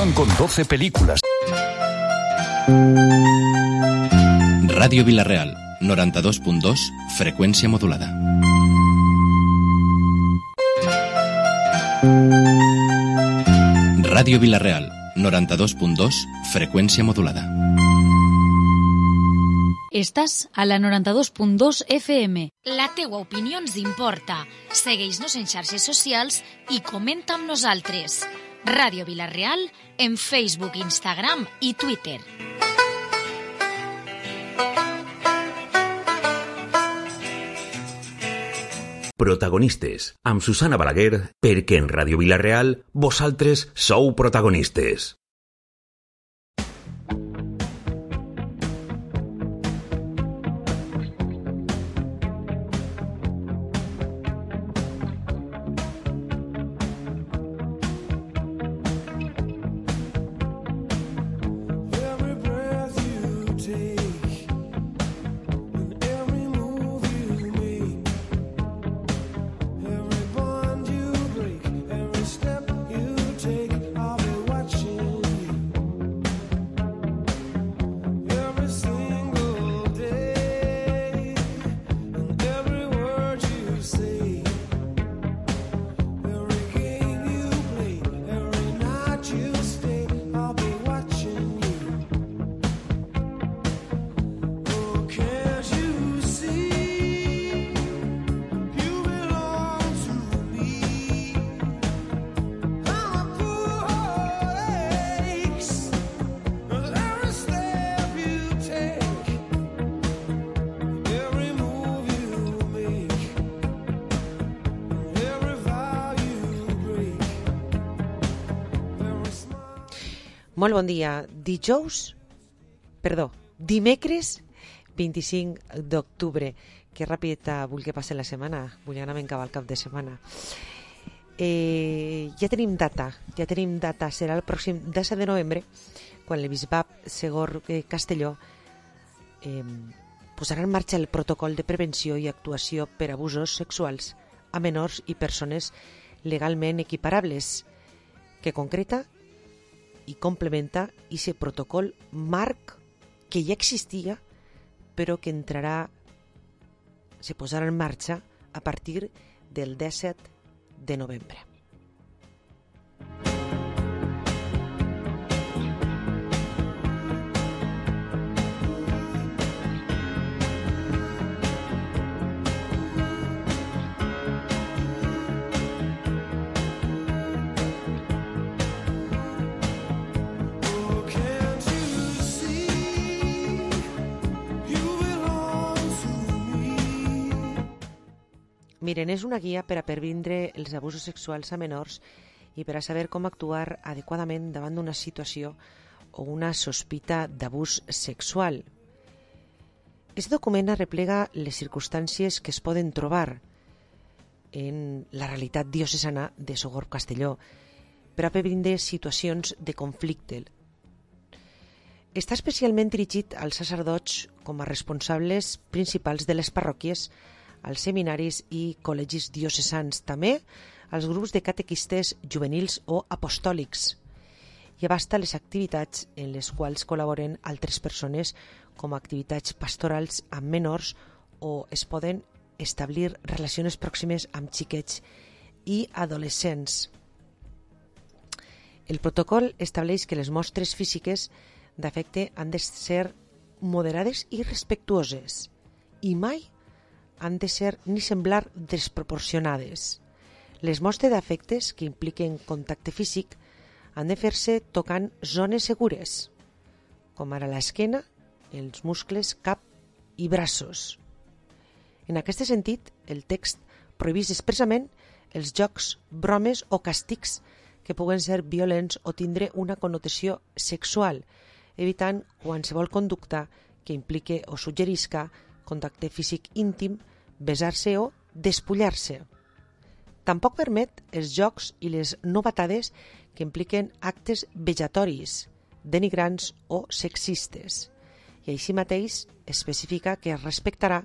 televisión con 12 películas. Ràdio Vila-real, 92.2, freqüència modulada. Ràdio Vila-real, 92.2, freqüència modulada. Estàs a la 92.2 FM. La teua opinió ens importa. Segueix-nos en xarxes socials i comenta amb nosaltres. Ràdio Vila-real en Facebook, Instagram i Twitter. Protagonistes, amb Susana Balaguer, perquè en Ràdio Vila-real vosaltres sou protagonistes. Molt bon dia. Dimecres 25 d'octubre. Que ràpid vull que passi la setmana. Vull anar a acabar el cap de setmana. Ja tenim data. Serà el pròxim 17 de novembre, quan el bisbat Segor Castelló posarà en marxa el protocol de prevenció i actuació per abusos sexuals a menors i persones legalment equiparables, que concreta i complementa ese protocol marc que ja existia, però que se posarà en marxa a partir del 17 de novembre. Miren, és una guia per a previndre els abusos sexuals a menors i per a saber com actuar adequadament davant d'una situació o una sospita d'abús sexual. Aquest document arreplega les circumstàncies que es poden trobar en la realitat diocesana de Sogorb Castelló per a previndre situacions de conflicte. Està especialment dirigit als sacerdots com a responsables principals de les parròquies, als seminaris i col·legis diocesans, també als grups de catequistes juvenils o apostòlics, i abasta les activitats en les quals col·laboren altres persones com a activitats pastorals amb menors o es poden establir relacions pròximes amb xiquets i adolescents. El protocol estableix que les mostres físiques d'afecte han de ser moderades i respectuoses i mai han de ser ni semblar desproporcionades. Les mostres d'afectes que impliquen contacte físic han de fer-se tocant zones segures, com ara l'esquena, els muscles, cap i braços. En aquest sentit, el text prohibeix expressament els jocs, bromes o càstigs que puguen ser violents o tindre una connotació sexual, evitant qualsevol conducta que implique o suggerisca contacte físic íntim, besar-se o despullar-se. Tampoc permet els jocs i les novatades que impliquen actes vejatoris, denigrants o sexistes. I així mateix especifica que es respectarà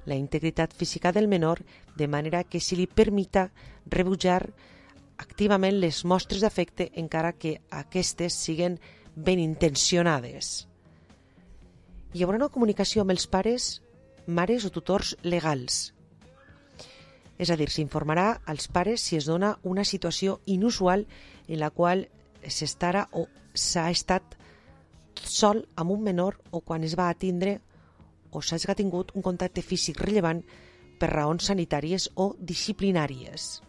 la integritat física del menor de manera que se li permita rebutjar activament les mostres d'afecte encara que aquestes siguen ben intencionades. Hi haurà una comunicació amb els pares, mares o tutors legals. És a dir, s'informarà als pares si es dona una situació inusual en la qual s'estarà o s'ha estat sol amb un menor o quan es va atindre o s'hagi tingut un contacte físic rellevant per raons sanitàries o disciplinàries.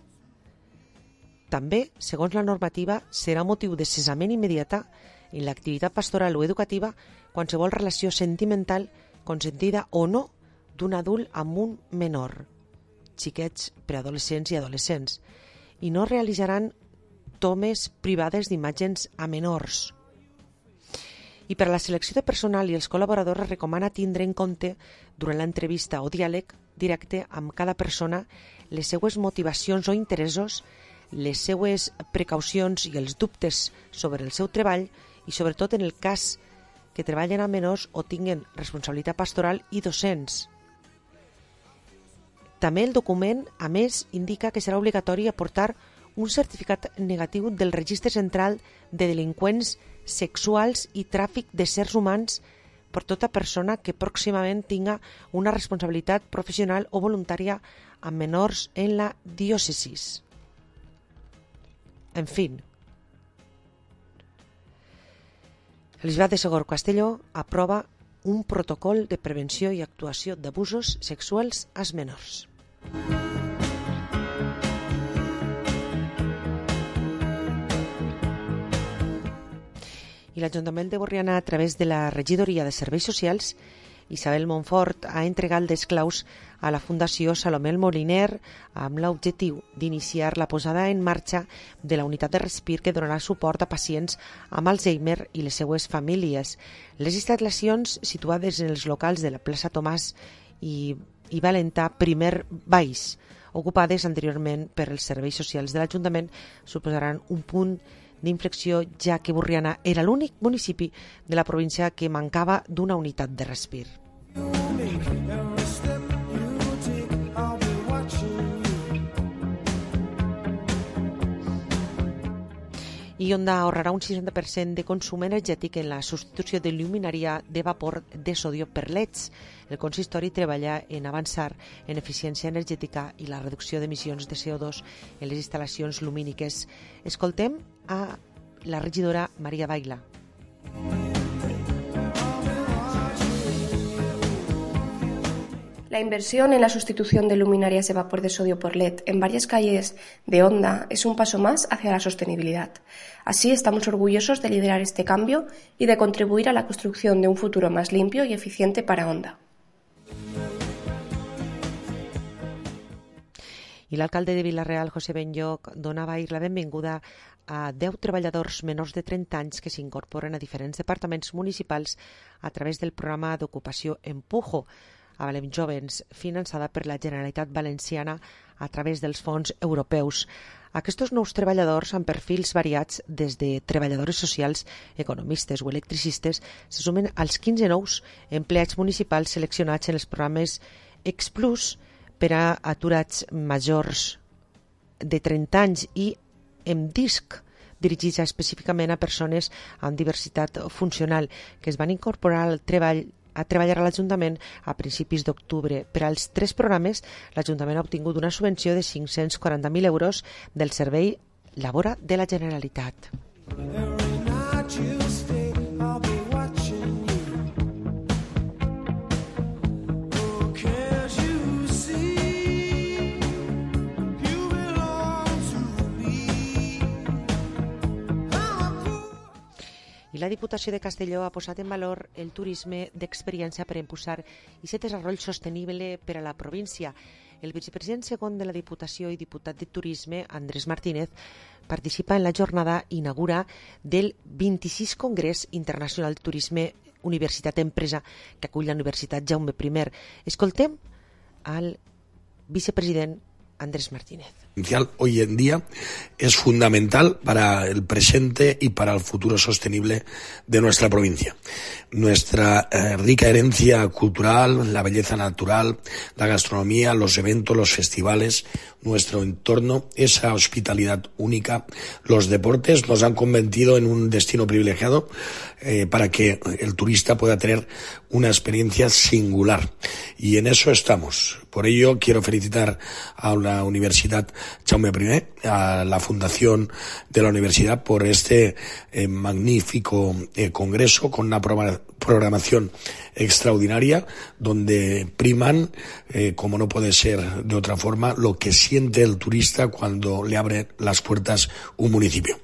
També, segons la normativa, serà motiu de cessament immediata en l'activitat pastoral o educativa qualsevol relació sentimental consentida o no d'un adult amb un menor, xiquets, preadolescents i adolescents, i no realitzaran tomes privades d'imatges a menors. I per a la selecció de personal i els col·laboradors es recomana tindre en compte durant l'entrevista o diàleg directe amb cada persona les seues motivacions o interessos, les seues precaucions i els dubtes sobre el seu treball i sobretot en el cas que treballen amb menors o tinguen responsabilitat pastoral i docents. També el document, a més, indica que serà obligatori aportar un certificat negatiu del Registre Central de Delinqüents Sexuals i Tràfic d'éssers humans per tota persona que pròximament tinga una responsabilitat professional o voluntària amb menors en la diòcesis. En fi, el Bisbat de Segor Castelló aprova un protocol de prevenció i actuació d'abusos sexuals als menors. I l'Ajuntament de Borriana, a través de la Regidoria de Serveis Socials, Isabel Montfort ha entregat les claus a la Fundació Salomé el Moliner amb l'objectiu d'iniciar la posada en marxa de la unitat de respir que donarà suport a pacients amb Alzheimer i les seues famílies. Les instal·lacions situades en els locals de la plaça Tomàs i Valentà Primer Baix, ocupades anteriorment per els serveis socials de l'Ajuntament, suposaran un punt d'inflexió, ja que Borriana era l'únic municipi de la província que mancava d'una unitat de respir. I Onda ahorrarà un 60% de consum energètic en la substitució de lluminària de vapor de sodio per LEDs. El consistori treballa en avançar en eficiència energètica i la reducció d'emissions de CO2 en les instal·lacions lumíniques. Escoltem a la regidora Maria Baila. La inversión en la sustitución de luminarias de vapor de sodio por LED en varias calles de Onda es un paso más hacia la sostenibilidad. Así estamos orgullosos de liderar este cambio y de contribuir a la construcción de un futuro más limpio y eficiente para Onda. I l'alcalde de Vila-real, José Benlloc, donava ahir la benvinguda a 10 treballadors menors de 30 anys que s'incorporen a diferents departaments municipals a través del programa d'ocupació Empujo, a Valem Jovens, finançada per la Generalitat Valenciana a través dels fons europeus. Aquests nous treballadors, amb perfils variats des de treballadores socials, economistes o electricistes, se sumen als 15 nous empleats municipals seleccionats en els programes Explus per a aturats majors de 30 anys i EMDISC, dirigits específicament a persones amb diversitat funcional que es van incorporar al treball a treballar a l'Ajuntament a principis d'octubre. Per als 3 programes, l'Ajuntament ha obtingut una subvenció de 540.000 euros del Servei Labora de la Generalitat. I la Diputació de Castelló ha posat en valor el turisme d'experiència per impulsar aquest desenvolupament sostenible per a la província. El vicepresident segon de la Diputació i diputat de Turisme, Andrés Martínez, participa en la jornada inaugura del 26 Congrés Internacional de Turisme Universitat Empresa que acull la Universitat Jaume I. Escoltem al vicepresident Andrés Martínez. Hoy en día es fundamental para el presente y para el futuro sostenible de nuestra provincia. Nuestra rica herencia cultural, la belleza natural, la gastronomía, los eventos, los festivales, nuestro entorno, esa hospitalidad única, los deportes nos han convertido en un destino privilegiado para que el turista pueda tener una experiencia singular. Y en eso estamos. Por ello quiero felicitar a la Universidad Jaume I, a la Fundación de la Universidad por este magnífico congreso con una programación extraordinaria donde priman, como no puede ser de otra forma, lo que siente el turista cuando le abre las puertas un municipio.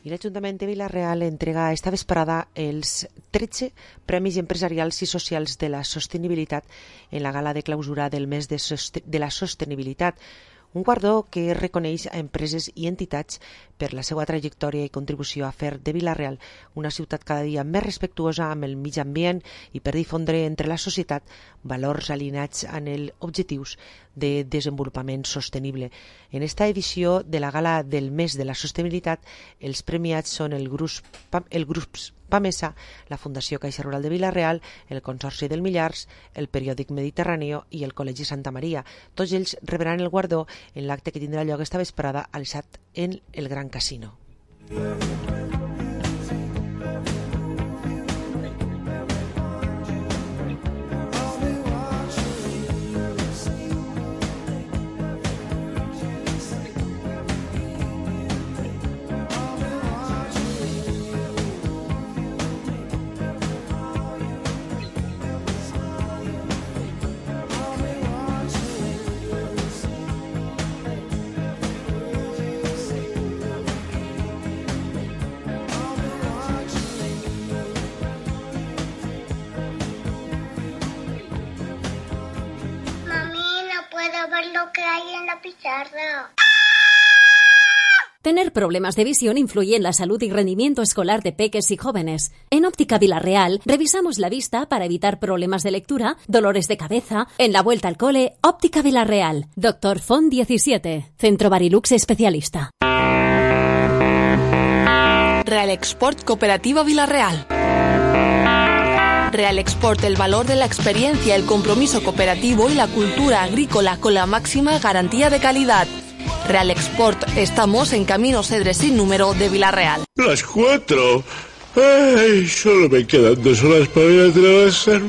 I l'Ajuntament de Vila-real entrega esta vesprada els 13 Premis Empresarials i Socials de la Sostenibilitat en la gala de clausura del mes de la sostenibilitat, un guardó que reconeix a empreses i entitats per la seva trajectòria i contribució a fer de Vila-real una ciutat cada dia més respectuosa amb el mig ambient i per difondre entre la societat valors alineats amb els objectius de desenvolupament sostenible. En esta edició de la gala del mes de la sostenibilitat, els premiats són el grup PAMESA, la Fundació Caixa Rural de Vila-real, el Consorci del Millars, el Periòdic Mediterráneo i el Col·legi Santa Maria. Tots ells rebran el guardó en l'acte que tindrà lloc esta vesprada al SAT en el Gran Casino. Tener problemas de visión influye en la salud y rendimiento escolar de peques y jóvenes. En Óptica Vila-real revisamos la vista para evitar problemas de lectura, dolores de cabeza. En la vuelta al cole, Óptica Vila-real. Dr. Font 17, Centro Barilux Especialista. Real Export Cooperativa Vila-real. Real Export, el valor de la experiencia, el compromiso cooperativo y la cultura agrícola con la máxima garantía de calidad. Real Export, estamos en Camino Cedres sin número de Vila-real. Las 4. Ay, solo me quedan 2 horas para ir a trabajar,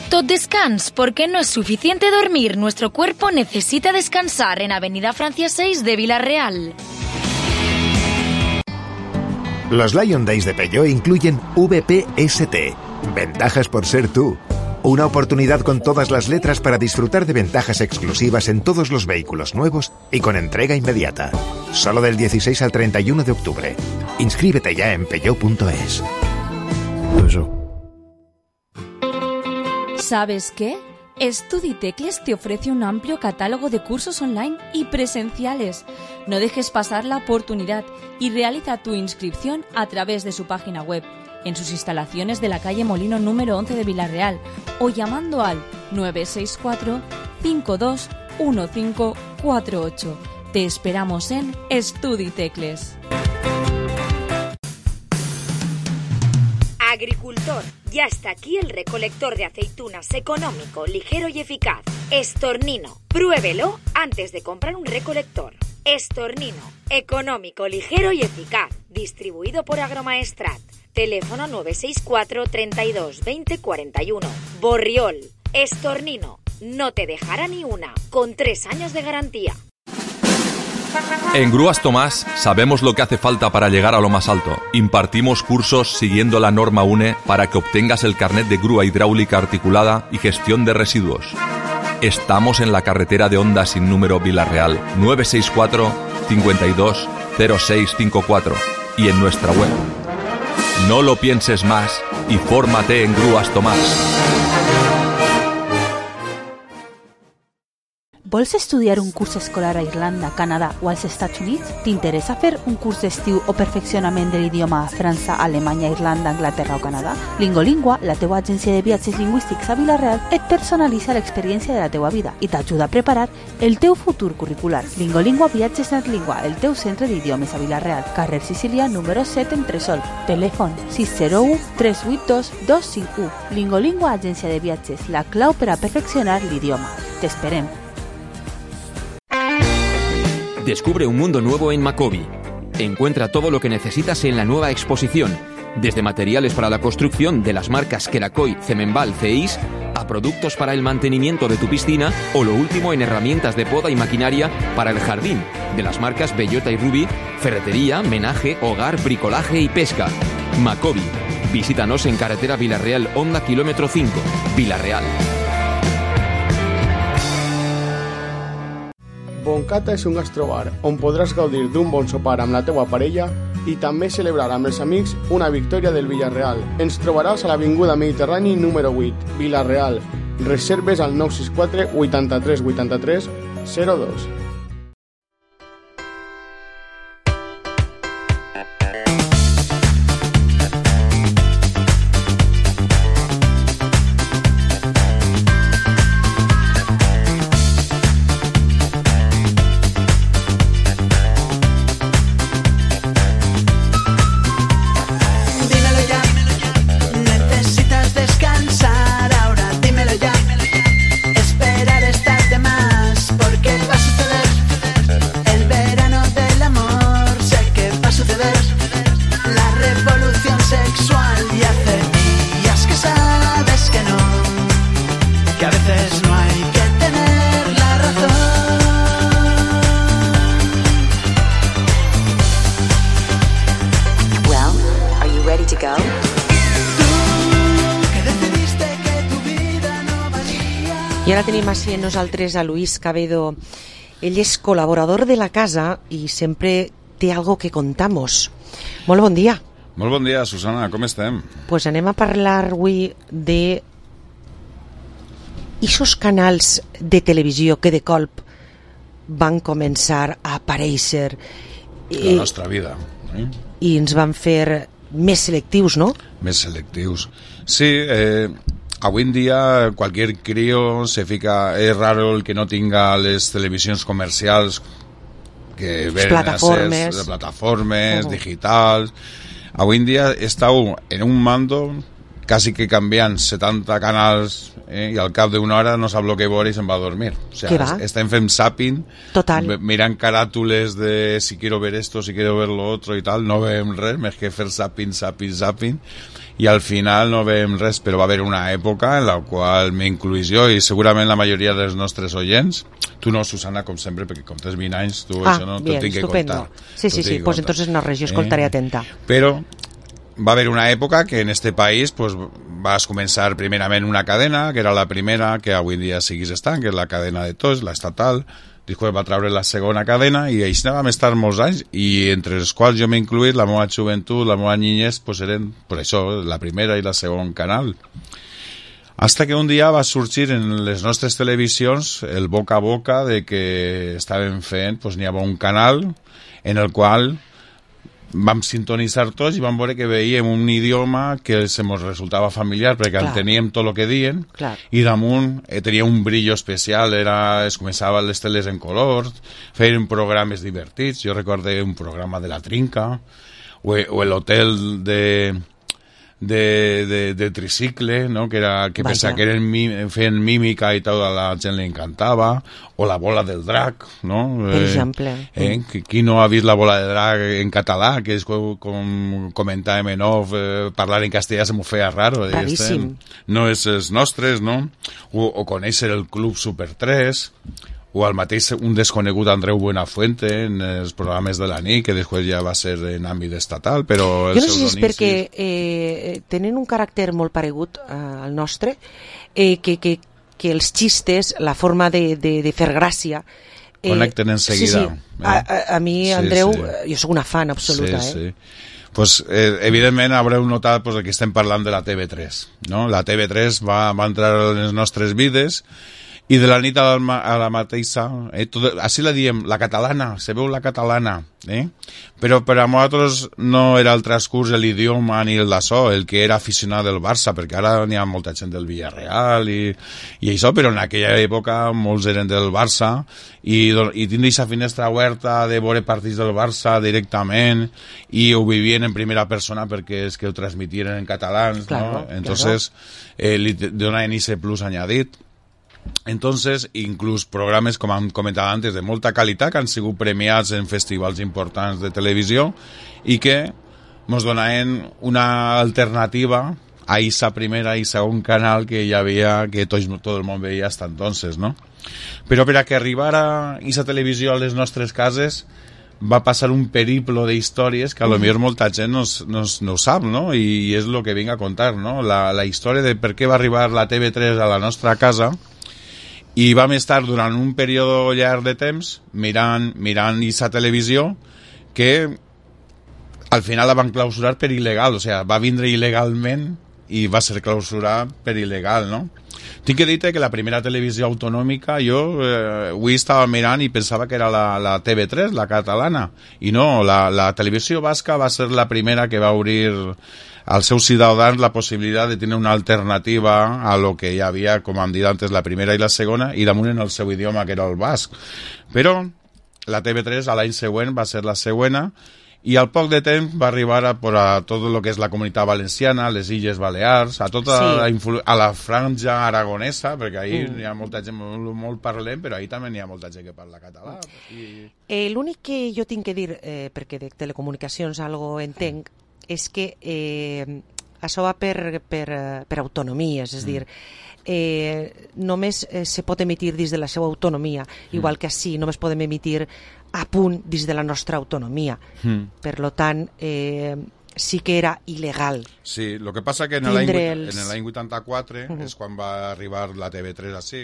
Tot descans, porque no es suficiente dormir. Nuestro cuerpo necesita descansar en Avenida Francia 6 de Vila-real. Los Lion Days de Peugeot incluyen VPST, ventajas por ser tú. Una oportunidad con todas las letras para disfrutar de ventajas exclusivas en todos los vehículos nuevos y con entrega inmediata. Solo del 16 al 31 de octubre. Inscríbete ya en peugeot.es. ¿Sabes qué? StudiTecles te ofrece un amplio catálogo de cursos online y presenciales. No dejes pasar la oportunidad y realiza tu inscripción a través de su página web, en sus instalaciones de la calle Molino número 11 de Vila-real o llamando al 964 521548. Te esperamos en StudiTecles. Agricultor, ya está aquí el recolector de aceitunas económico, ligero y eficaz. Estornino, pruébelo antes de comprar un recolector. Estornino, económico, ligero y eficaz. Distribuido por Agromaestrat. Teléfono 964 32 20 41. Borriol, Estornino, no te dejará ni una, con 3 años de garantía. En Grúas Tomás sabemos lo que hace falta para llegar a lo más alto. Impartimos cursos siguiendo la norma UNE para que obtengas el carnet de grúa hidráulica articulada y gestión de residuos. Estamos en la carretera de Honda sin número Vila-real 964 52 0654 y en nuestra web. No lo pienses más y fórmate en Grúas Tomás. Vols estudiar un curs escolar a Irlanda, Canadà o als Estats Units? T'interessa fer un curs d'estiu o perfeccionament de l'idioma a França, Alemanya, Irlanda, Anglaterra o Canadà? Lingolingua, la teua agència de viatges lingüístics a Vila-real, et personalitza l'experiència de la teua vida i t'ajuda a preparar el teu futur curricular. Lingolingua Viatges NetLingua, el teu centre d'idiomes a Vila-real, carrer Sicília, número 7 en Tresol. Telèfon 601 382 251. Lingolingua, agència de viatges, la clau per a perfeccionar l'idioma. T'esperem. Descubre un mundo nuevo en Macobi. Encuentra todo lo que necesitas en la nueva exposición, desde materiales para la construcción de las marcas Queracoy, Cemenbal, CEIS, a productos para el mantenimiento de tu piscina o lo último en herramientas de poda y maquinaria para el jardín, de las marcas Bellota y Ruby, ferretería, menaje, hogar, bricolaje y pesca. Macobi. Visítanos en carretera Vila-real, Honda, kilómetro 5, Vila-real. Boncata és un gastrobar on podràs gaudir d'un bon sopar amb la teua parella i també celebrar amb els amics una victòria del Villarreal. Ens trobaràs a l'Avinguda Mediterrani número 8, Vila-real. Reserves al 964 83 83 02. I ara tenim així amb nosaltres a Luis Cabedo. Ell és col·laborador de la casa i sempre té algo que contamos. Molt bon dia. Molt bon dia, Susana, com estem? Pues anem a parlar avui de ixos canals de televisió que de colp van començar a aparèixer la nostra vida, i ens van fer més selectius, ¿no? Més selectius. Sí, avui en dia cualquier crío se fica, es raro el que no tenga les televisions comercials que ven plataformes, de plataformes digitals. Avui en dia estàu en un mando quasi que canviant 70 canals i al cap d'una hora no sap el que veure i se'n va a dormir. O sea, estem fent zapping, mirant caràtules de si quiero ver esto, si quiero ver lo otro i tal, no veiem res, més que fer zapping, i al final no veiem res, però va haver una època en la qual m'incluís jo i segurament la majoria dels nostres oients, tu no, Susana, com sempre, perquè com tens 20 anys, tu això no t'ho tinc que contar. Sí, pues entonces no res, jo escoltaré atenta. Però va haver una època que en este país pues, vas començar primerament una cadena, que era la primera que avui dia seguís estant, que és la cadena de tots, la estatal. Després va treure la segona cadena i així vam estar molts anys i entre els quals jo m'he incluït la meva joventut, la meva niñez, pues eren per això, la primera i la segon canal. Hasta que un dia va sorgir en les nostres televisions el boca a boca de que estaven fent, pues n'hi havia un canal en el qual vam sintonitzar tots i vam veure que veiem un idioma que se mos resultava familiar perquè enteníem tot el que diuen i damunt tenia un brillo especial, es començava les teles en color, feien programes divertits. Jo recordo un programa de La Trinca o l'hotel de tricicle, no? que pensava que feien mímica i tota la gent li encantava, o La bola del drac, no? Per exemple. Qui no ha vist La bola del drac en català, que és com comentàvem en off, parlar en castellà se m'ho feia raro. Raríssim. No és els nostres, no? O conèixer el Club Super 3, o el mateix un desconegut Andreu Buenafuente en els programes de la nit, que després ja va ser en àmbit estatal, però... Jo no sé si és perquè tenen un caràcter molt paregut al nostre, que els xistes, la forma de fer gràcia... Connecten enseguida. Sí. A mi, Andreu, jo sóc una fan absoluta. Sí. Pues, evidentment haureu notat pues, que estem parlant de la TV3, no? La TV3 va entrar en les nostres vides I de la nit a la mateixa, així la diem, la catalana, se veu la catalana, però per a nosaltres no era el transcurs l'idioma ni el d'això, el que era aficionat del Barça, perquè ara n'hi ha molta gent del Villarreal i això, però en aquella època molts eren del Barça i tindre aquesta finestra oberta de veure partits del Barça directament i ho vivien en primera persona perquè és que ho transmitien en catalans, claro, ¿no? Entonces, li donaven ese plus añadit. Entonces, inclús programes, com hem comentat antes, de molta qualitat, que han sigut premiats en festivals importants de televisió i que ens donaven una alternativa a aquesta primera i segon canal que hi havia, que tot el món veia hasta entonces, no? Però per a que arribara aquesta televisió a les nostres cases va passar un periplo de històries que a lo millor molta gent no ho sap, no? I és el que vinc a contar, no? La història de per què va arribar la TV3 a la nostra casa. I vam estar durant un període llarg de temps mirant aquesta televisió que al final la van clausurar per il·legal, o sigui, va vindre il·legalment i va ser clausurat per il·legal, no? Tinc que dir-te que la primera televisió autonòmica jo avui estava mirant i pensava que era la TV3, la catalana, i no, la televisió basca va ser la primera que va obrir als seus ciutadans la possibilitat de tenir una alternativa a lo que hi havia, com hem dit antes, la primera i la segona, i damunt en el seu idioma, que era el basc. Però la TV3 a l'any següent va ser la següena, i al poc de temps va arribar a tot el que és la Comunitat Valenciana, les Illes Balears, a tota a la franja aragonesa, perquè ahir hi ha molta gent molt parlem, però ahir també hi ha molta gent que parla català. L'únic que jo tinc que dir, perquè de telecomunicacions algo entenc, és que això va per autonomies, és a dir, només se pot emitir dins de la seva autonomia, igual que així només podem emitir a punt dins de la nostra autonomia. Per tant, sí que era il·legal. Sí, el que passa que en l'any 84 és quan va arribar la TV3 així,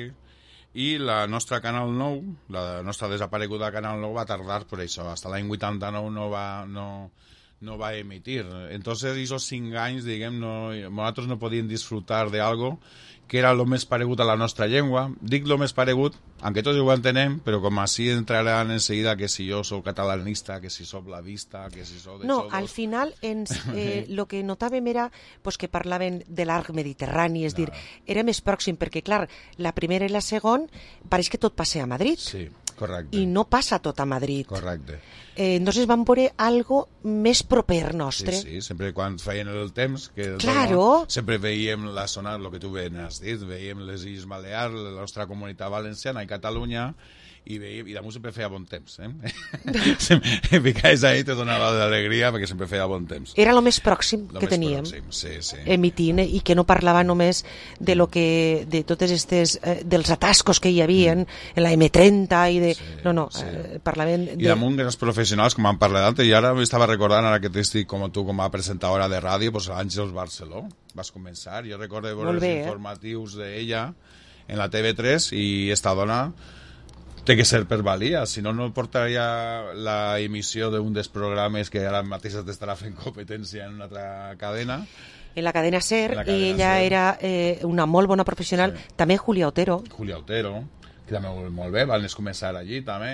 i la nostra Canal 9, la nostra desapareguda Canal 9 va tardar per això, fins l'any 89 no va emitir. Entonces, esos 5 anys, diguem, nosaltres no podíem disfrutar d'algo que era el més paregut a la nostra llengua. Dic el més paregut, aunque tots ho entenem, però com així entraran enseguida que si jo soc catalanista, que si soc blavista, que si soc de No, al final el que notàvem era que parlaven de l'arc mediterrani, és dir, era més pròxim, perquè clar, la primera i la segona pareix que tot passa a Madrid. Sí, correcte. I no passa tot a Madrid. Correcte. Entonces vam veure algo més proper nostre. Sí, sempre quan feien el temps, que claro. Sempre veiem la zona, el que tu has dit, veiem les Illes Balears, la nostra comunitat valenciana i Catalunya, i damunt sempre feia bon temps. Ficaves ahí, te donava d'alegria, perquè sempre feia bon temps. Era el més pròxim que teníem, emitint, i que no parlava només de totes aquestes, dels atascos que hi havia en la M30 i de... No, parlaven de... I damunt grans professionals, com han parlat antes, i ara m'estava recordant, ara que t'estic com tu, com a presentadora de ràdio, l'Àngels Barceló, vas començar, jo recordo veure els informatius d'ella en la TV3, i esta dona té que ser per valia, si no portaria la emissió d'un dels programes que ara mateix t'estarà fent competència en una altra cadena. En la cadena SER, i ella era una molt bona professional, també Julia Otero. Julia Otero, que també molt bé, van començar allí també,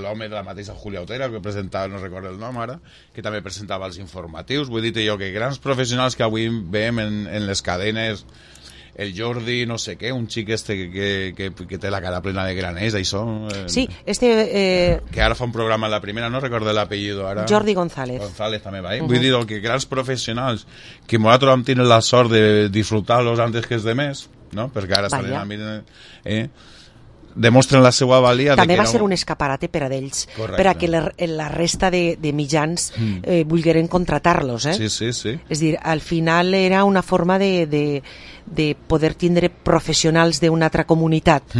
l'home de la mateixa Julia Otero, que presentava, no recordo el nom ara, que també presentava els informatius. Vull dir-te jo que grans professionals que avui veiem en les cadenes, el Jordi, no sé què, un xic que té la cara plena de graners, això... Sí, que ara fa un programa en la primera, no recordo l'apellido ara... Jordi González. González també va, Vull dir que grans professionals que nosaltres vam tenir la sort de disfrutar-los antes que els demés, no? Perquè ara estan demostren la seva valia... També va ser un escaparate per a d'ells, per a que la resta de mitjans volgueren contratar-los, Sí. És dir, al final era una forma de poder tindre professionals d'una altra comunitat.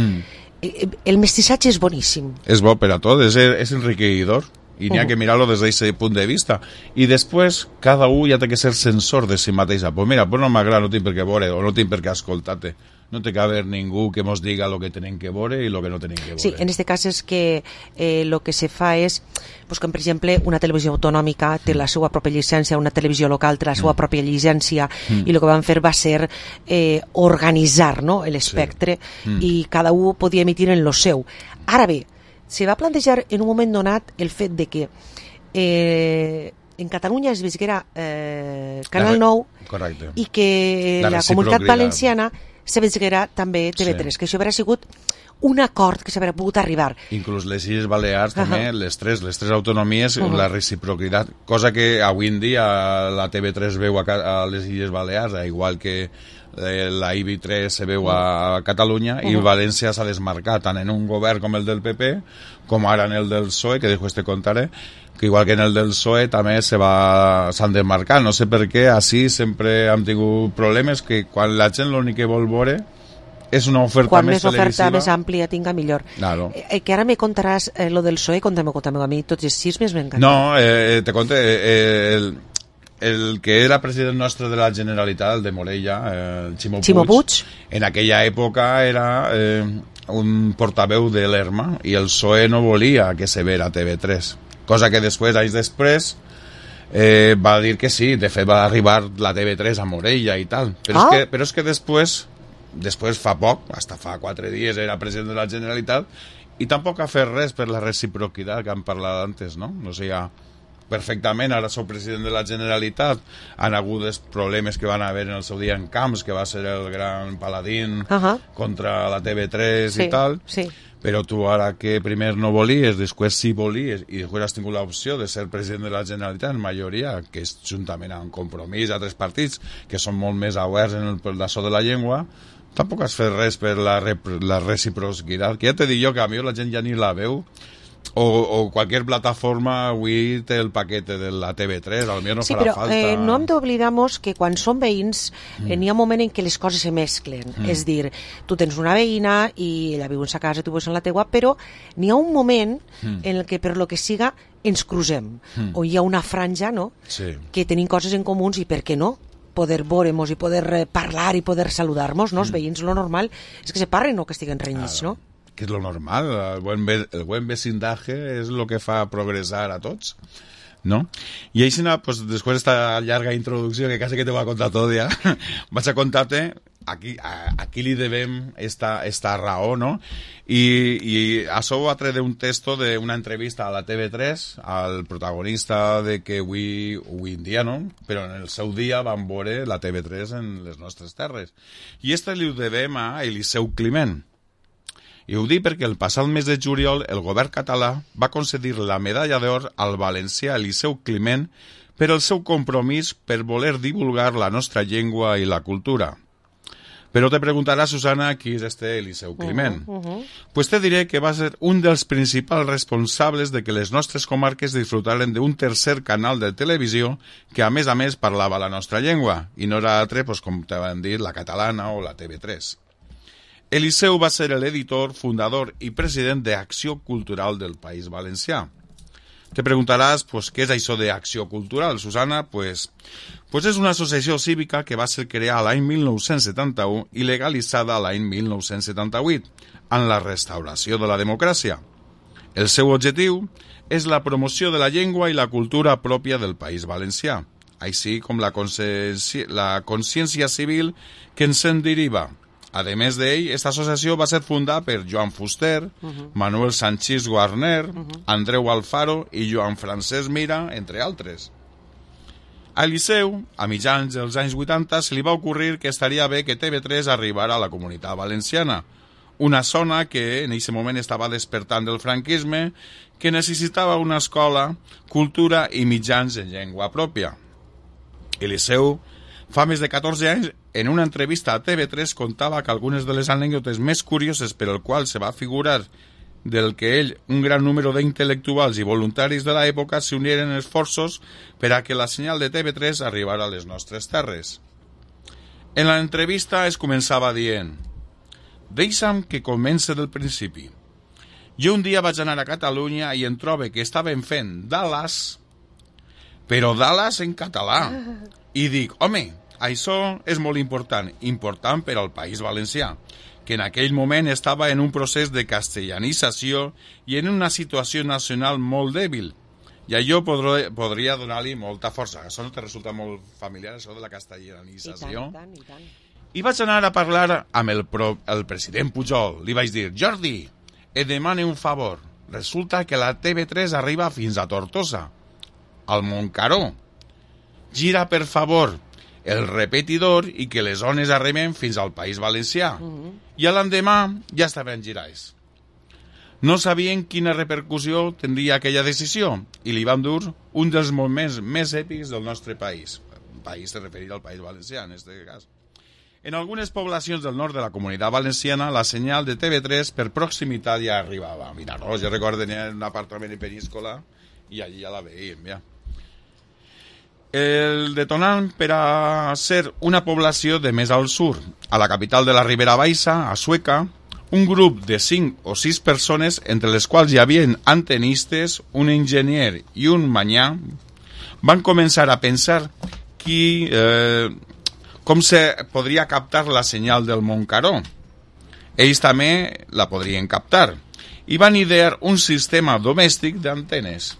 El mestissatge és boníssim. És bo per a tot, és enriquidor. i n'hi ha que mirar-lo des d'aquest punt de vista. I després, cada un ja té que ser censor de si mateixa. Pues mira, pues no m'agrada, no tinc per què veure, o no tinc per què escoltar-te. No té que haver ningú que mos diga lo que tenen que veure i lo que no tenen que veure. Sí, en este cas és que lo que se fa és, pues, que, per exemple, una televisió autonòmica té la seva pròpia llicència, una televisió local té la seva pròpia llicència, i el que van fer va ser organitzar, no?, l'espectre, i cada un podia emitir en lo seu. Ara bé, se va plantejar en un moment donat el fet de que en Catalunya es visquera Canal 9, correcte, i que la comunitat valenciana se visquera també TV3, que això hauria sigut un acord que s'hauria pogut arribar. Inclús les Illes Balears també, les tres autonomies, la reciprocitat, cosa que avui en dia la TV3 veu a les Illes Balears, igual que la IB3 se veu a Catalunya, i València s'ha desmarcat tant en un govern com el del PP, com ara en el del PSOE, que després te contaré, que igual que en el del PSOE també s'han desmarcat. No sé per què, així sempre hem tingut problemes, que quan la gent l'únic que vol veure és una oferta més televisiva. Quan més oferta més àmplia tinga, millor. Claro. Que ara me contaràs lo del PSOE, conta'm a mi, tots els xismes m'encanten. No, te conté, el que era president nostre de la Generalitat, el de Morella, el Ximo Puig, en aquella època era un portaveu de l'ERMA, i el PSOE no volia que se vera a TV3, cosa que després, anys després, va dir que sí. De fet va arribar la TV3 a Morella i tal, però és que després fa poc, hasta fa 4 dies era president de la Generalitat, i tampoc ha fet res per la reciprocitat que han parlat antes, no? O sigui, perfectament, ara sou president de la Generalitat, han hagut els problemes que van haver en el seu dia en Camps, que va ser el gran paladín contra la TV3 i tal, però tu ara que primer no volies, després sí volies, i després has tingut l'opció de ser president de la Generalitat en majoria, que és juntament amb Compromís, altres partits que són molt més oberts en l'això de la llengua, tampoc has fet res per la reciprocitat, que ja t'he dit jo que a mi la gent ja ni la veu, o qualsevol plataforma avui té el paquete de la TV3, potser no farà falta. Sí, però no hem d'oblidar que quan som veïns n'hi ha un moment en què les coses se mesclen. És dir, tu tens una veïna i ella viu en sa casa, tu vius en la teua, però n'hi ha un moment en el que per lo que siga ens crucem, o hi ha una franja, no?, que tenim coses en comuns, i per què no? Poder veure-nos i poder parlar i poder saludar-nos, no? Els veïns, lo normal és que se parlen o que estiguen renyits, no? Que és lo normal, el buen vecindaje és el que fa progressar a tots, no? I així, pues, després d'esta llarga introducció, que quasi que te voy a contar tot ja, vaig a contar-te aquí li devem esta raó, no? I això ho va treure un texto d'una entrevista a la TV3 al protagonista de que avui en dia, no? Però en el seu dia van veure la TV3 en les nostres terres. I li ho devem a Eliseu Climent. I ho dic perquè el passat mes de juliol el govern català va concedir la medalla d'or al valencià Eliseu Climent per el seu compromís per voler divulgar la nostra llengua i la cultura. Però te preguntarà, Susana, qui és este Eliseu Climent. Pues te diré que va ser un dels principals responsables de que les nostres comarques disfrutaren d'un tercer canal de televisió que, a més, parlava la nostra llengua, i no era altre, pues, com te van dir, la catalana o la TV3. Eliseu va ser l'editor, fundador i president d'Acció Cultural del País Valencià. Te preguntaràs, pues, què és això d'Acció Cultural, Susana? Pues és una associació cívica que va ser creada l'any 1971 i legalitzada l'any 1978, en la restauració de la democràcia. El seu objectiu és la promoció de la llengua i la cultura pròpia del País Valencià, així com la consciència civil que ens en deriva. A més d'ell, aquesta associació va ser fundada per Joan Fuster, Manuel Sanchís Guarner, Andreu Alfaro i Joan Francesc Mira, entre altres. A Eliseu, a mitjans dels anys 80, se li va ocórrer que estaria bé que TV3 arribara a la Comunitat Valenciana, una zona que en aquest moment estava despertant del franquisme, que necessitava una escola, cultura i mitjans en llengua pròpia. Eliseu, fa més de 14 anys, en una entrevista a TV3 contava que algunes de les anècdotes més curioses per el qual se va figurar del que ell, un gran número d'intel·lectuals i voluntaris de l'època s'uniren esforços per a que la senyal de TV3 arribara a les nostres terres. En l'entrevista es començava dient: «Deixa'm que comence del principi. Jo un dia vaig anar a Catalunya i em trobo que estaven fent Dallas, però Dallas en català. I dic, home, això és molt important per al País Valencià, que en aquell moment estava en un procés de castellanització i en una situació nacional molt dèbil. I allò podria donar-li molta força. Això no te resulta molt familiar, això de la castellanització? I tant. I vaig anar a parlar amb el president Pujol. Li vaig dir, Jordi, et demane un favor. Resulta que la TV3 arriba fins a Tortosa, al Montcaró. Gira, per favor, el repetidor i que les ones arriben fins al País Valencià. I a l'endemà ja estaven girats. No sabien quina repercussió tindria aquella decisió i li van dur un dels moments més èpics del nostre país. El país se referia al País Valencià, en aquest cas. En algunes poblacions del nord de la Comunitat Valenciana, la senyal de TV3 per proximitat ja arribava. Mira, no, jo recordo tenir un apartament en Peníscola i allí ja la veiem, ja. El detonant per a ser una població de més al sud, a la capital de la Ribera Baixa, a Sueca, un grup de 5 o 6 persones, entre les quals hi havia antenistes, un enginyer i un manyà, van començar a pensar com se podria captar la senyal del Montcaró. Ells també la podrien captar i van idear un sistema domèstic d'antenes.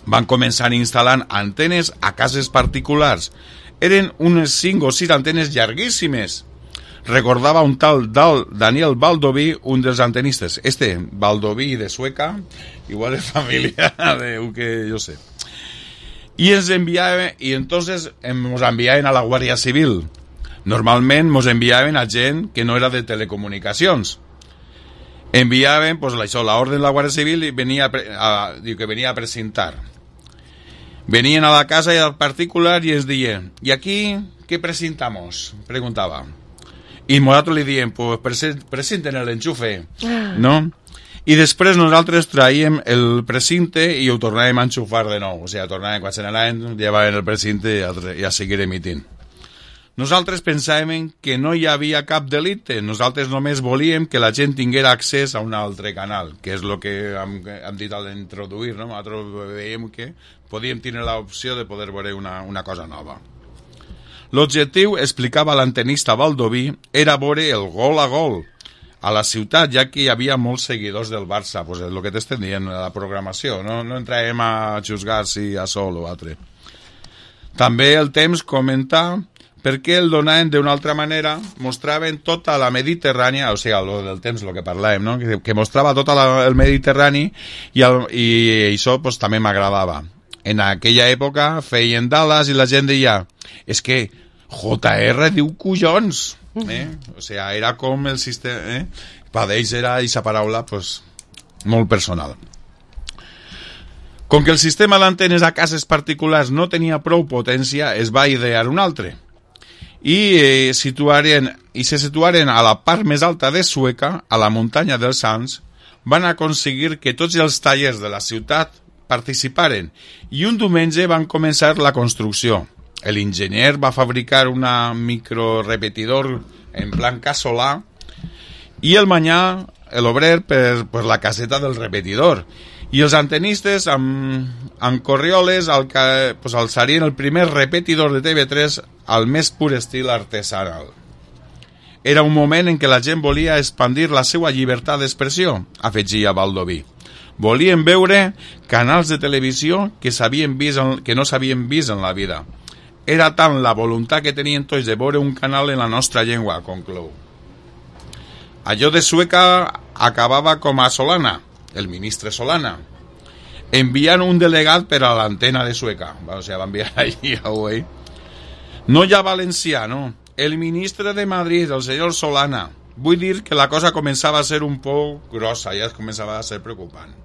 Van començar instal·lant antenes a cases particulars. Eren unes 5 o 6 antenes llarguíssimes. Recordava un tal Daniel Baldoví, un dels antenistes. Baldoví de Sueca, igual és família de que jo sé. Y entonces nos enviaven a la Guàrdia Civil. Normalment nos enviaven a gent que no era de telecomunicacions. Enviaven, pues, la orden de la Guàrdia Civil y venía a presentar. Venían a la casa y al particular y es decían, ¿y aquí qué presentamos? Preguntaba. Y nosotros le diem, pues presenten el enchufe, ¿no? I després nosaltres traiem el precinte i ho tornàvem a enxufar de nou. O sigui, tornàvem, quan se n'anaven, llevaven el precinte i a seguir emitint. Nosaltres pensàvem que no hi havia cap delicte. Nosaltres només volíem que la gent tinguera accés a un altre canal, que és el que hem dit al introduir, no? Nosaltres veiem que podíem tenir l'opció de poder veure una cosa nova. L'objectiu, explicava l'antenista Baldoví, era veure el gol a gol a la ciutat, ja que hi havia molts seguidors del Barça, pues el que t'estem dient, la programació, no entrarem a juzgar si a sol o altre. També el temps comentar perquè el donaven d'una altra manera, mostraven tota la Mediterrània, o sigui, del temps, el que parlàvem, no? que mostrava tot el Mediterrani i això pues, també m'agradava. En aquella època feien Dallas i la gent deia, és que JR diu collons, o sigui, era com el sistema, per ells era aquesta paraula pues, molt personal. Com que el sistema d'antenes a cases particulars no tenia prou potència, es va idear un altre i se situaren a la part més alta de Sueca, a la muntanya dels Sants. Van aconseguir que tots els tallers de la ciutat participaren i un diumenge van començar la construcció. L'enginyer va fabricar una microrepetidor en plan casolà i el manyà, l'obrer, per la caseta del repetidor. I els antenistes amb corrioles alçarien el primer repetidor de TV3 al més pur estil artesanal. Era un moment en què la gent volia expandir la seva llibertat d'expressió, afegia Baldoví. Volien veure canals de televisió que no s'havien vist en la vida. Era tant la voluntat que tenien tots de veure un canal en la nostra llengua, conclou. Allò de Sueca acabava com a Solana, el ministre Solana, enviant un delegat per a l'antena de Sueca. O sigui, va enviar allí a Huey. No hi ha valencià, no. El ministre de Madrid, el senyor Solana. Vull dir que la cosa començava a ser un poc grossa, ja començava a ser preocupant.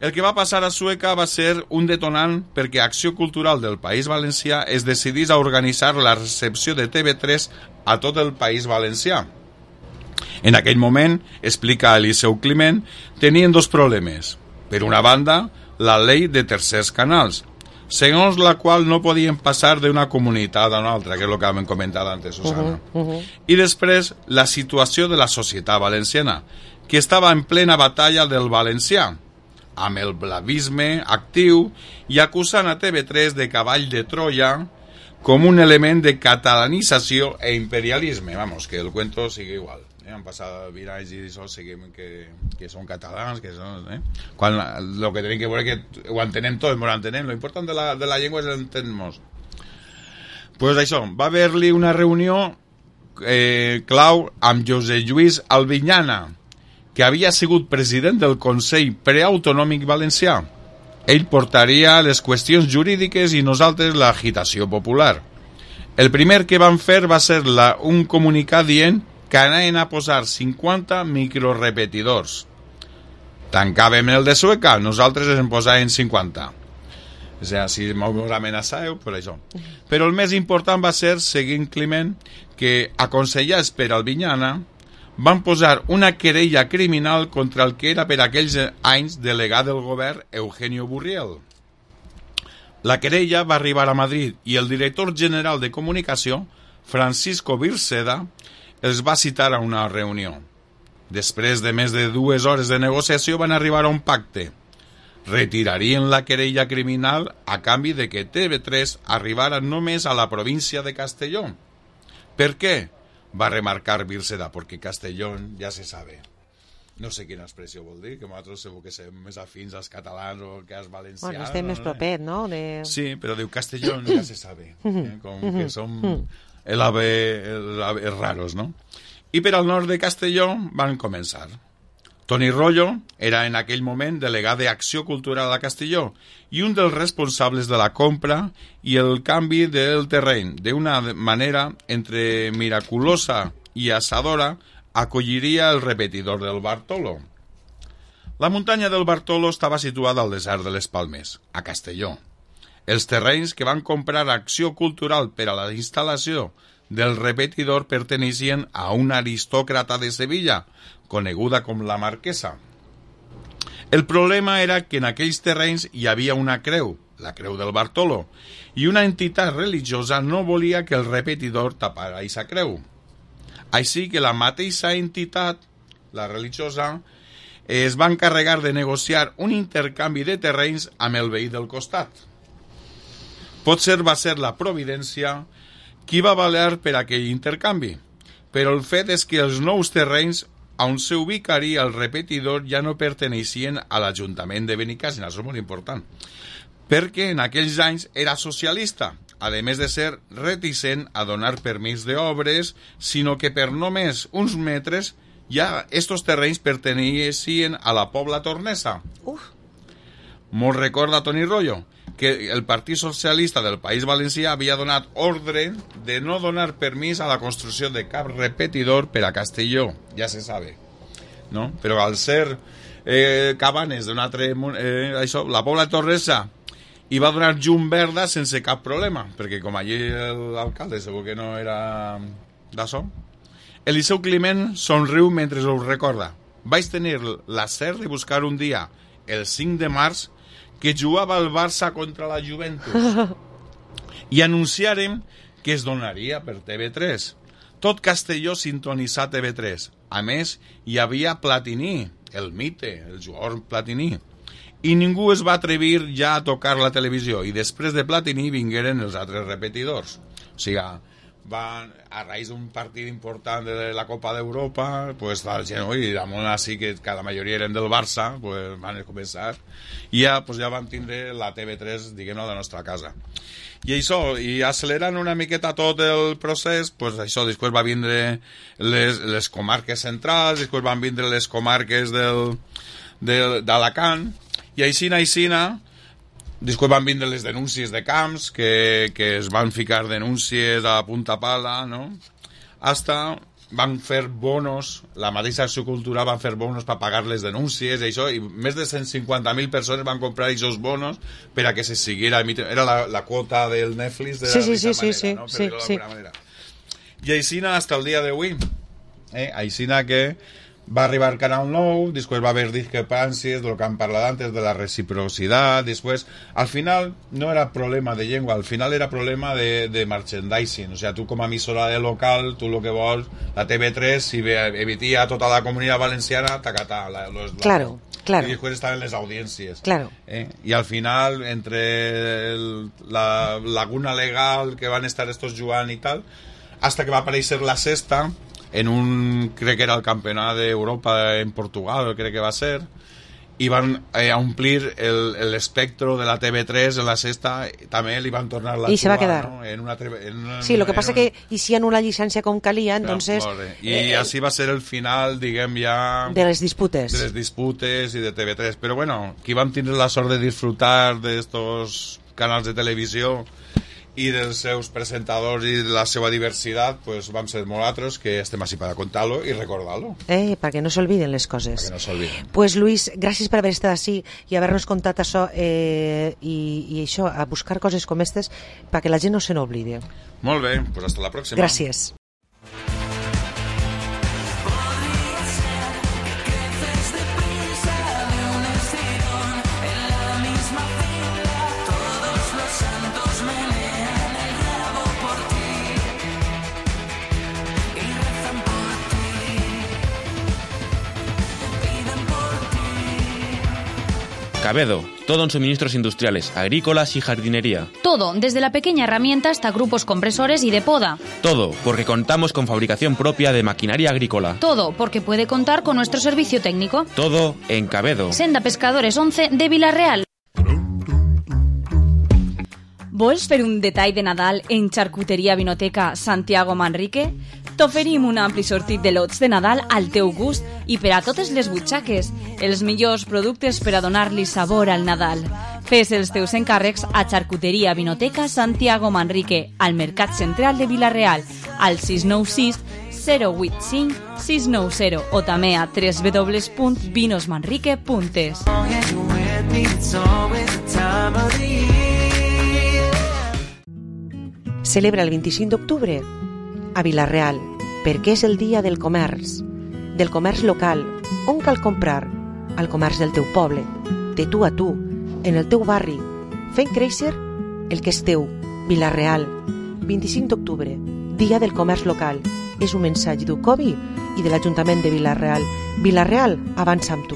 El que va passar a Sueca va ser un detonant perquè Acció Cultural del País Valencià es decidís a organitzar la recepció de TV3 a tot el País Valencià. En aquell moment, explica Eliseu Climent, tenien dos problemes. Per una banda, la llei de tercers canals, segons la qual no podien passar d'una comunitat a una altra, que és el que hem comentat antes, Susana. I després, la situació de la societat valenciana, que estava en plena batalla del valencià, amb el blavisme actiu i acusant a TV3 de cavall de Troia com un element de catalanització e imperialisme. Vamos, que el cuento sigue igual. Han passat 20 anys i això seguim que són catalans, que són... Quan lo que tenim que veure que ho entenem tots, ho entenem. Lo important de la llengua és l'entendre-nos. Pues això, va haver-li una reunió clau amb José Lluís Albinyana, que havia sigut president del Consell Preautonòmic Valencià. Ell portaria les qüestions jurídiques i nosaltres l'agitació popular. El primer que van fer va ser un comunicat dient que anaven a posar 50 microrepetidors. Tancàvem el de Sueca, nosaltres en posàvem 50. O sigui, si mos amenaçàveu, per això. Però el més important va ser, seguint Climent, que, aconsellats per Albinyana, van posar una querella criminal contra el que era per aquells anys delegat del govern Eugenio Burriel. La querella va arribar a Madrid i el director general de comunicació, Francisco Virseda, els va citar a una reunió. Després de més de 2 hores de negociació van arribar a un pacte. Retirarien la querella criminal a canvi de que TV3 arribara només a la província de Castelló. ¿Per què? Va remarcar Virseda, perquè Castelló ja se sabe. No sé quina expressió vol dir, que nosaltres segur que som més afins als catalans o que als valencians. Bueno, estem més propet, no? Sí, però diu Castelló ja se sabe. Com que som el ave raros, no? I per al nord de Castelló van començar. Toni Rollo era en aquell moment delegat d'Acció Cultural a Castelló i un dels responsables de la compra i el canvi del terreny. D'una manera entre miraculosa i assadora, acolliria el repetidor del Bartolo. La muntanya del Bartolo estava situada al desert de les Palmes, a Castelló. Els terrenys que van comprar Acció Cultural per a la instal·lació del repetidor pertenecien a una aristòcrata de Sevilla, coneguda com la Marquesa. El problema era que en aquells terrenys hi havia una creu, la creu del Bartolo, i una entitat religiosa no volia que el repetidor tapara aquesta creu. Així que la mateixa entitat, la religiosa, es va encarregar de negociar un intercanvi de terrenys amb el veí del costat. Potser va ser la Providència qui va valer per aquell intercanvi, però el fet és que els nous terrenys on s'ubicaria el repetidor ja no perteneixien a l'Ajuntament de Benicàssim, això és molt important, perquè en aquells anys era socialista, a més de ser reticent a donar permís d'obres, sinó que per només uns metres ja estos terrenys perteneixien a la Pobla Tornesa. Molt recorda Toni Rollo que el Partit Socialista del País Valencià havia donat ordre de no donar permís a la construcció de cap repetidor per a Castelló, ja se sabe, no? Però al ser cabanes d'un altre... la Pobla Tornesa i va donar llum verda sense cap problema, perquè com allí l'alcalde segur que no era d'això. Eliseu Climent somriu mentre ho recorda. Vaig tenir la cert de buscar un dia, el 5 de març, que jugava el Barça contra la Juventus i anunciàrem que es donaria per TV3. Tot Castelló sintonitzà TV3. A més, hi havia Platini, el mite, el jugador Platini. I ningú es va atrevir ja a tocar la televisió. I després de Platini vingueren els altres repetidors. O sigui, a raïs d'un partit important de la Copa d'Europa, pues la gent, i damunt així que la majoria eren del Barça, pues van començar, i ja van tindre la TV3, diguem-ne, a la nostra casa. I això, i accelerant una miqueta tot el procés, pues això, després va vindre les comarques centrals, després van vindre les comarques d'Alacant, i aixina, després van vindre les denúncies de camps, que es van ficar denúncies a punta pala, no? Hasta van fer bonos, la mateixa Acció Cultural van fer bonos per pagar les denúncies i això, i més de 150.000 persones van comprar aquests bonos per a que se siguiera emitent. Era la quota del Netflix de manera, no? Per dir-ho d'alguna manera. I aixina hasta el dia d'avui. Aixina que Va arribar Canal 9, després va haver discrepàncies de lo que han parlat antes, de la reciprocitat, després, al final no era problema de llengua, al final era problema de merchandising, o sea, tu com a emissora de local, tu lo que vols, la TV3, si emitia a tota la comunitat valenciana, tacatà, claro. Y después estaban las audiencias. Claro. Y al final, entre la laguna legal que van a estar estos Joan y tal, hasta que va a aparecer la sexta, crec que era el Campeonato de Europa en Portugal, crec que va a ser, i van omplir l'espectro de la TV3 en la sexta, també li van tornar la i se va quedar, no? Sí, lo que passa que hicieron una llicència com calia, entonces i així va ser el final, diguem, ja de les disputes i de TV3, però bueno, qui vam tindre la sort de disfrutar d'estos canals de televisió i dels seus presentadors i de la seva diversitat, pues vam ser molt altres que estem així per contar-lo i recordar-lo. Perquè no s'olviden les coses. Perquè no s'olviden. Pues Luis, gràcies per haver estat així i haver-nos contat això i això, a buscar coses com aquestes perquè la gent no se n'oblide. Molt bé, pues hasta la pròxima. Gràcies. Cabedo, todo en suministros industriales, agrícolas y jardinería. Todo, desde la pequeña herramienta hasta grupos compresores y de poda. Todo, porque contamos con fabricación propia de maquinaria agrícola. Todo, porque puede contar con nuestro servicio técnico. Todo en Cabedo. Senda Pescadores 11 de Vila-real. Vols fer un detall de Nadal en Charcuteria Vinoteca Santiago Manrique? T'oferim un ampli sortit de lots de Nadal al teu gust i per a totes les butxaques, els millors productes per a donar-li sabor al Nadal. Fes els teus encàrrecs a Charcuteria Vinoteca Santiago Manrique, al Mercat Central de Vila-real, al 696 085 690 o també a www.vinosmanrique.es. Celebra el 25 d'octubre a Vila-real, perquè és el dia del comerç local, on cal comprar al comerç del teu poble, de tu a tu, en el teu barri, fent créixer el que és teu. Vila-real, 25 d'octubre, dia del comerç local. És un missatge d'UCOBI i de l'Ajuntament de Vila-real. Vila-real, avança amb tu.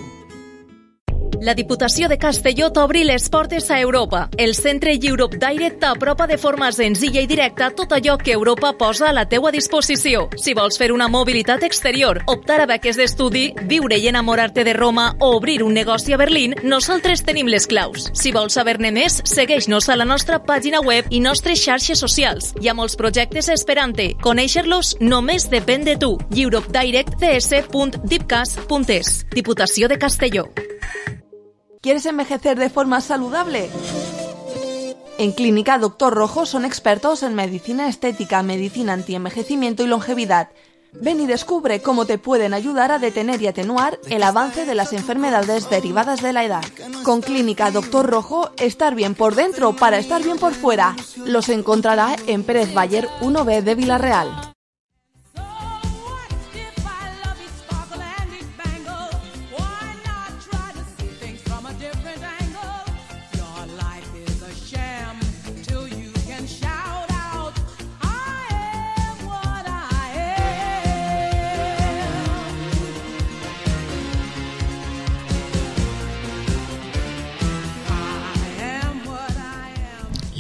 La Diputació de Castelló t'obri les portes a Europa. El centre Europe Direct t'apropa de forma senzilla i directa tot allò que Europa posa a la teua disposició. Si vols fer una mobilitat exterior, optar a beques d'estudi, viure i enamorar-te de Roma o obrir un negoci a Berlín, nosaltres tenim les claus. Si vols saber-ne més, segueix-nos a la nostra pàgina web i nostres xarxes socials. Hi ha molts projectes esperant-te. Conèixer-los només depèn de tu. europedirectds.dipcas.es. Diputació de Castelló. ¿Quieres envejecer de forma saludable? En Clínica Doctor Rojo son expertos en medicina estética, medicina antienvejecimiento y longevidad. Ven y descubre cómo te pueden ayudar a detener y atenuar el avance de las enfermedades derivadas de la edad. Con Clínica Doctor Rojo, estar bien por dentro para estar bien por fuera. Los encontrará en Pérez Bayer 1B de Vila-real.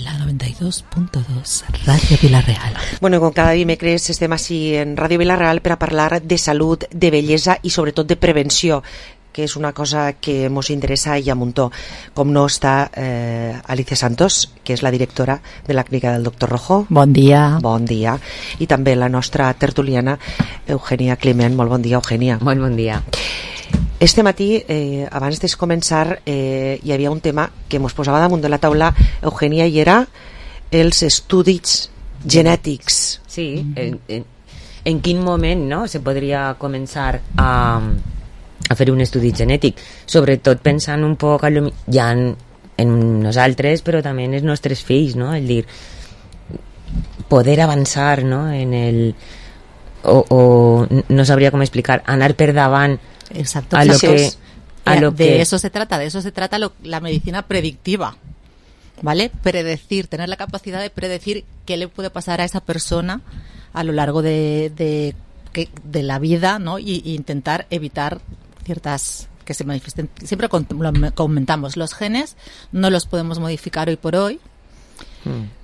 La 92.2 Ràdio Vila-real. Bueno, com cada dimecres estem així en Ràdio Vila-real per a parlar de salut, de bellesa i sobretot de prevenció, que és una cosa que ens interessa i a muntó. Com no està Alicia Santos, que és la directora de la clínica del Doctor Rojo. Bon dia. Bon dia. I també la nostra tertuliana Eugènia Climent. Molt bon dia, Eugènia. Molt bon dia. Este matí, abans de començar, hi havia un tema que ens posava damunt de la taula, Eugènia, i era els estudis genètics. Sí, en quin moment, no, se podria començar a fer un estudi genètic, sobretot pensant un poc ja en nosaltres, però també en els nostres fills, no? El dir, poder avançar, no? en o no sabría cómo explicar, anar per davant. Exacto, a lo que... De eso se trata la medicina predictiva, ¿vale? Predecir, tener la capacidad de predecir qué le puede pasar a esa persona a lo largo de la vida, ¿no? Y intentar evitar ciertas que se manifiesten. Siempre lo comentamos, los genes no los podemos modificar hoy por hoy,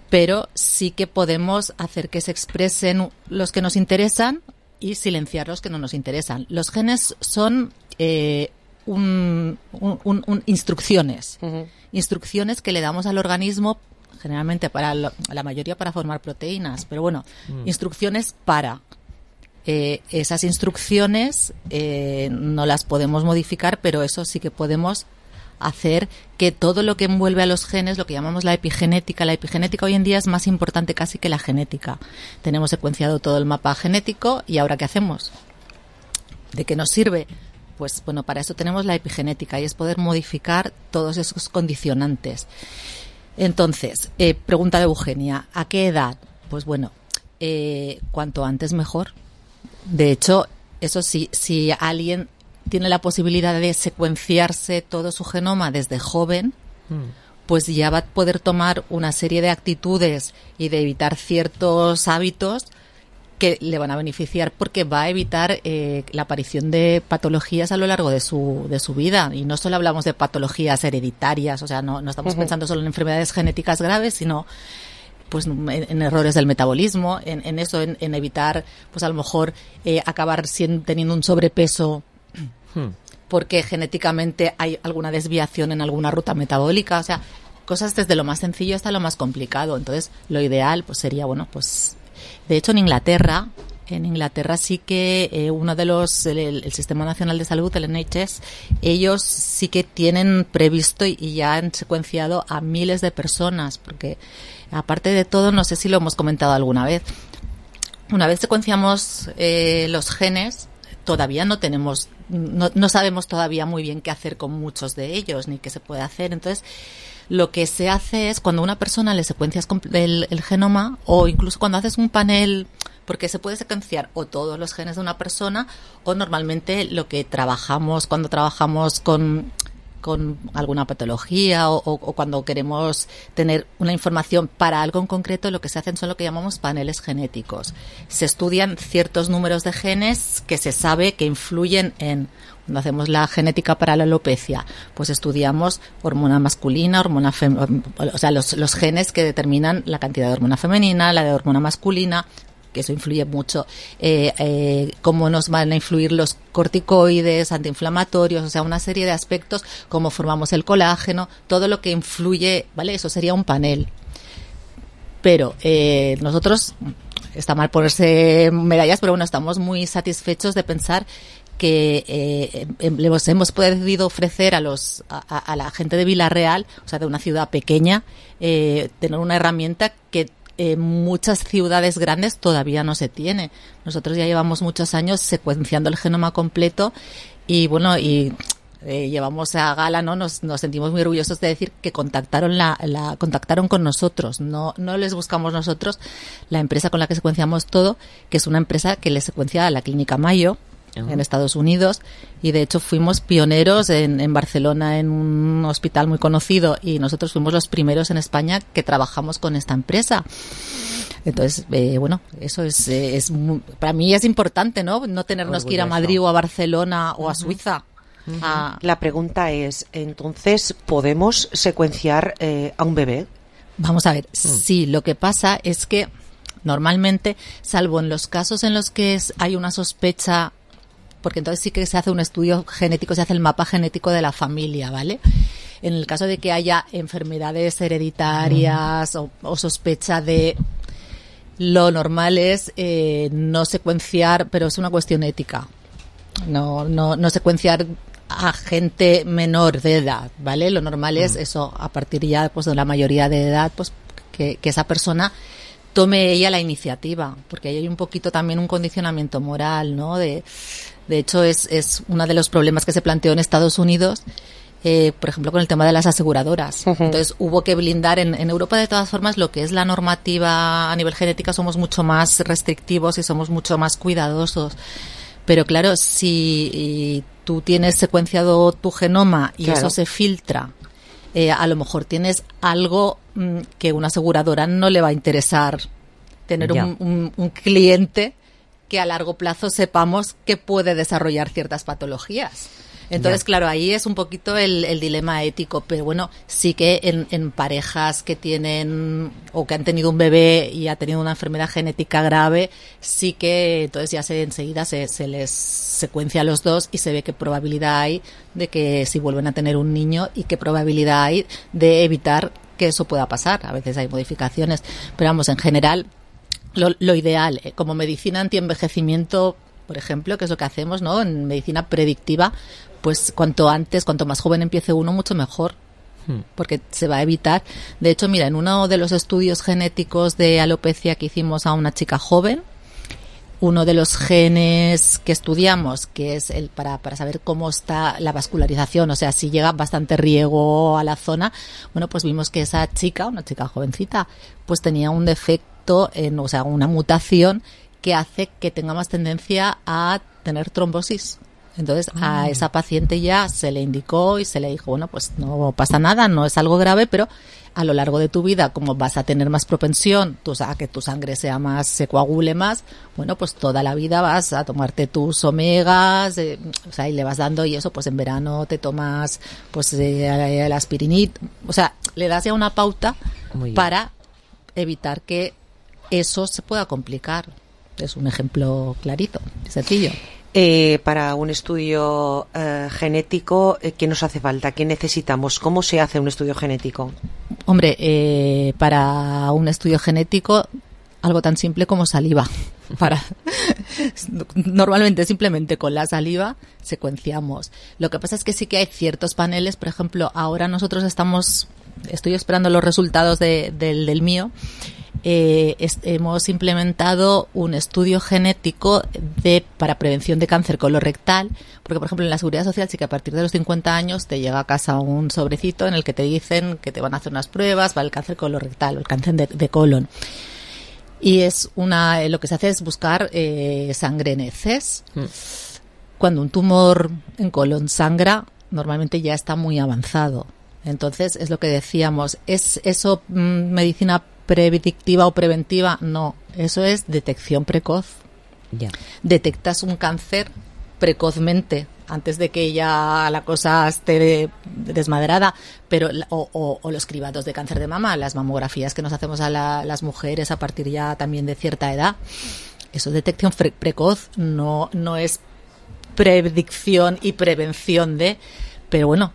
pero sí que podemos hacer que se expresen los que nos interesan y silenciar los que no nos interesan. Los genes son instrucciones, instrucciones que le damos al organismo, generalmente la mayoría para formar proteínas, pero bueno, instrucciones para. Esas instrucciones no las podemos modificar, pero eso sí que podemos hacer que todo lo que envuelve a los genes, lo que llamamos la epigenética hoy en día es más importante casi que la genética. Tenemos secuenciado todo el mapa genético y ¿ahora qué hacemos? ¿De qué nos sirve? Pues bueno, para eso tenemos la epigenética y es poder modificar todos esos condicionantes. Entonces, pregunta de Eugenia, ¿a qué edad? Pues bueno, cuanto antes mejor. De hecho, eso sí, si alguien tiene la posibilidad de secuenciarse todo su genoma desde joven, pues ya va a poder tomar una serie de actitudes y de evitar ciertos hábitos que le van a beneficiar porque va a evitar la aparición de patologías a lo largo de su vida. Y no solo hablamos de patologías hereditarias, o sea, no estamos pensando solo en enfermedades genéticas graves, sino pues en errores del metabolismo, en eso, en evitar, pues a lo mejor acabar teniendo un sobrepeso porque genéticamente hay alguna desviación en alguna ruta metabólica, o sea, cosas desde lo más sencillo hasta lo más complicado. Entonces, lo ideal pues sería, bueno, pues de hecho en Inglaterra sí que uno de el Sistema Nacional de Salud, el NHS, ellos sí que tienen previsto y ya han secuenciado a miles de personas, porque aparte de todo, no sé si lo hemos comentado alguna vez, una vez secuenciamos los genes, todavía no sabemos todavía muy bien qué hacer con muchos de ellos, ni qué se puede hacer. Entonces, lo que se hace es cuando a una persona le secuencias el genoma, o incluso cuando haces un panel, porque se puede secuenciar o todos los genes de una persona, o normalmente lo que trabajamos cuando trabajamos con alguna patología o cuando queremos tener una información para algo en concreto, lo que se hacen son lo que llamamos paneles genéticos. Se estudian ciertos números de genes que se sabe que influyen cuando hacemos la genética para la alopecia, pues estudiamos hormona masculina, hormona femenina, o sea, los genes que determinan la cantidad de hormona femenina, la de hormona masculina, que eso influye mucho, cómo nos van a influir los corticoides, antiinflamatorios, o sea, una serie de aspectos, cómo formamos el colágeno, todo lo que influye, ¿vale? Eso sería un panel. Pero nosotros, está mal ponerse medallas, pero bueno, estamos muy satisfechos de pensar que hemos podido ofrecer a la gente de Vila-real, o sea, de una ciudad pequeña, tener una herramienta que muchas ciudades grandes todavía no se tiene. Nosotros ya llevamos muchos años secuenciando el genoma completo y bueno, llevamos a gala, ¿no? Nos sentimos muy orgullosos de decir que contactaron con nosotros, no les buscamos nosotros. La empresa con la que secuenciamos todo, que es una empresa que le secuencia a la Clínica Mayo en Estados Unidos, y de hecho fuimos pioneros en Barcelona en un hospital muy conocido, y nosotros fuimos los primeros en España que trabajamos con esta empresa. Entonces, bueno, eso es para mí es importante, ¿no? No tenernos que ir a Madrid o a Barcelona o a Suiza. La pregunta es, entonces, ¿podemos secuenciar a un bebé? Vamos a ver, sí, lo que pasa es que normalmente, salvo en los casos en los que hay una sospecha, porque entonces sí que se hace un estudio genético, se hace el mapa genético de la familia, ¿vale? En el caso de que haya enfermedades hereditarias o sospecha de... Lo normal es no secuenciar, pero es una cuestión ética. No secuenciar a gente menor de edad, ¿vale? Lo normal es eso, a partir ya pues de la mayoría de edad, pues que esa persona tome ella la iniciativa, porque ahí hay un poquito también un condicionamiento moral, ¿no? De hecho, es uno de los problemas que se planteó en Estados Unidos, por ejemplo, con el tema de las aseguradoras. Entonces hubo que blindar en Europa, de todas formas, lo que es la normativa a nivel genética, somos mucho más restrictivos y somos mucho más cuidadosos. Pero claro, si tú tienes secuenciado tu genoma y eso se filtra, a lo mejor tienes algo que una aseguradora no le va a interesar tener un cliente que a largo plazo sepamos que puede desarrollar ciertas patologías. Entonces, claro, ahí es un poquito el dilema ético, pero bueno, sí que en parejas que tienen o que han tenido un bebé y ha tenido una enfermedad genética grave, sí que entonces ya enseguida se les secuencia a los dos y se ve qué probabilidad hay de que si vuelven a tener un niño y qué probabilidad hay de evitar que eso pueda pasar. A veces hay modificaciones, pero vamos, en general, lo ideal, como medicina antienvejecimiento, por ejemplo, que es lo que hacemos, ¿no? En medicina predictiva, pues cuanto antes, cuanto más joven empiece uno, mucho mejor, porque se va a evitar. De hecho, mira, en uno de los estudios genéticos de alopecia que hicimos a una chica joven, uno de los genes que estudiamos, que es el para saber cómo está la vascularización, o sea, si llega bastante riego a la zona, bueno, pues vimos que esa chica, una chica jovencita, pues tenía un defecto, o sea, una mutación que hace que tenga más tendencia a tener trombosis. Entonces a esa paciente ya se le indicó y se le dijo, bueno, pues no pasa nada, no es algo grave, pero a lo largo de tu vida, como vas a tener más propensión a que tu sangre sea más, se coagule más, bueno, pues toda la vida vas a tomarte tus omegas, o sea, y le vas dando, y eso, pues en verano te tomas pues el aspirinit, o sea, le das ya una pauta para evitar que eso se pueda complicar. Es un ejemplo clarito, sencillo. Para un estudio genético, ¿qué nos hace falta? ¿Qué necesitamos? ¿Cómo se hace un estudio genético? Hombre, para un estudio genético, algo tan simple como saliva. Normalmente, simplemente con la saliva secuenciamos. Lo que pasa es que sí que hay ciertos paneles. Por ejemplo, ahora nosotros estoy esperando los resultados del mío. Hemos implementado un estudio genético para prevención de cáncer colorectal, porque por ejemplo en la Seguridad Social sí que a partir de los 50 años te llega a casa un sobrecito en el que te dicen que te van a hacer unas pruebas para el cáncer colorectal o el cáncer de colon. Y lo que se hace es buscar sangre en heces. Cuando un tumor en colon sangra, normalmente ya está muy avanzado. Entonces, es lo que decíamos, ¿es eso medicina predictiva o preventiva? No, eso es detección precoz. Detectas un cáncer precozmente, antes de que ya la cosa esté desmadrada, pero o los cribados de cáncer de mama, las mamografías que nos hacemos a las mujeres a partir ya también de cierta edad, eso es detección precoz, no es predicción y prevención de... Pero bueno,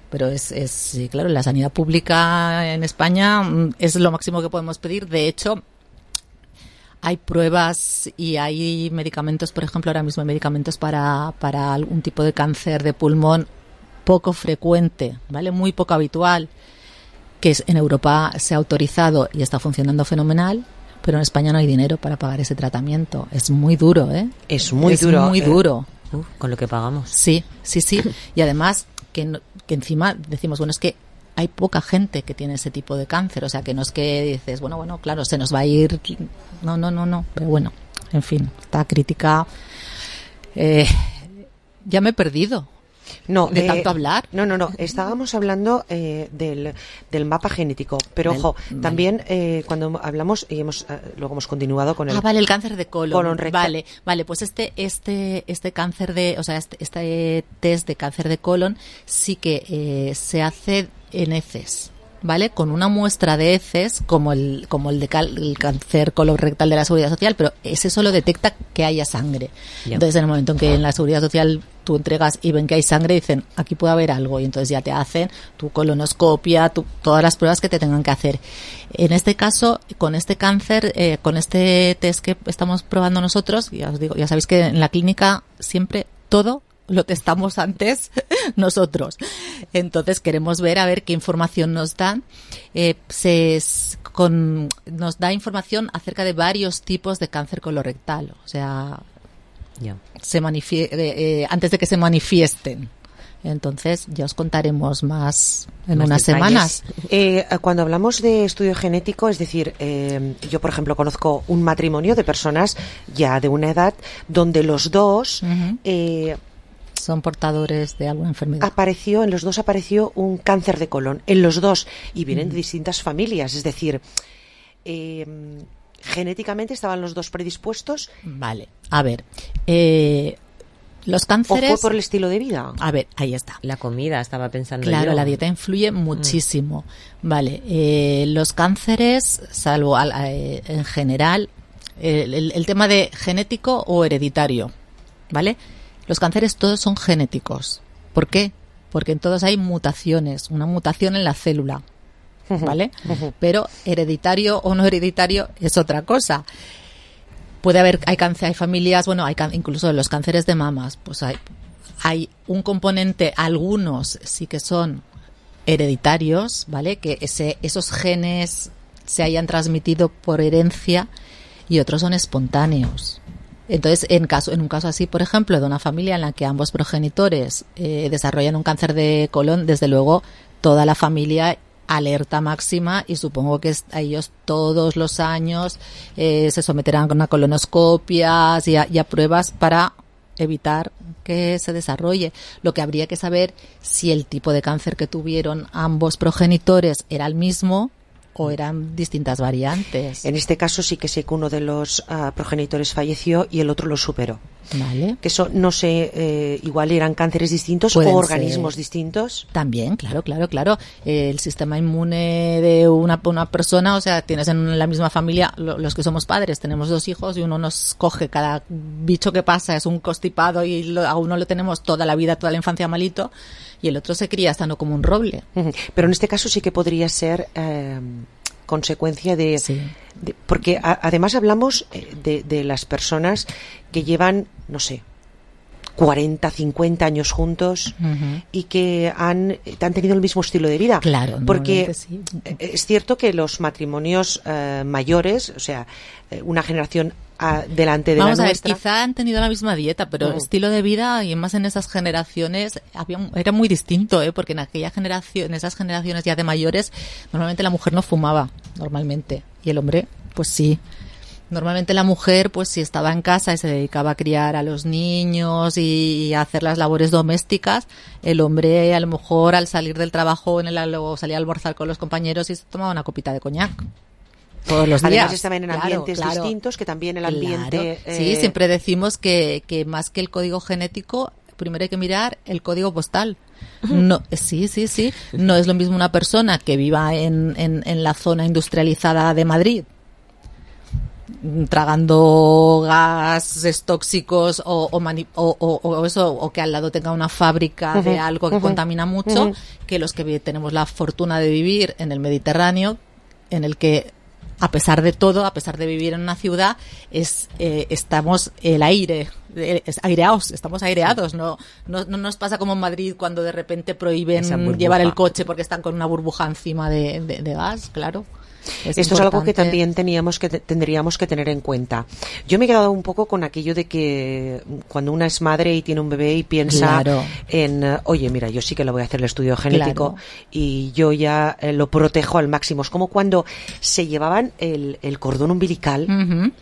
sí, claro, la sanidad pública en España es lo máximo que podemos pedir. De hecho, hay pruebas y hay medicamentos, por ejemplo, ahora mismo hay medicamentos para algún tipo de cáncer de pulmón poco frecuente, ¿vale? Muy poco habitual, que en Europa se ha autorizado y está funcionando fenomenal, pero en España no hay dinero para pagar ese tratamiento. Es muy duro, ¿eh? Es muy duro. Con lo que pagamos. Sí. Y además... Que encima decimos, bueno, es que hay poca gente que tiene ese tipo de cáncer, o sea, que no es que dices, bueno, claro, se nos va a ir, no, pero bueno, en fin, esta crítica, ya me he perdido. No, de tanto hablar. No. Estábamos hablando del mapa genético, pero ojo, también cuando hablamos y luego hemos continuado con el. Vale, el cáncer de colon rectal. Vale, pues este cáncer este test de cáncer de colon sí que se hace en heces. ¿Vale? Con una muestra de heces, como el el cáncer colorectal de la Seguridad Social, pero ese solo detecta que haya sangre. Entonces, en el momento en que en la Seguridad Social tú entregas y ven que hay sangre, dicen, aquí puede haber algo, y entonces ya te hacen tu colonoscopia, todas las pruebas que te tengan que hacer. En este caso, con este cáncer, con este test que estamos probando nosotros, ya os digo, ya sabéis que en la clínica siempre todo lo testamos antes nosotros. Entonces queremos ver a ver qué información nos dan. Nos da información acerca de varios tipos de cáncer colorectal. O sea, antes de que se manifiesten. Entonces ya os contaremos más en unas semanas. Cuando hablamos de estudio genético, es decir, yo por ejemplo conozco un matrimonio de personas ya de una edad donde los dos son portadores de alguna enfermedad. En los dos apareció un cáncer de colon, en los dos, y vienen de distintas familias, es decir, genéticamente estaban los dos predispuestos. Vale, a ver, los cánceres... ¿O fue por el estilo de vida? A ver, ahí está. La comida, estaba pensando Claro, yo. la dieta influye muchísimo. Vale, los cánceres, salvo en general, el tema de genético o hereditario, ¿vale? Los cánceres todos son genéticos. ¿Por qué? Porque en todos hay mutaciones, una mutación en la célula, ¿vale? Pero hereditario o no hereditario es otra cosa. Puede haber, hay familias, bueno, incluso los cánceres de mamas, pues hay un componente, algunos sí que son hereditarios, ¿vale? Que esos genes se hayan transmitido por herencia y otros son espontáneos. Entonces, en un caso así, por ejemplo, de una familia en la que ambos progenitores desarrollan un cáncer de colon, desde luego toda la familia alerta máxima, y supongo que a ellos todos los años se someterán a colonoscopias y a pruebas para evitar que se desarrolle. Lo que habría que saber si el tipo de cáncer que tuvieron ambos progenitores era el mismo o eran distintas variantes. En este caso sí que sé que uno de los progenitores falleció y el otro lo superó. Vale. Que eso, no sé, igual eran cánceres distintos Pueden o organismos ser distintos. También, claro. El sistema inmune de una persona, o sea, tienes en la misma familia, los que somos padres, tenemos 2 hijos y uno nos coge, cada bicho que pasa es un constipado y a uno lo tenemos toda la vida, toda la infancia malito, y el otro se cría sano como un roble. Pero en este caso sí que podría ser consecuencia de porque además hablamos de las personas que llevan, no sé, 40, 50 años juntos y que han tenido el mismo estilo de vida. Claro, porque sí. Es cierto que los matrimonios mayores, o sea, una generación delante de Vamos la a ver, nuestra. quizá han tenido la misma dieta, pero estilo de vida, y más en esas generaciones, era muy distinto, porque en esas generaciones ya de mayores, normalmente la mujer no fumaba, normalmente, y el hombre, pues sí. Normalmente la mujer, pues si estaba en casa y se dedicaba a criar a los niños y a hacer las labores domésticas, el hombre a lo mejor al salir del trabajo luego salía a almorzar con los compañeros y se tomaba una copita de coñac. Todos los días. Además estaban en ambientes distintos, que también el ambiente... Sí, siempre decimos que más que el código genético, primero hay que mirar el código postal. No, sí. No es lo mismo una persona que viva en la zona industrializada de Madrid, tragando gases tóxicos o que al lado tenga una fábrica de algo que contamina mucho, que los que tenemos la fortuna de vivir en el Mediterráneo, en el que a pesar de todo, a pesar de vivir en una ciudad, estamos aireados, estamos aireados, no nos pasa como en Madrid cuando de repente prohíben llevar el coche porque están con una burbuja encima de gas, claro. Esto es algo que también tendríamos que tener en cuenta. Yo me he quedado un poco con aquello de que cuando una es madre y tiene un bebé y piensa en, oye, mira, yo sí que le voy a hacer el estudio genético y yo ya lo protejo al máximo. Es como cuando se llevaban el cordón umbilical.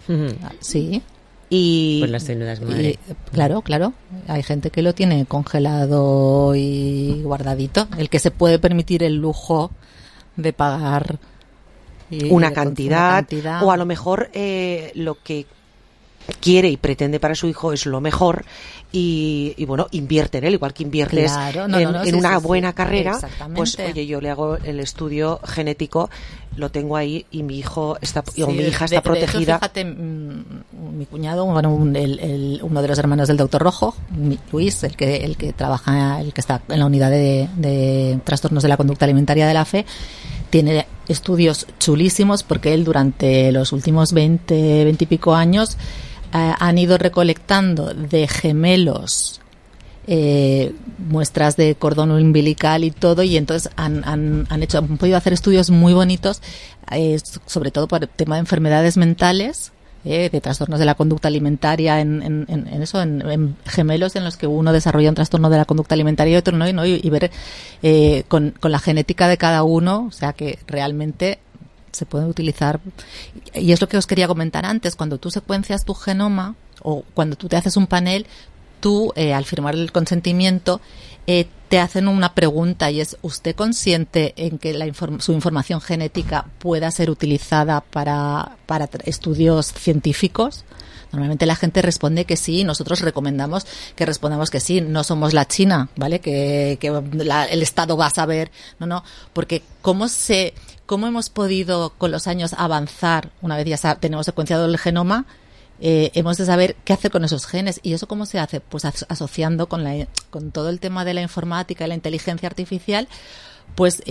Sí. Y pues las células madre. Claro. Hay gente que lo tiene congelado y guardadito. El que se puede permitir el lujo de pagar una cantidad, o a lo mejor lo que quiere y pretende para su hijo es lo mejor y bueno, invierte en él, igual que inviertes en una buena carrera, pues oye, yo le hago el estudio genético, lo tengo ahí y mi hijo está mi hija está protegida. De hecho, fíjate, mi cuñado, bueno, uno de los hermanos del doctor Rojo, Luis, el que trabaja, el que está en la unidad de trastornos de la conducta alimentaria de la FE, tiene estudios chulísimos porque él durante los últimos 20 y pico años han ido recolectando de gemelos muestras de cordón umbilical y todo, y entonces han podido hacer estudios muy bonitos, sobre todo por el tema de enfermedades mentales, de trastornos de la conducta alimentaria en gemelos en los que uno desarrolla un trastorno de la conducta alimentaria y otro no, y ver con la genética de cada uno, o sea que realmente se pueden utilizar. Y es lo que os quería comentar antes, cuando tú secuencias tu genoma o cuando tú te haces un panel, tú al firmar el consentimiento te hacen una pregunta, y es: ¿usted consciente en que su información genética pueda ser utilizada para estudios científicos? Normalmente la gente responde que sí, nosotros recomendamos que respondamos que sí. No somos la China, ¿vale? Que el Estado va a saber. No, porque ¿cómo hemos podido con los años avanzar? Una vez ya tenemos secuenciado el genoma, hemos de saber qué hacer con esos genes. ¿Y eso cómo se hace? Pues asociando con todo el tema de la informática y la inteligencia artificial. Pues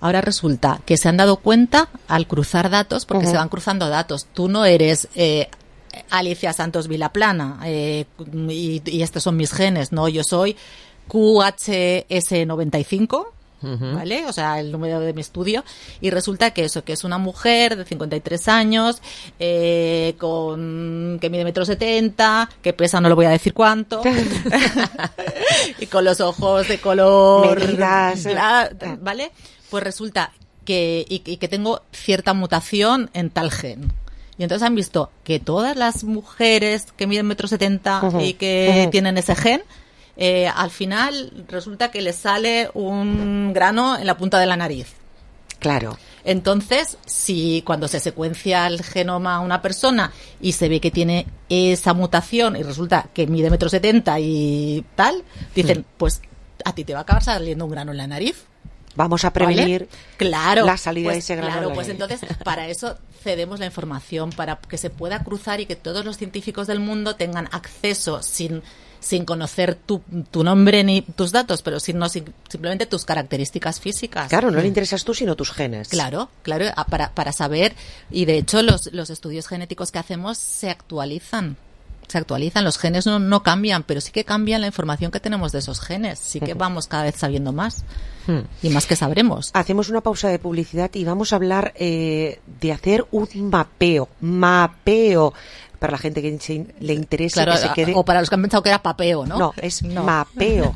ahora resulta que se han dado cuenta al cruzar datos, porque se van cruzando datos. Tú no eres Alicia Santos Vilaplana y estos son mis genes, no, yo soy QHS95, ¿vale? O sea, el número de mi estudio, y resulta que es una mujer de 53 años, que mide 1,70 m, que pesa no le voy a decir cuánto, y con los ojos de color medidas, ¿vale? Pues resulta que tengo cierta mutación en tal gen. Y entonces han visto que todas las mujeres que miden 1,70 m y que tienen ese gen, al final resulta que les sale un grano en la punta de la nariz. Claro. Entonces, si cuando se secuencia el genoma a una persona y se ve que tiene esa mutación y resulta que mide 1,70 m y tal, dicen, pues a ti te va a acabar saliendo un grano en la nariz. Vamos a prevenir, ¿vale? la salida de ese grano. Claro, pues entonces para eso cedemos la información, para que se pueda cruzar y que todos los científicos del mundo tengan acceso sin conocer tu nombre ni tus datos, pero simplemente tus características físicas. Claro, no le interesas tú, sino tus genes. Claro, para saber. Y de hecho los estudios genéticos que hacemos se actualizan, los genes no cambian, pero sí que cambian la información que tenemos de esos genes. Sí que vamos cada vez sabiendo más y más que sabremos. Hacemos una pausa de publicidad y vamos a hablar de hacer un mapeo para la gente que le interese, claro, que se quede. O para los que han pensado que era papeo, ¿no? No, és mapeo.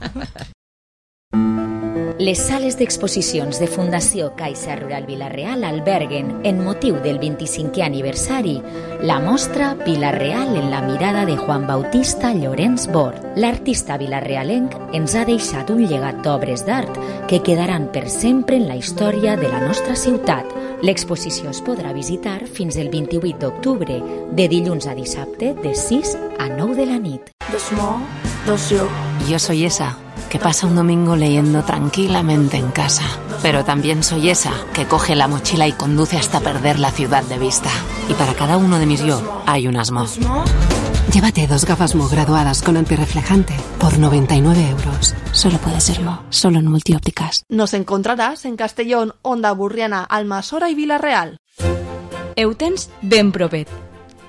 Les sales d'exposicions de Fundació Caixa Rural Vila-real alberguen, en motiu del 25è aniversari, la mostra Vila-real en la mirada de Juan Bautista Llorenç Bort. L'artista vilarealenc ens ha deixat un llegat d'obres d'art que quedaran per sempre en la història de la nostra ciutat. L'exposició es podrà visitar fins el 28 d'octubre, de dilluns a dissabte, de 6 a 9 de la nit. Yo soy esa que pasa un domingo leyendo tranquilamente en casa. Pero también soy esa que coge la mochila y conduce hasta perder la ciudad de vista. Y para cada uno de mis yo hay un Asmo. Llévate 2 gafas Mo graduadas con antirreflejante por 99 €. Solo puede ser Mo, solo en Multiópticas. Nos encontrarás en Castellón, Onda Burriana, Almassora i Vila-real. Ho tens ben propet.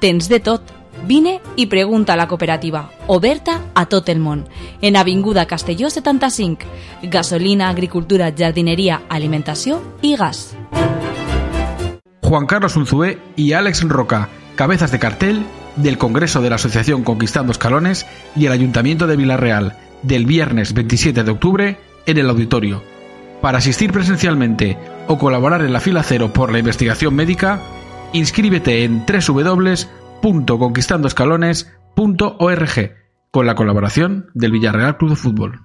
Tens de tot. Vine i pregunta a la cooperativa, oberta a tot el món, en Avinguda Castelló 75. Gasolina, agricultura, jardineria, alimentació i gas. Juan Carlos Unzué y Alex Roca, cabezas de cartel del Congreso de la Asociación Conquistando Escalones y el Ayuntamiento de Vila-real, del viernes 27 de octubre en el auditorio. Para asistir presencialmente o colaborar en la fila cero por la investigación médica, inscríbete en www.conquistandoescalones.org con la colaboración del Villarreal Club de Fútbol.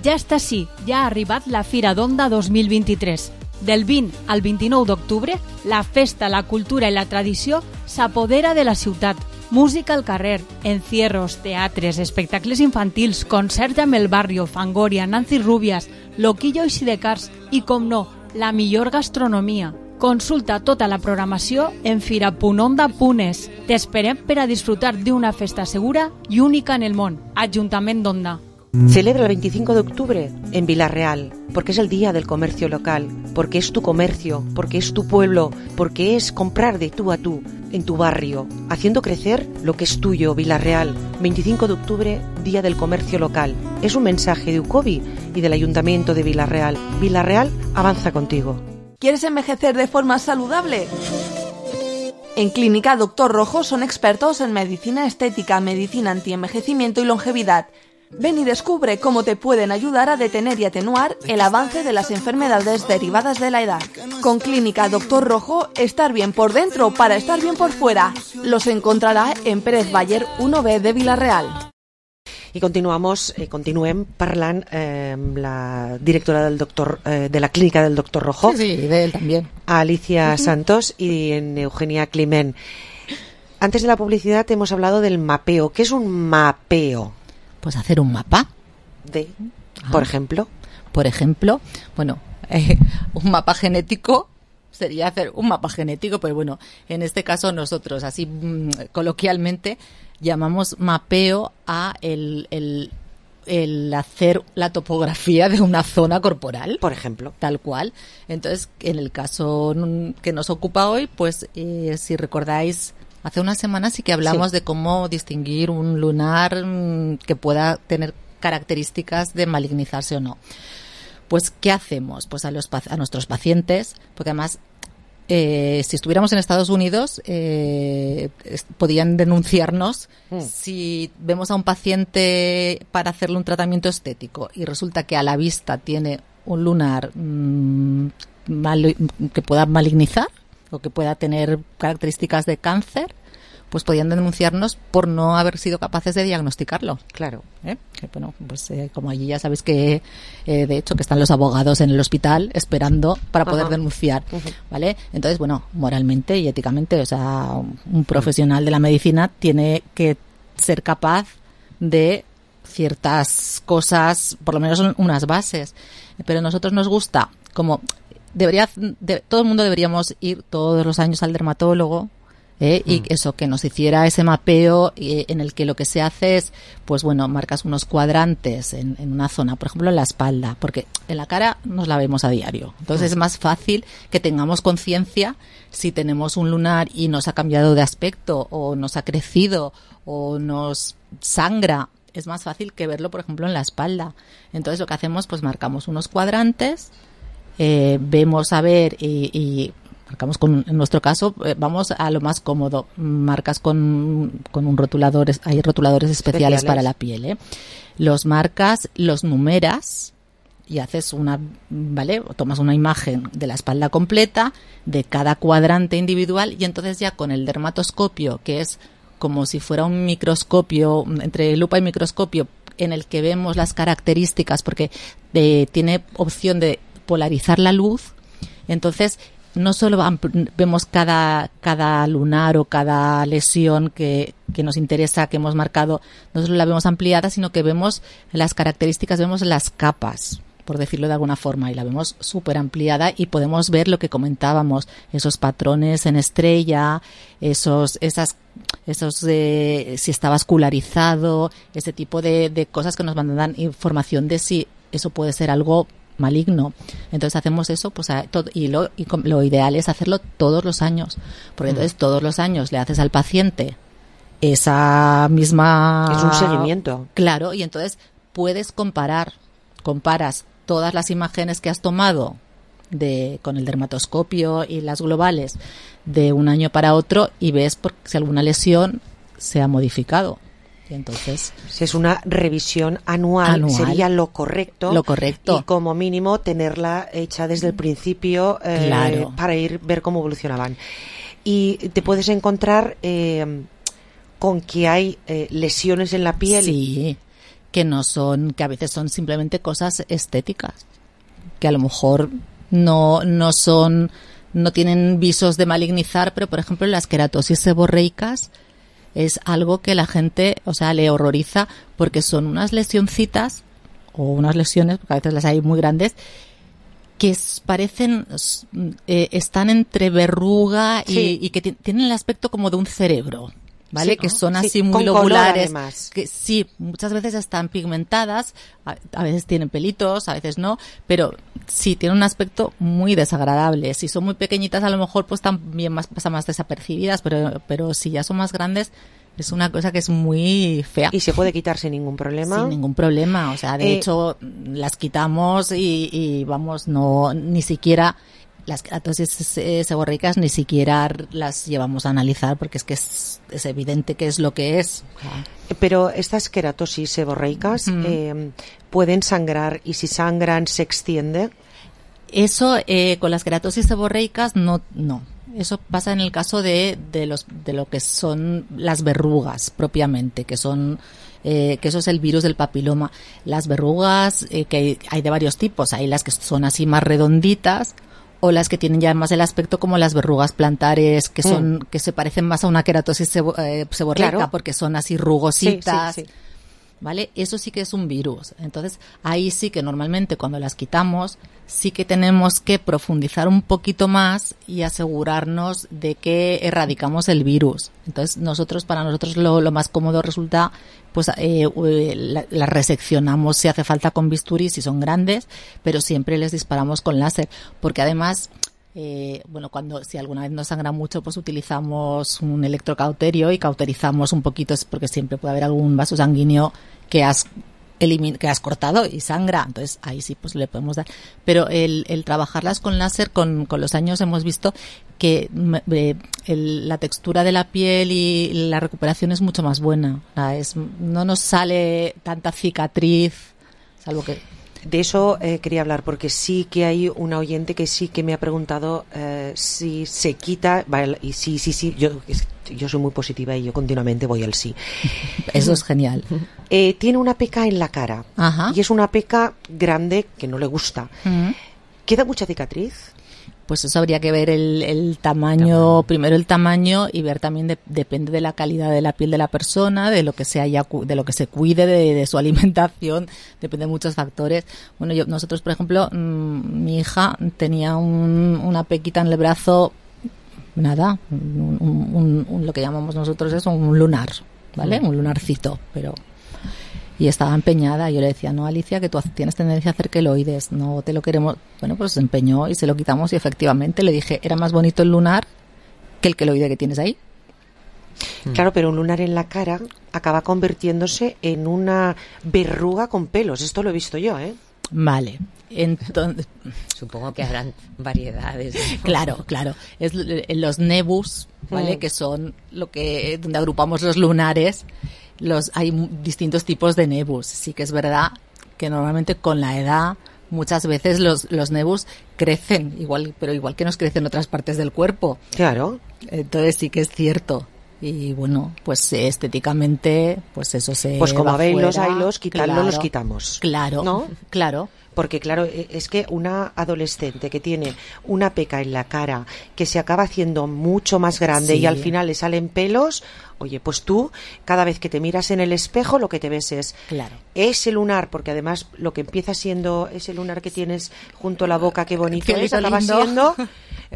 Ja està així, ja ha arribat la Fira d'Onda 2023. Del 20 al 29 d'octubre, la festa, la cultura i la tradició s'apodera de la ciutat. Música al carrer, encierros, teatres, espectacles infantils, concerts amb el Barrio, Fangoria, Nancy Rubias, Loquillo i Sidecars i, com no, la millor gastronomia. Consulta tota la programació en fira.onda.es. T'esperem per a disfrutar d'una festa segura i única en el món. Ajuntament d'Onda. Celebra el 25 de octubre en Vila-real, porque es el día del comercio local, porque es tu comercio, porque es tu pueblo, porque es comprar de tú a tú, en tu barrio, haciendo crecer lo que es tuyo, Vila-real. 25 de octubre, Día del Comercio Local. Es un mensaje de UCOBI y del Ayuntamiento de Vila-real. Vila-real avanza contigo. ¿Quieres envejecer de forma saludable? En Clínica Doctor Rojo son expertos en medicina estética, medicina antienvejecimiento y longevidad. Ven y descubre cómo te pueden ayudar a detener y atenuar el avance de las enfermedades derivadas de la edad. Con Clínica Doctor Rojo, estar bien por dentro para estar bien por fuera. Los encontrará en Pérez Baller 1B de Vila-real. I continuem parlant amb la directora de la clínica del Doctor Rojo. Sí, de él también. Alicia Santos y en Eugenia Climent. Antes de la publicidad hemos hablado del mapeo. ¿Qué es un mapeo? Pues hacer un mapa. Por ejemplo. Por ejemplo, bueno, un mapa genético sería hacer un mapa genético, pero bueno, en este caso nosotros, así coloquialmente, llamamos mapeo a el hacer la topografía de una zona corporal. Por ejemplo. Tal cual. Entonces, en el caso que nos ocupa hoy, pues si recordáis, hace unas semanas sí que hablamos de cómo distinguir un lunar que pueda tener características de malignizarse o no. Pues, ¿qué hacemos? Pues a nuestros pacientes, porque además, si estuviéramos en Estados Unidos, podían denunciarnos si vemos a un paciente para hacerle un tratamiento estético y resulta que a la vista tiene un lunar que pueda malignizar o que pueda tener características de cáncer, pues podían denunciarnos por no haber sido capaces de diagnosticarlo. Claro. Que, bueno, pues como allí ya sabéis que, de hecho, que están los abogados en el hospital esperando para poder denunciar, ¿vale? Entonces, bueno, moralmente y éticamente, o sea, un profesional de la medicina tiene que ser capaz de ciertas cosas, por lo menos son unas bases, pero a nosotros nos gusta, como todo el mundo deberíamos ir todos los años al dermatólogo, y eso, que nos hiciera ese mapeo en el que lo que se hace es, pues bueno, marcas unos cuadrantes en una zona, por ejemplo en la espalda, porque en la cara nos la vemos a diario, entonces es más fácil que tengamos conciencia si tenemos un lunar y nos ha cambiado de aspecto o nos ha crecido o nos sangra, es más fácil que verlo, por ejemplo, en la espalda. Entonces lo que hacemos, pues marcamos unos cuadrantes, vemos a ver y marcamos en nuestro caso, vamos a lo más cómodo, marcas con un rotulador, hay rotuladores especiales para la piel, los marcas, los numeras y haces tomas una imagen de la espalda completa, de cada cuadrante individual y entonces ya con el dermatoscopio, que es como si fuera un microscopio, entre lupa y microscopio, en el que vemos las características, porque tiene opción de polarizar la luz, entonces no solo vemos cada lunar o cada lesión que nos interesa, que hemos marcado, no solo la vemos ampliada, sino que vemos las características, vemos las capas, por decirlo de alguna forma, y la vemos súper ampliada y podemos ver lo que comentábamos, esos patrones en estrella, esos si está vascularizado, ese tipo de cosas que nos dan información de si eso puede ser algo maligno. Entonces hacemos eso, pues lo ideal es hacerlo todos los años, porque entonces todos los años le haces al paciente esa misma... Es un seguimiento. Claro, y entonces comparas todas las imágenes que has tomado con el dermatoscopio y las globales de un año para otro y ves si alguna lesión se ha modificado. Y entonces, si es una revisión anual, sería lo correcto. Y como mínimo tenerla hecha desde el principio para ver cómo evolucionaban. Y te puedes encontrar con que hay lesiones en la piel. Sí, que a veces son simplemente cosas estéticas, que a lo mejor no tienen visos de malignizar, pero por ejemplo las queratosis seborreicas es algo que la gente, le horroriza porque son unas lesioncitas o unas lesiones, porque a veces las hay muy grandes, que parecen, están entre verruga y que tienen el aspecto como de un cerebro, ¿vale? Sí, que son así muy lobulares, que sí, muchas veces están pigmentadas, a veces tienen pelitos, a veces no, pero sí, tienen un aspecto muy desagradable. Si son muy pequeñitas, a lo mejor pues también pasan más desapercibidas, pero si ya son más grandes, es una cosa que es muy fea. ¿Y se puede quitar sin ningún problema? Sin ningún problema, de hecho las quitamos y vamos, no, ni siquiera las queratosis seborreicas ni siquiera las llevamos a analizar porque es que es evidente que es lo que es. Pero estas queratosis seborreicas pueden sangrar, y si sangran se extiende. Eso con las queratosis seborreicas no. Eso pasa en el caso de lo que son las verrugas propiamente, que son que eso es el virus del papiloma. Las verrugas que hay de varios tipos, hay las que son así más redonditas o las que tienen ya más el aspecto como las verrugas plantares, que son que se parecen más a una queratosis seborreica, claro, porque son así rugositas. Sí. ¿Vale? Eso sí que es un virus. Entonces, ahí sí que normalmente cuando las quitamos, sí que tenemos que profundizar un poquito más y asegurarnos de que erradicamos el virus. Entonces, para nosotros lo más cómodo resulta, pues, las reseccionamos si hace falta con bisturí, si son grandes, pero siempre les disparamos con láser, porque además, si alguna vez nos sangra mucho, pues utilizamos un electrocauterio y cauterizamos un poquito, porque siempre puede haber algún vaso sanguíneo que has cortado y sangra, entonces ahí sí pues le podemos dar. Pero el trabajarlas con láser, con los años hemos visto que la textura de la piel y la recuperación es mucho más buena. No nos sale tanta cicatriz, salvo que... De eso quería hablar, porque sí que hay una oyente que sí que me ha preguntado si se quita, vale, y sí, yo soy muy positiva y yo continuamente voy al sí. Eso es genial. Tiene una peca en la cara. Ajá. Y es una peca grande que no le gusta. ¿Queda mucha cicatriz? Pues eso habría que ver el tamaño, primero el tamaño, y ver también depende de la calidad de la piel de la persona, de lo que de lo que se cuide, de su alimentación, depende de muchos factores. Bueno, nosotros, por ejemplo, mi hija tenía una pequita en el brazo, nada, lo que llamamos nosotros es un lunar, ¿vale? Un lunarcito, y estaba empeñada. Yo le decía, no, Alicia, que tú tienes tendencia a hacer queloides, no te lo queremos. Bueno, pues se empeñó y se lo quitamos, y efectivamente le dije, era más bonito el lunar que el queloide que tienes ahí. Claro, pero un lunar en la cara acaba convirtiéndose en una verruga con pelos. Esto lo he visto yo, ¿eh? Vale. Entonces, supongo que habrán variedades, ¿no? Claro. Es los nebus, ¿vale? Que son donde agrupamos los lunares. Hay distintos tipos de nebus. Sí que es verdad que normalmente con la edad muchas veces los nebus crecen pero igual que nos crecen otras partes del cuerpo. Claro. Entonces sí que es cierto. Y bueno, pues estéticamente, pues eso se pues como va habéis los fuera. haylos, quitarlo, los quitamos. Claro, ¿no? Claro. Porque claro, es que una adolescente que tiene una peca en la cara que se acaba haciendo mucho más grande, sí, y al final le salen pelos, oye, pues tú cada vez que te miras en el espejo lo que te ves es ese lunar, porque además lo que empieza siendo ese lunar que tienes junto a la boca, qué bonito es, acaba siendo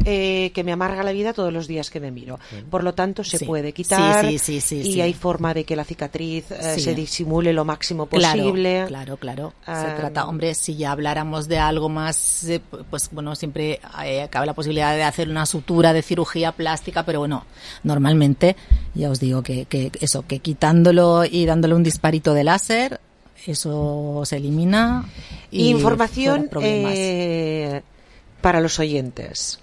que me amarga la vida todos los días que me miro. Por lo tanto se puede quitar, y hay forma de que la cicatriz se disimule lo máximo posible. Claro. Se trata, hombre, si ya habláramos de algo más, pues bueno, siempre cabe la posibilidad de hacer una sutura de cirugía plástica, pero bueno, normalmente ya os digo que quitándolo y dándole un disparito de láser, eso se elimina. Información para los oyentes,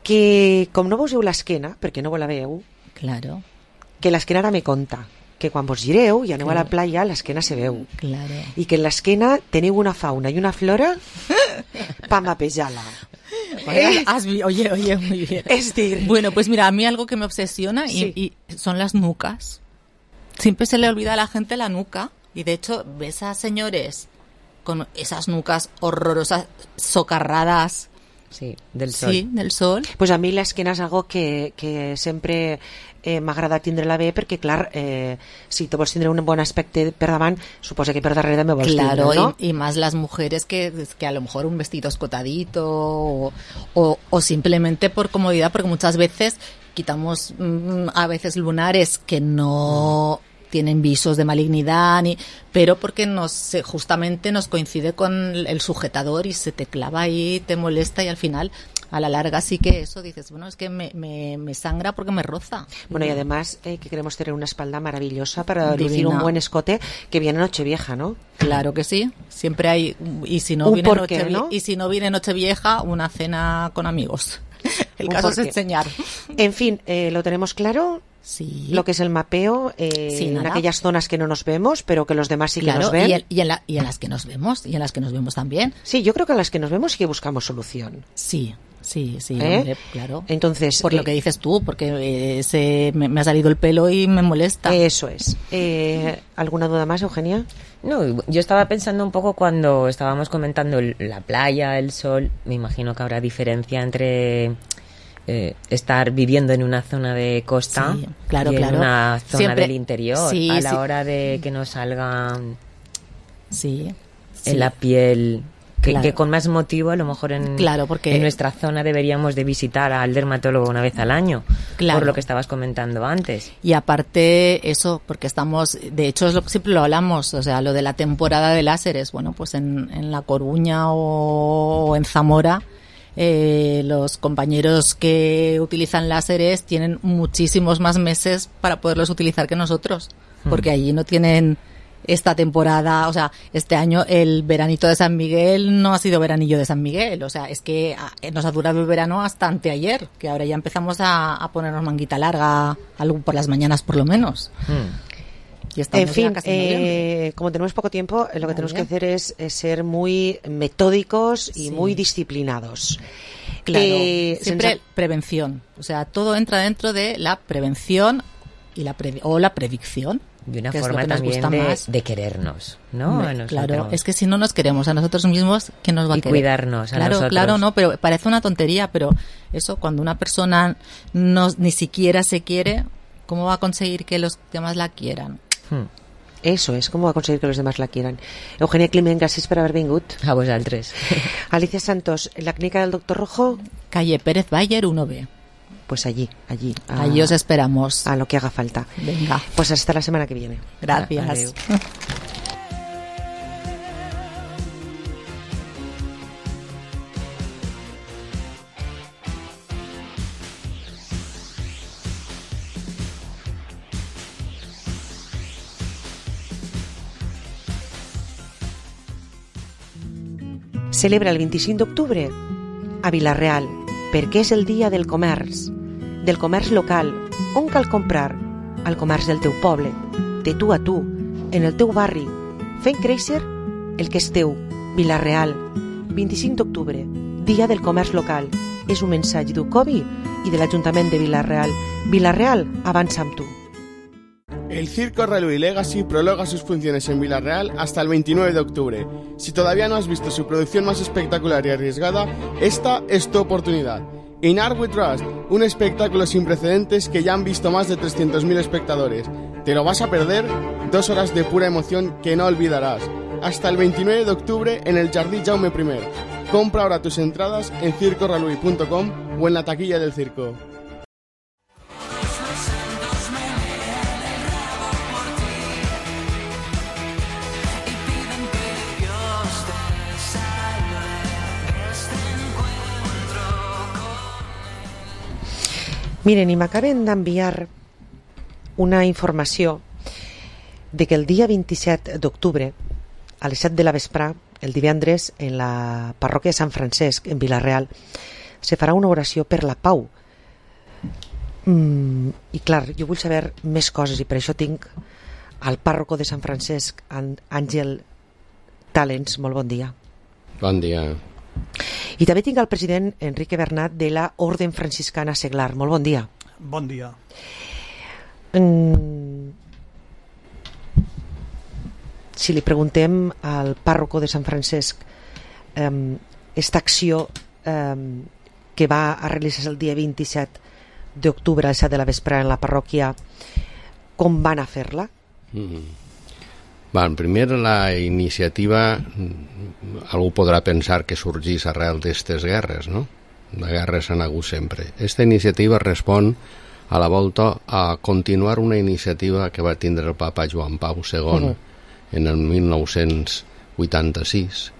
que com no vos veu l'esquena, perquè no vos la veu, claro, que l'esquena ara me conta que quan vos gireu i aneu a la playa l'esquena se veu, i que en l'esquena teniu una fauna i una flora pa mapejar-la. Oye, muy bien. Es decir, bueno, pues mira, a mí algo que me obsesiona y son las nucas. Siempre se le olvida a la gente la nuca, y de hecho ves a señores con esas nucas horrorosas, socarradas. Sí, del sol. Sí, del sol. Pues a mi l'esquena és algo que sempre m'agrada tindre-la bé, perquè clar, si tu vols tindre un bon aspecte per davant, suposa que per darrere me vols tindre, ¿no? Y más las mujeres que a lo mejor un vestido escotadito o simplemente por comodidad, porque muchas veces quitamos a veces lunares que no tienen visos de malignidad, pero porque justamente nos coincide con el sujetador y se te clava ahí, te molesta, y al final a la larga sí que eso dices, bueno, es que me sangra porque me roza. Bueno, y además que queremos tener una espalda maravillosa para lucir un buen escote que viene Nochevieja, ¿no? Claro que sí, siempre hay, y si no viene Nochevieja, una cena con amigos. El caso es enseñar. En fin, lo tenemos claro. Sí. Lo que es el mapeo en aquellas zonas que no nos vemos, pero que los demás sí que nos ven. Y en las que nos vemos, y en las que nos vemos también. Sí, yo creo que a las que nos vemos sí que buscamos solución. Sí, hombre, claro. Entonces, por lo que dices tú, porque me ha salido el pelo y me molesta. Eso es. ¿Alguna duda más, Eugenia? No, yo estaba pensando un poco cuando estábamos comentando la playa, el sol. Me imagino que habrá diferencia entre estar viviendo en una zona de costa y en una zona del interior, a la hora de que nos salgan en la piel, que con más motivo a lo mejor en nuestra zona deberíamos de visitar al dermatólogo una vez al año, por lo que estabas comentando antes. Y aparte eso, porque de hecho es lo que siempre lo hablamos, o sea, lo de la temporada de láseres, bueno, pues en La Coruña o en Zamora, los compañeros que utilizan láseres tienen muchísimos más meses para poderlos utilizar que nosotros, porque allí no tienen esta temporada, o sea, este año el veranito de San Miguel no ha sido veranillo de San Miguel, o sea, es que nos ha durado el verano hasta anteayer, que ahora ya empezamos a ponernos manguita larga, algo por las mañanas por lo menos. En fin, como tenemos poco tiempo, lo que tenemos que hacer es ser muy metódicos y muy disciplinados. Claro, siempre prevención. O sea, todo entra dentro de la prevención y la predicción. De una forma también de querernos, ¿no? Claro, es que si no nos queremos a nosotros mismos, ¿quién nos va a querer? Y cuidarnos a nosotros. Claro, no, pero parece una tontería, pero eso, cuando una persona ni siquiera se quiere, ¿cómo va a conseguir que los demás la quieran? Eso és, com va aconseguir que los demás la quieran. Eugenia Climent, gràcies per haver vingut. A vosaltres. Alicia Santos, la clínica del Doctor Rojo. Calle Pérez Bayer 1B. Pues allí. Allí os esperamos. A lo que haga falta. Venga. Pues hasta la semana que viene. Gracias. Celebra el 25 d'octubre a Vila-real, perquè és el dia del comerç local, on cal comprar al comerç del teu poble, de tu a tu, en el teu barri, fent créixer el que és teu. Vila-real, 25 d'octubre, dia del comerç local. És un mensatge d'UCOBI i de l'Ajuntament de Vila-real. Vila-real, avança amb tu. El Circo Railway Legacy prolonga sus funciones en Vila-real hasta el 29 de octubre. Si todavía no has visto su producción más espectacular y arriesgada, esta es tu oportunidad. In Art We Trust, un espectáculo sin precedentes que ya han visto más de 300.000 espectadores. ¿Te lo vas a perder? 2 horas de pura emoción que no olvidarás. Hasta el 29 de octubre en el Jardí Jaume I. Compra ahora tus entradas en circorailway.com o en la taquilla del circo. Miren, i m'acaben d'enviar una informació de que el dia 27 d'octubre, a les 7 de la vesprà, el divendres, en la parròquia de Sant Francesc, en Vila-real, se farà una oració per la pau. I clar, jo vull saber més coses i per això tinc al pàrroco de Sant Francesc, Àngel Talens. Molt bon dia. Bon dia. I també tinc el president Enrique Bernat de la Orden Franciscana Seglar. Molt bon dia. Bon dia. Si li preguntem al pàrroco de Sant Francesc esta acció que va a realitzar el dia 27 d'octubre a les 7 de la vesprà en la parròquia, com van a fer-la? Primer, la iniciativa, algú podrà pensar que sorgís arrel d'aquestes guerres, no? Les guerres han hagut sempre. Esta iniciativa respon a la volta a continuar una iniciativa que va tindre el papa Joan Pau II en el 1986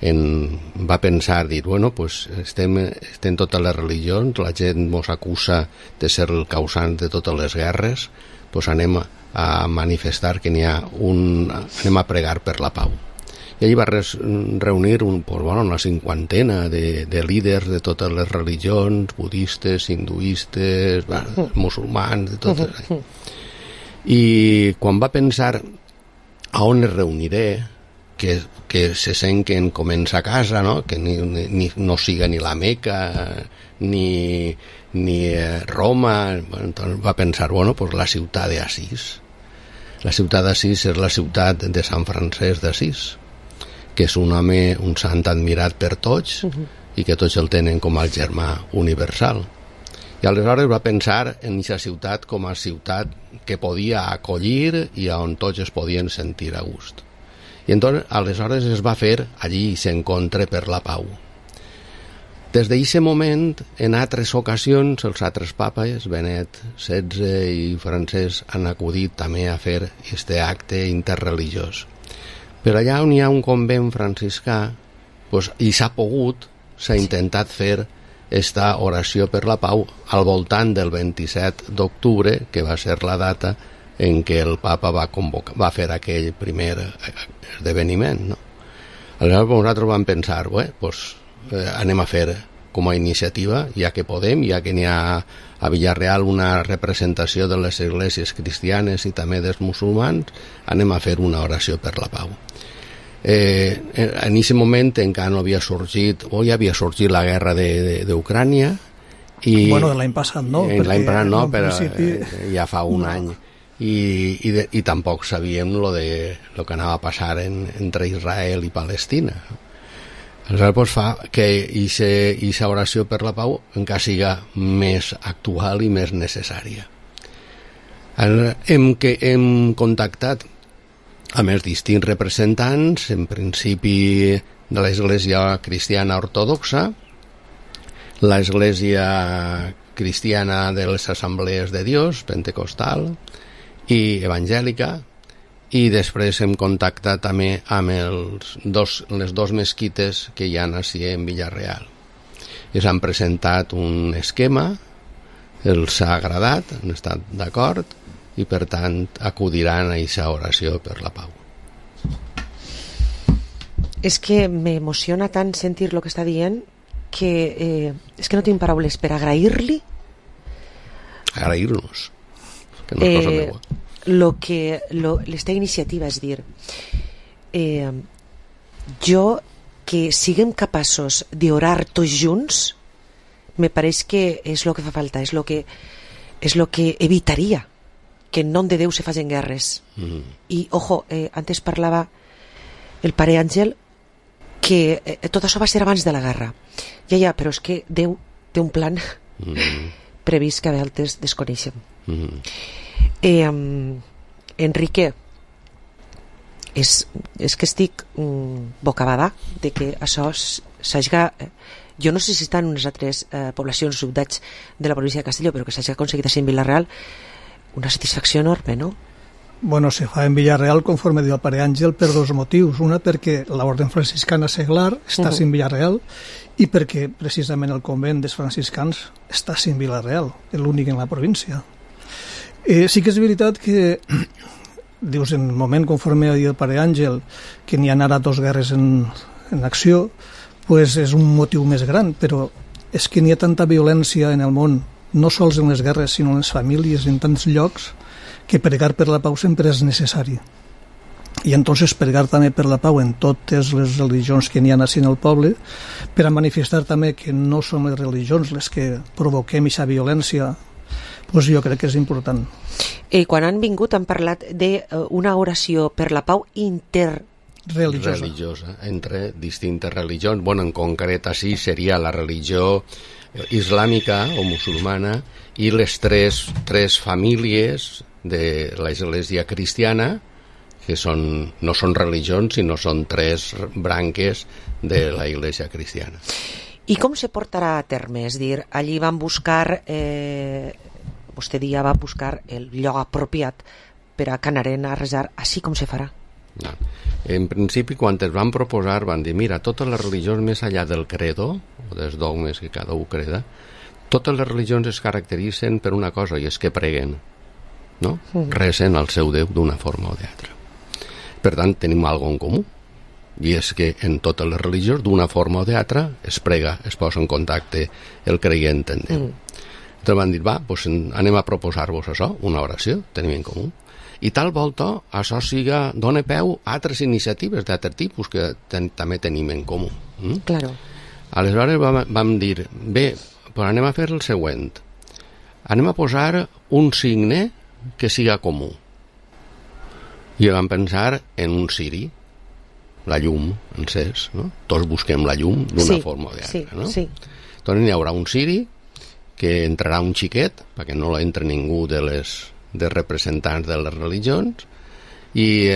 va pensar, dir, bueno, pues estem totes les religions, la gent mos acusa de ser el causant de totes les guerres, pues anem a manifestar que anem a pregar per la pau. I allí va reunir una cinquantena de líders de totes les religions, budistes, hinduistes, musulmans, de totes. I quan va pensar a on es reuniré, que se sent que en comença a casa, no? Que no siga ni la Meca ni Roma. Bueno, entonces va pensar, pues la ciutat d'Assís. La ciutat d'Assís és la ciutat de Sant Francesc d'Assís, que és un home, un sant admirat per tots i que tots el tenen com el germà universal. I aleshores va pensar en aquesta ciutat com a ciutat que podia acollir i on tots es podien sentir a gust. I entonces, aleshores es va fer allí s'encontre per la pau. Des d'aquest moment, en altres ocasions, els altres papes, Benet XVI i Francesc, han acudit també a fer aquest acte interreligiós. Però allà on hi ha un convent franciscà, i s'ha intentat fer esta oració per la pau al voltant del 27 d'octubre, que va ser la data en què el papa va fer aquell primer esdeveniment, no? Aleshores nosaltres vam pensar, anem a fer com a iniciativa, ja que podem, ja que n'hi ha a Villarreal una representació de les esglésies cristianes i també dels musulmans, anem a fer una oració per la pau. En aquest moment encara no havia sorgit, ja havia sorgit la guerra d'Ucrània. Bueno, de l'any passat no. L'any passat no, però ja fa un any. I tampoc sabíem lo que anava a passar entre Israel i Palestina. Aleshores fa que aquesta oració per la pau encara siga més actual i més necessària. Hem contactat amb els distints representants, en principi de l'Església Cristiana Ortodoxa, l'Església Cristiana de les Assemblees de Dios, Pentecostal i Evangèlica, i després hem contactat també amb les dos mesquites que hi ha així en Villarreal. Ells han presentat un esquema, els ha agradat, han estat d'acord, i per tant acudiran a aquesta oració per la pau. És que m'emociona tant sentir el que està dient que és que no tinc paraules per agrair-li. Agrair-nos, que no és cosa meua. L'esta iniciativa, és dir, jo que siguem capaços d'orar tots junts, me pareix que és el que fa falta, és el que evitaria que en nom de Déu se facin guerres. I, ojo, antes parlava el pare Àngel que tot això va ser abans de la guerra. Ja, però és que Déu té un plan previst que a vegades desconeixem. Enrique, és que estic bocabada de que això s'hagi... Jo no sé si està en unes altres poblacions, ciutats de la província de Castelló, però que s'hagi aconseguit així en Vila-real, una satisfacció enorme, no? Bueno, se fa en Villarreal, conforme diu el pare Àngel, per dos motius. Una, perquè l'Orden Franciscana Seglar està en Villarreal, i perquè precisament el convent dels franciscans està en Vila-real, l'únic en la província. Sí que és veritat que dius, en el moment, conforme ha dit el pare Àngel, que n'hi ha ara dos guerres en acció, pues és un motiu més gran, però és que n'hi ha tanta violència en el món, no sols en les guerres, sinó en les famílies, en tants llocs, que pregar per la pau sempre és necessari. I entonces pregar també per la pau en totes les religions que n'hi ha així en el poble, per a manifestar també que no són les religions les que provoquem aquesta violència, doncs jo crec que és important. Quan han vingut han parlat d'una oració per la pau religiosa entre distintes religions. Bueno, en concret així seria la religió islàmica o musulmana i les tres famílies de l'Església cristiana, que no són religions, sinó són tres branques de la Iglesia cristiana. I com se portarà a terme? És dir, allí van buscar, vostè dia va buscar el lloc apropiat per a que anaren a resar, així com se farà? En principi, quan es van proposar, van dir, mira, totes les religions més allà del credo, o dels dogmes que cada un creda, totes les religions es caracteritzen per una cosa, i és que preguen, no? Recen al seu Déu d'una forma o d'altra. Per tant, tenim alguna en comú, i és que en totes les religions, d'una forma o d'altra, es prega, es posa en contacte el creient en Déu. Llavors van dir, va, doncs anem a proposar-vos això, una oració, tenim en comú. I tal volta això dona peu a altres iniciatives d'altre tipus que també tenim en comú. Claro. Aleshores vam dir, bé, però anem a fer el següent. Anem a posar un signe que siga comú. I vam pensar en un ciri, la llum encès, no? Tots busquem la llum d'una forma o d'altra, no? Sí. Doncs hi haurà un ciri que entrarà un xiquet, perquè no l'entra ningú dels representants de les religions, i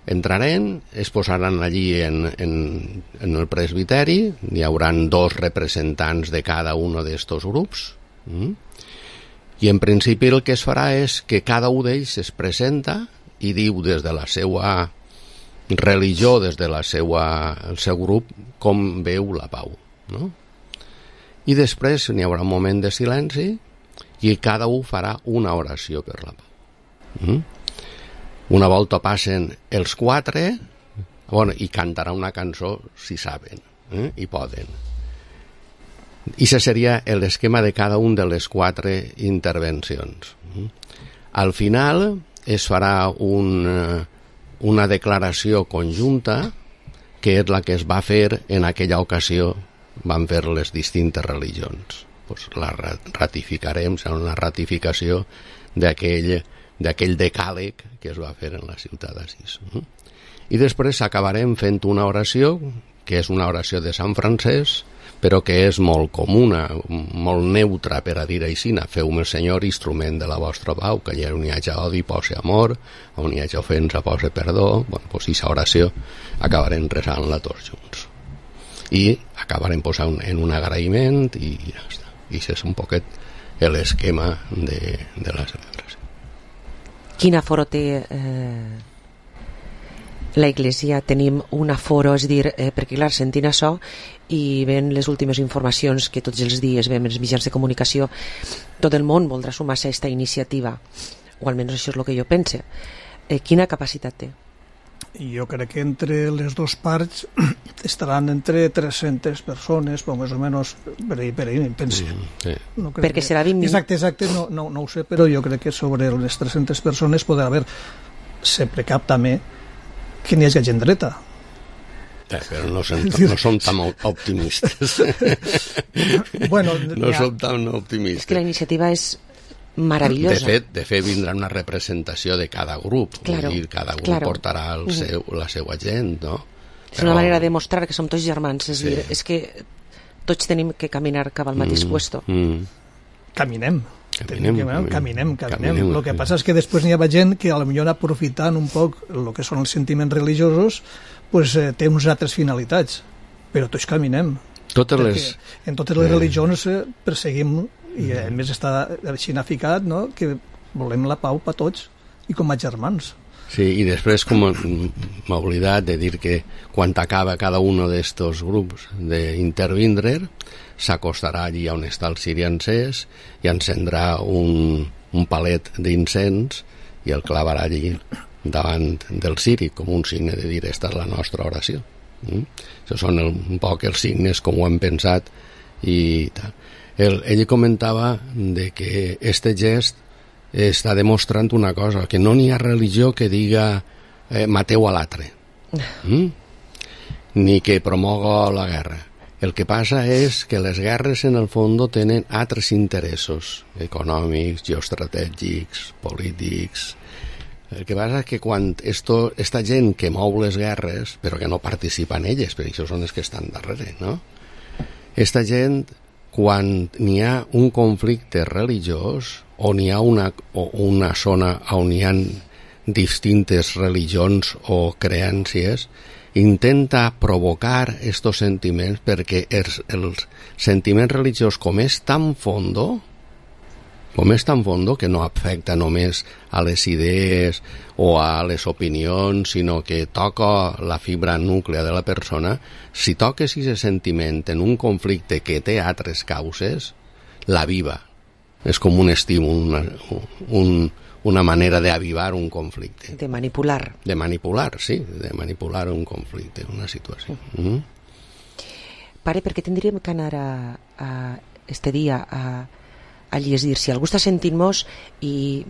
entraren, es posaran allí en el presbiteri, hi hauran 2 representants de cada un d'estos grups, i en principi el que es farà és que cada un d'ells es presenta i diu des de la seva religió, des de el seu grup, com veu la pau, no? I després n'hi haurà un moment de silenci i cada un farà una oració per la pau. Una volta passen els 4, i cantarà una cançó si saben, i poden. I això seria l'esquema de cada un de les 4 intervencions. Al final es farà una declaració conjunta, que és la que es va fer en aquella ocasió, van fer les distintes religions. Pues la ratificarem, serà una ratificació d'aquell decàleg que es va fer en la ciutat d'Assís. I després acabarem fent una oració, que és una oració de Sant Francesc, però que és molt comuna, molt neutra, per a dir així, feu-me, Senyor, instrument de la vostra pau, que allà on hi hagi odi posi amor, on hi hagi ofensa posi perdó. Bueno, doncs aquesta oració acabarem resant-la tots junts. I acabarem posant en un agraïment i ja està. I això és un poquet l'esquema de la celebració. Quin aforo té la Iglesia? Tenim un aforo, és dir, perquè clar, sentint això i veient les últimes informacions que tots els dies veiem en els mitjans de comunicació, tot el món voldrà sumar-se a aquesta iniciativa, o almenys això és el que jo pense. Quina capacitat té? Jo crec que entre les dues parts estaran entre 300 persones, més o menys, per ahir penso. No perquè serà 20 exacte no ho sé, però jo crec que sobre les 300 persones podrà haver sempre cap també que n'hi hagi gent dreta. Però no som tan optimistes. No som tan optimistes. És que la iniciativa és meravellosa. De fet vindrà una representació de cada grup, vull dir, cada grup portarà la seva gent, no? És una manera de mostrar que som tots germans, és dir, és que tots tenim que caminar cap al mateix puesto. Caminem. El que passa és que després n'hi ha gent que potser aprofitant un poc el que són els sentiments religiosos té unes altres finalitats, però tots caminem. En totes les religions perseguim, i a més està així ficat, no? Que volem la pau per tots i com a germans. Sí, i després com m'ha oblidat de dir que quan acaba cada un d'estos grups d'intervindre, s'acostarà allí on està el ciri encès i encendrà un palet d'incens i el clavarà allí davant del ciri com un signe de dir esta és la nostra oració. Això són un poc els signes com ho hem pensat i tal. Ell comentava de que este gest està demostrant una cosa, que no n'hi ha religió que diga mateu a l'altre, ni que promoga la guerra. El que passa és que les guerres en el fons tenen altres interessos econòmics, geoestratègics, polítics. El que passa és que quan esta gent que mou les guerres, però que no participa en elles, perquè això són els que estan darrere, no? Esta gent, quan n'hi ha un conflicte religiós o n'hi ha una zona on hi ha distintes religions o creències, intenta provocar estos sentiments perquè el sentiment religiós com és tan fondo com és tan fondo que no afecta només a les idees o a les opinions, sinó que toca la fibra núclea de la persona. Si toques aquest sentiment en un conflicte que té altres causes, la viva. És com un estímul, una manera d'avivar un conflicte. De manipular. De manipular, sí, de manipular un conflicte, una situació. Pare, per què tindríem que anar a este dia a llegir? Si algú està sentint-nos i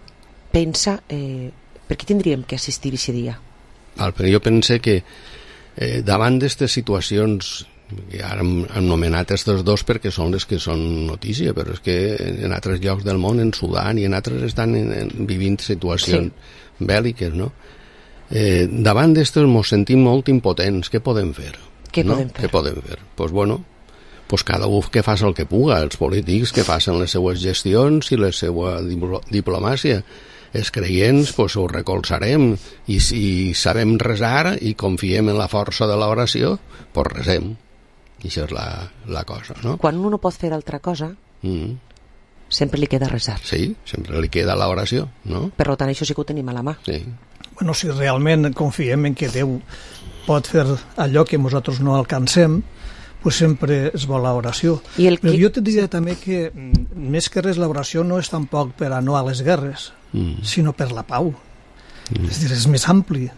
pensa, per què tindríem que assistir a aquest dia? Però jo pense que davant d'aquestes situacions, que ara hem anomenat aquests dos perquè són les que són notícia, però és que en altres llocs del món, en Sudan i en altres, estan vivint situacions bèl·liques, no? Davant d'aquestes ens sentim molt impotents. Què podem fer? Què podem fer? Doncs bueno, cada un que faci el que puga, els polítics que facin les seues gestions i la seva diplomàcia. Els creients ho recolzarem, i si sabem resar i confiem en la força de l'oració, doncs resem. I això és la cosa, no? Quan un no pot fer altra cosa, sempre li queda resar. Sí, sempre li queda l'oració, no? Per tant, això sí que ho tenim a la mà. Sí. Bueno, si realment confiem en que Déu pot fer allò que nosaltres no alcancem, pues sempre es vol l'oració. Però jo te diria també que més que res l'oració no és tampoc per a no a les guerres, sinó per la pau. És dir, és més ampli.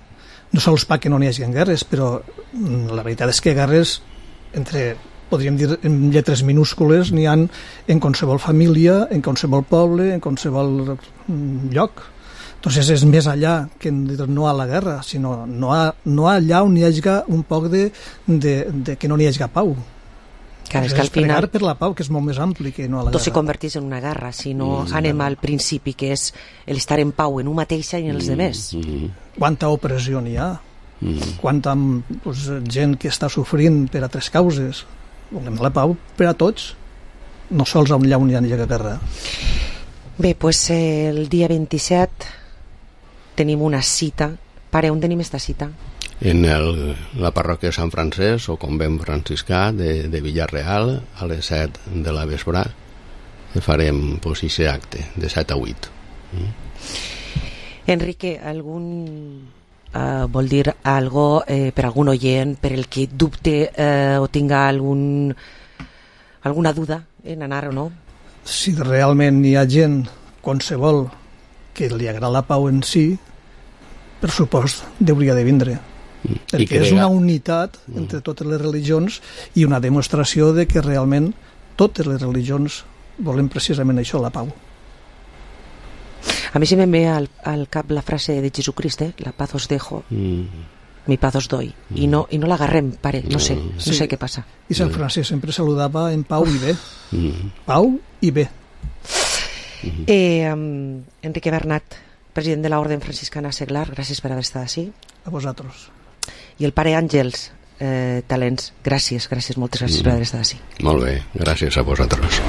No sols perquè no n'hi hagi guerres, però la veritat és que guerres, podríem dir en lletres minúscules, n'hi ha en qualsevol família, en qualsevol poble, en qualsevol lloc. Entonces és més allà que no a la guerra, sinó no allà on hi hagi un poc de que no n'hi hagi pau. Clar, és que al final per la pau, que és molt més ampli que no a la guerra. Tot se converteix en una guerra, si no anem al principi, que és l'estar en pau en un mateixa i en els demés. Quanta opressió n'hi ha, quanta gent que està sofrint per altres causes. Volem la pau per a tots, no sols allà on hi ha guerra. Bé, doncs el dia 27 tenim una cita. Pare, on tenim esta cita? En la parròquia de Sant Francesc, o convent franciscà de Villarreal, a les 7 de la vesprà farem aquest acte, de 7 a 8. Enrique, vol dir algo per algun oient, per el que dubte o tinga alguna duda en anar o no? Si realment hi ha gent, qualsevol, que li agrada la pau en si, per supost, hauria de vindre. Perquè és una unitat entre totes les religions i una demostració de que realment totes les religions volen precisament això, la pau. A mi se me ve al cap la frase de Jesucrist, la paz os dejo, mi paz os doy. I no l'agarrem, pare, no sé què passa. I Sant Francesc sempre saludava en pau i bé. Pau i bé. Enrique Bernat, president de l'Orden Franciscana Seglar, gràcies per haver estat així. A vosaltres. I el pare Àngels Talents, gràcies, moltes gràcies per haver estat així. Molt bé, gràcies a vosaltres.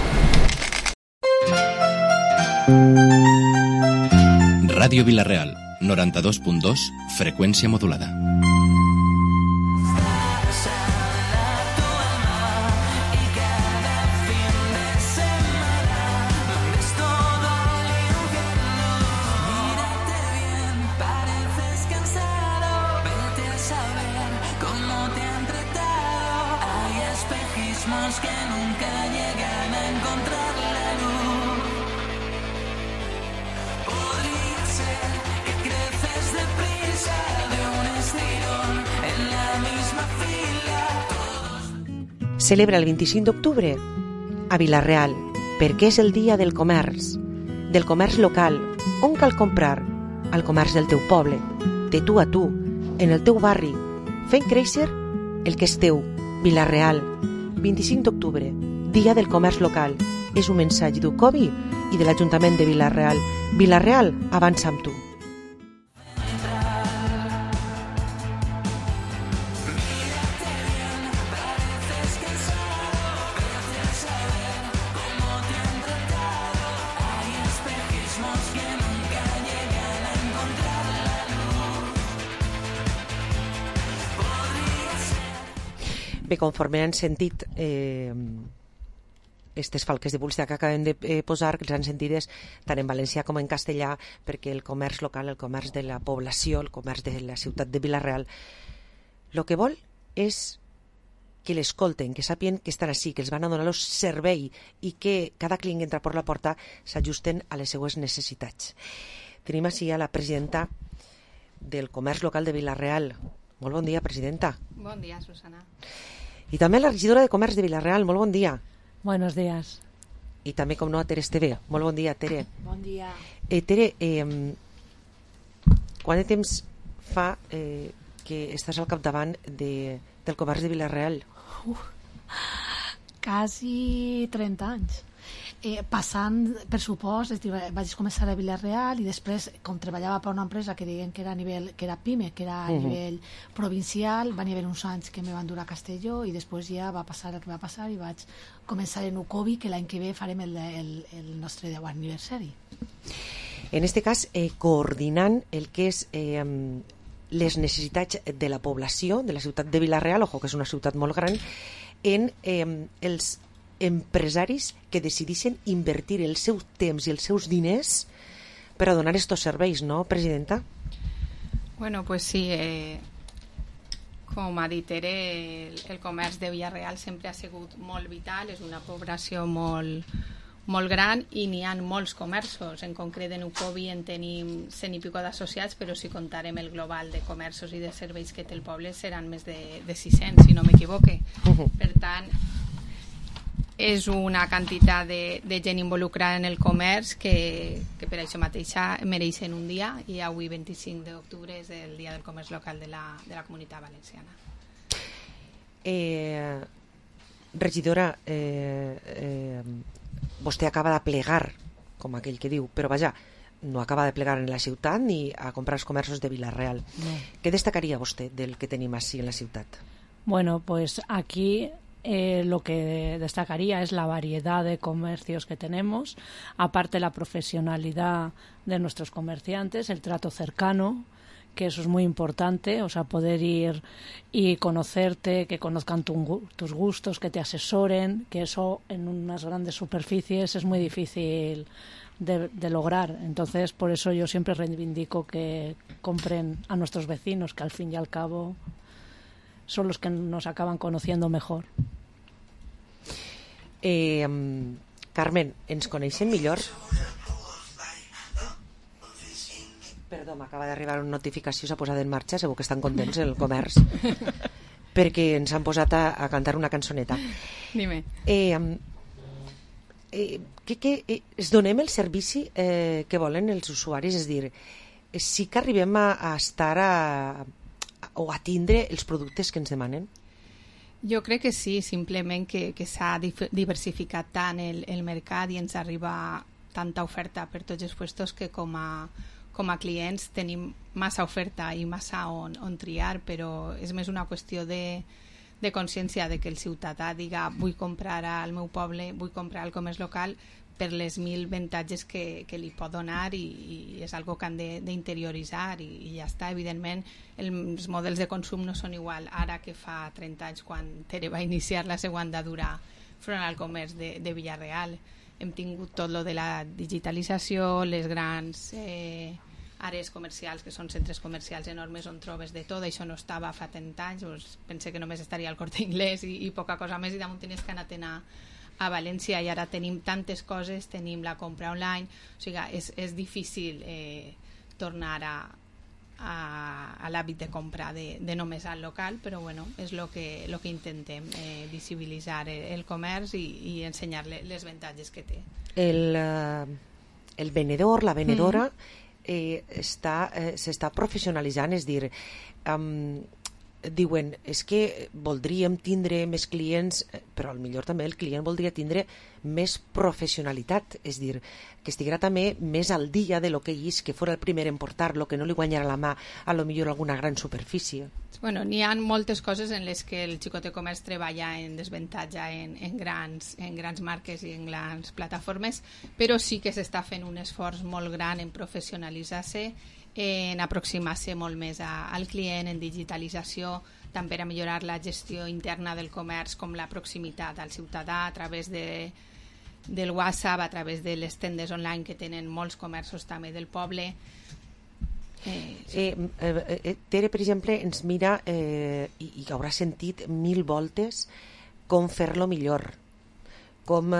Ràdio Vila-real, 92.2, freqüència modulada. Celebra el 25 d'octubre a Vila-real, perquè és el dia del comerç local, on cal comprar al comerç del teu poble, de tu a tu, en el teu barri, fent créixer el que és teu. Vila-real, 25 d'octubre, dia del comerç local. És un mensatge d'UCOBI i de l'Ajuntament de Vila-real. Vila-real, avança amb tu. Bé, conforme han sentit, aquestes falques de publicitat que acabem de posar, que les han sentides tant en valencià com en castellà, perquè el comerç local, el comerç de la població, el comerç de la ciutat de Vila-real, el que vol és que l'escolten, que sàpien que estan així, que els van a donar el servei i que cada client que entra per la porta s'ajusten a les seues necessitats. Tenim així a la presidenta del comerç local de Vila-real. Molt bon dia, presidenta. Bon dia, Susana. I també la regidora de comerç de Vila-real. Molt bon dia. Buenos días. I també, com no, a Tere Esteve. Molt bon dia, Tere. Bon dia. Tere, quant de temps fa que estàs al capdavant del comerç de Vila-real? Quasi 30 anys. Passant, per supost, vaig començar a Vila-real i després, com treballava per una empresa que deien que era a nivell, que era PIME, que era a nivell provincial, van haver uns anys que me van dur a Castelló i després ja va passar el que va passar i vaig començar en Ucovi, que l'any que ve farem el nostre 10è aniversari. En este cas, coordinant el que és les necessitats de la població de la ciutat de Vila-real, ojo que és una ciutat molt gran, en els empresaris que decideixen invertir el seu temps i els seus diners per a donar estos serveis, no, presidenta? Bueno, pues sí, com ha dit Tere, el comerç de Vila-real sempre ha sigut molt vital, és una població molt gran i n'hi ha molts comerços. En concret en Ucovi en tenim 100 i pico d'associats, però si contarem el global de comerços i de serveis que té el poble seran més de 600, si no m'equivoque. Per tant, és una quantitat de gent involucrada en el comerç que per això mateixa mereixen un dia, i avui 25 d'octubre és el dia del comerç local de la Comunitat Valenciana. Regidora, vostè acaba de plegar, com aquell que diu, però vaja, no acaba de plegar en la ciutat ni a comprar els comerços de Vila-real. No. Què destacaria vostè del que tenim així en la ciutat? Bueno, pues aquí lo que destacaría es la variedad de comercios que tenemos, aparte la profesionalidad de nuestros comerciantes, el trato cercano, que eso es muy importante, o sea, poder ir y conocerte, que conozcan tus gustos, que te asesoren, que eso en unas grandes superficies es muy difícil de lograr. Entonces, por eso yo siempre reivindico que compren a nuestros vecinos, que al fin y al cabo son los que nos acaban conociendo mejor. Carmen, ens coneixem millor? Perdó, m'acaba d'arribar una notificació, s'ha posat en marxa, segur que estan contents el comerç, perquè ens han posat a cantar una cançoneta. Dime. Es donem el servici que volen els usuaris, és dir, sí que arribem a estar o a tindre els productes que ens demanen? Jo crec que sí, simplement que s'ha diversificat tant el mercat i ens arriba tanta oferta per tots els puestos que com a clients tenim massa oferta i massa on triar, però és més una qüestió de consciència de que el ciutadà diga vull comprar al meu poble, vull comprar al comerç local per les 1000 avantatges que li pot donar i és algo que han d'interioritzar i ja està. Evidentment els models de consum no són igual ara que fa 30 anys quan Tere va iniciar la seva andadura front al comerç de Vila-real. Hem tingut tot lo de la digitalització, les grans àrees comercials que són centres comercials enormes on trobes de tot, això no estava fa 30 anys, doncs pensé que només estaria al Corte Inglés i poca cosa més, i damunt tenies que anar a València, i ara tenim tantes coses, tenim la compra online, o sigui, és difícil tornar a l'hàbit de compra de només al local, però bueno, és el que intentem, visibilitzar el comerç i ensenyar les avantatges que té. El venedor, la venedora s'està professionalitzant, és dir, diuen, és que voldríem tindre més clients, però millor també el client voldria tindre més professionalitat, és dir, que estiguera també més al dia de lo que és, que fora el primer en portar-lo, que no li guanyara la mà a lo millor alguna gran superfície. Bueno, n'hi ha moltes coses en les que el xicot de comerç treballa en desavantatge en grans marques i en grans plataformes, però sí que s'està fent un esforç molt gran en professionalitzar-se, en aproximar-se molt més al client, en digitalització, també per a millorar la gestió interna del comerç, com la proximitat al ciutadà a través de del WhatsApp, a través de les tendes online que tenen molts comerços també del poble. Tere, per exemple, ens mira i haurà sentit 1000 voltes com fer-lo millor, com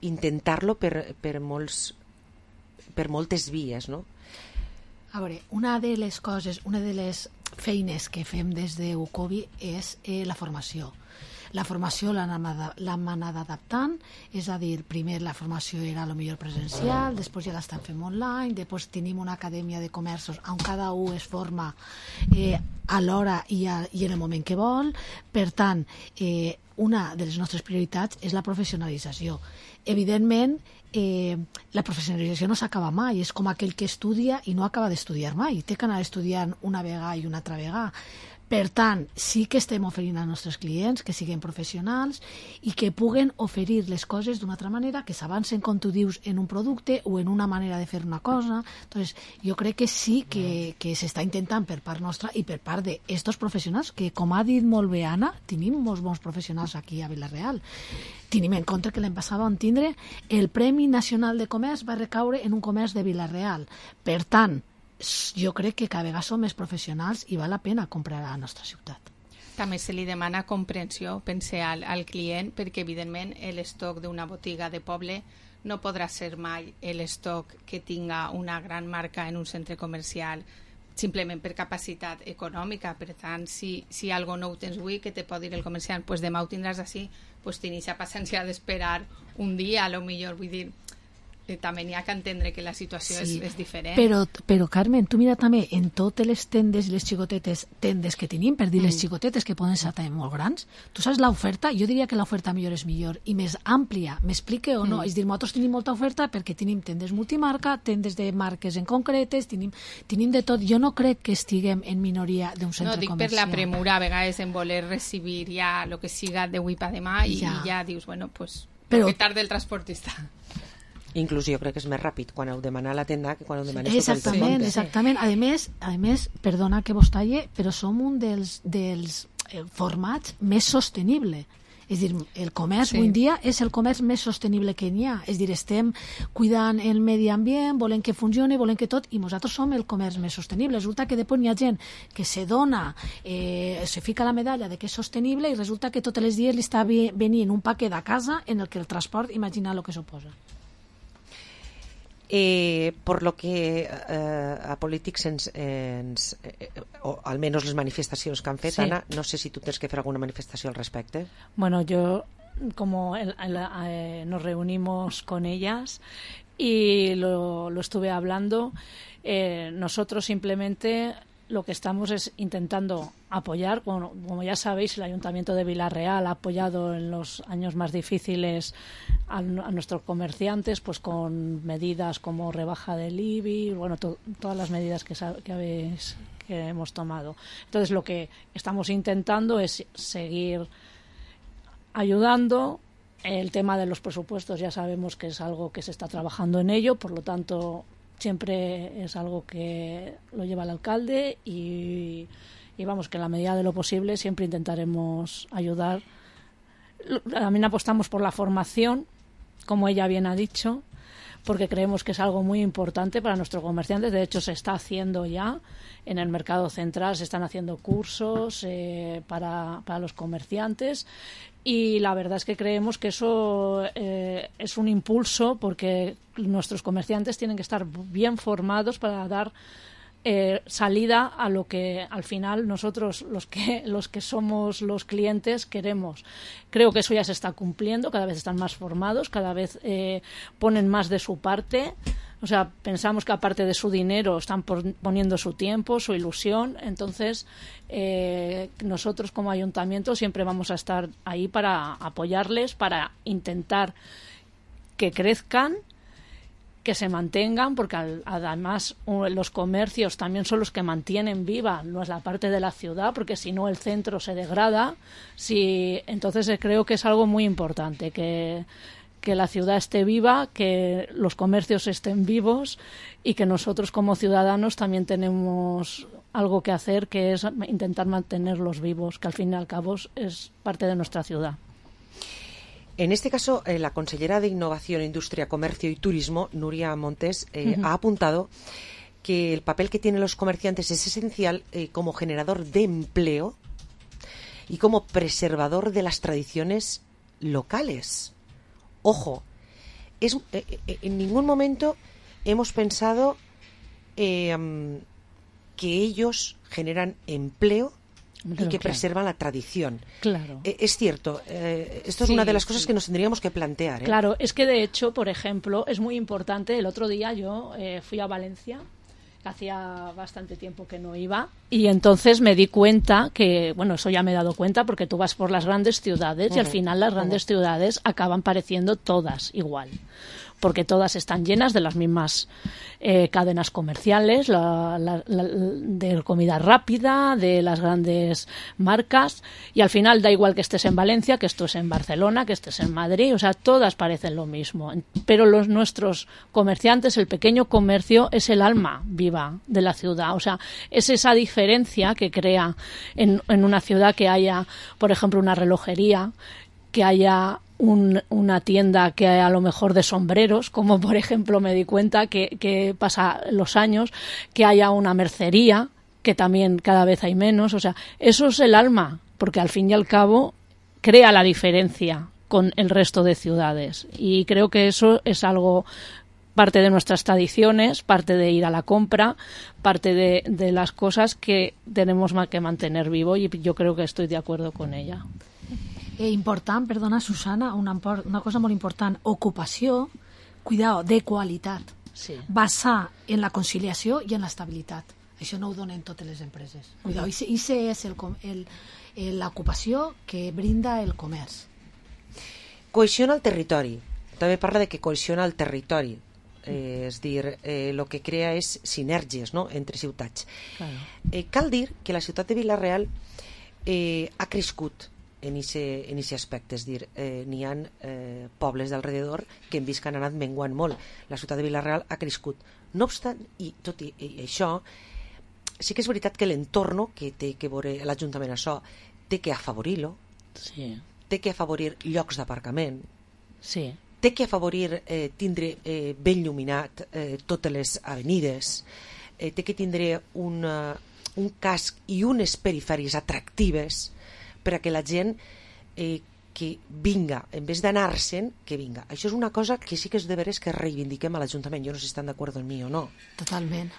intentar-lo per moltes vies, no? A veure, una de les feines que fem des de UCOBI és la formació. La formació l'hem anat adaptant, és a dir, primer la formació era a lo millor presencial, després ja l'estan fent online, després tenim una acadèmia de comerços on cada un es forma a l'hora i en el moment que vol. Per tant, una de les nostres prioritats és la professionalització. Evidentment, la professionalització no s'acaba mai, és com aquell que estudia i no acaba d'estudiar mai, té que anar estudiant una vegada i una altra vegada. Per tant, sí que estem oferint als nostres clients que siguin professionals i que puguen oferir les coses d'una altra manera, que s'avancen, com tu dius, en un producte o en una manera de fer una cosa. Entonces, jo crec que sí que s'està intentant per part nostra i per part d'estos professionals, que, com ha dit molt bé Anna, tenim molts bons professionals aquí a Vila-real. Tenim en compte que l'any passat vam tindre el Premi Nacional de Comerç va recaure en un comerç de Vila-real. Per tant, jo crec que cada vegada som més professionals i val la pena comprar a la nostra ciutat. També se li demana comprensió, pense al client, perquè evidentment l'estoc d'una botiga de poble no podrà ser mai l'estoc que tinga una gran marca en un centre comercial simplement per capacitat econòmica. Per tant, si algo no ho tens avui, que te pot dir el comerciant, pues demà ho tindràs així, pues tenies la paciència d'esperar un dia, a lo millor, vull dir, també n'hi ha que entendre que la situació és diferent. Però Carmen, tu mira també en totes les tendes i les xicotetes tendes que tenim, per dir les xicotetes que poden ser també molt grans, tu saps l'oferta? Jo diria que l'oferta millor és millor i més àmplia, m'explique o no? És dir, nosaltres tenim molta oferta perquè tenim tendes multimarca, tendes de marques en concretes, tenim de tot. Jo no crec que estiguem en minoria d'un centre comercial. No, dic per la premura, a vegades en voler recibir ja el que siga d'avui per demà i ja dius, bueno, pues, que tarda el transportista. Inclús jo crec que és més ràpid quan heu demanat a la tenda que quan heu demanat tot el compte. Exactament. A més, perdona que vos talle, però som un dels formats més sostenible. És dir, el comerç avui en dia és el comerç més sostenible que n'hi ha. És dir, estem cuidant el medi ambient, volem que funcioni, volem que tot, i nosaltres som el comerç més sostenible. Resulta que després n'hi ha gent que se dona, se fica la medalla de que és sostenible i resulta que tots els dies li està venint un paquet a casa en el que el transport, imagina el que suposa. Por lo que a polítics o almenys les manifestacions que han fet, Anna, no sé si tu tens que fer alguna manifestació al respecte. Bueno, yo como nos reunimos con ellas y lo estuve hablando, nosotros simplemente lo que estamos es intentando apoyar, como ya sabéis, el Ayuntamiento de Vila-real ha apoyado en los años más difíciles a nuestros comerciantes, pues con medidas como rebaja del IBI, bueno, todas las medidas que hemos tomado. Entonces, lo que estamos intentando es seguir ayudando. El tema de los presupuestos ya sabemos que es algo que se está trabajando en ello, por lo tanto siempre es algo que lo lleva el alcalde y vamos, que en la medida de lo posible siempre intentaremos ayudar. También apostamos por la formación, como ella bien ha dicho, porque creemos que es algo muy importante para nuestros comerciantes. De hecho, se está haciendo ya en el mercado central, se están haciendo cursos para los comerciantes. Y la verdad es que creemos que eso es un impulso, porque nuestros comerciantes tienen que estar bien formados para dar salida a lo que al final nosotros los que somos los clientes queremos. Creo que eso ya se está cumpliendo, cada vez están más formados, cada vez ponen más de su parte. O sea, pensamos que aparte de su dinero están poniendo su tiempo, su ilusión. Entonces, nosotros como ayuntamiento siempre vamos a estar ahí para apoyarles, para intentar que crezcan, que se mantengan, porque además los comercios también son los que mantienen viva la parte de la ciudad, porque si no el centro se degrada. Entonces creo que es algo muy importante, que la ciudad esté viva, que los comercios estén vivos y que nosotros como ciudadanos también tenemos algo que hacer, que es intentar mantenerlos vivos, que al fin y al cabo es parte de nuestra ciudad. En este caso, la consellera de Innovación, Industria, Comercio y Turismo, Nuria Montes, ha apuntado que el papel que tienen los comerciantes es esencial como generador de empleo y como preservador de las tradiciones locales. Ojo, en ningún momento hemos pensado que ellos generan empleo y que preservan la tradición. Claro. Es cierto, esto es una de las cosas que nos tendríamos que plantear. Claro, es que de hecho, por ejemplo, es muy importante. El otro día yo fui a Valencia, hacía bastante tiempo que no iba, y entonces me di cuenta que, bueno, eso ya me he dado cuenta porque tú vas por las grandes ciudades y al final las grandes ciudades acaban pareciendo todas igual, porque todas están llenas de las mismas cadenas comerciales, de comida rápida, de las grandes marcas, y al final da igual que estés en Valencia, que estés en Barcelona, que estés en Madrid, o sea, todas parecen lo mismo. Pero nuestros comerciantes, el pequeño comercio, es el alma viva de la ciudad, o sea, es esa diferencia que crea en una ciudad que haya, por ejemplo, una relojería, que haya una tienda que a lo mejor de sombreros, como por ejemplo me di cuenta que pasa los años, que haya una mercería, que también cada vez hay menos, o sea, eso es el alma, porque al fin y al cabo crea la diferencia con el resto de ciudades, y creo que eso es algo, parte de nuestras tradiciones, parte de ir a la compra, parte de las cosas que tenemos que mantener vivo, y yo creo que estoy de acuerdo con ella. Important, perdona, Susana, una cosa molt important, ocupació, cuidado, de qualitat, sí. Basar en la conciliació i en l'estabilitat. Això no ho donen totes les empreses. Cuidado, i és l'ocupació que brinda el comerç. Cohesiona el territori. També parla de que cohesiona el territori. És dir, el que crea és sinergies, no?, entre ciutats. Claro. Cal dir que la ciutat de Vila-real ha crescut en aquest aspecte, és dir, n'hi ha pobles d'alrededor que hem vist que han anat menguant molt. La ciutat de Vila-real ha crescut. No obstant, i tot i això, sí que és veritat que l'entorn que té que veure l'Ajuntament això, té que afavorir-lo, sí. Té que afavorir llocs d'aparcament, sí. Té que afavorir tindre ben il·luminat totes les avenides, té que tindre un casc i unes perifèries atractives per a que la gent que vinga, en vez d'anar-se'n, que vinga. Això és una cosa que sí que és de veres que reivindiquem a l'Ajuntament. Jo no sé si estan d'acord amb mi o no. Totalment.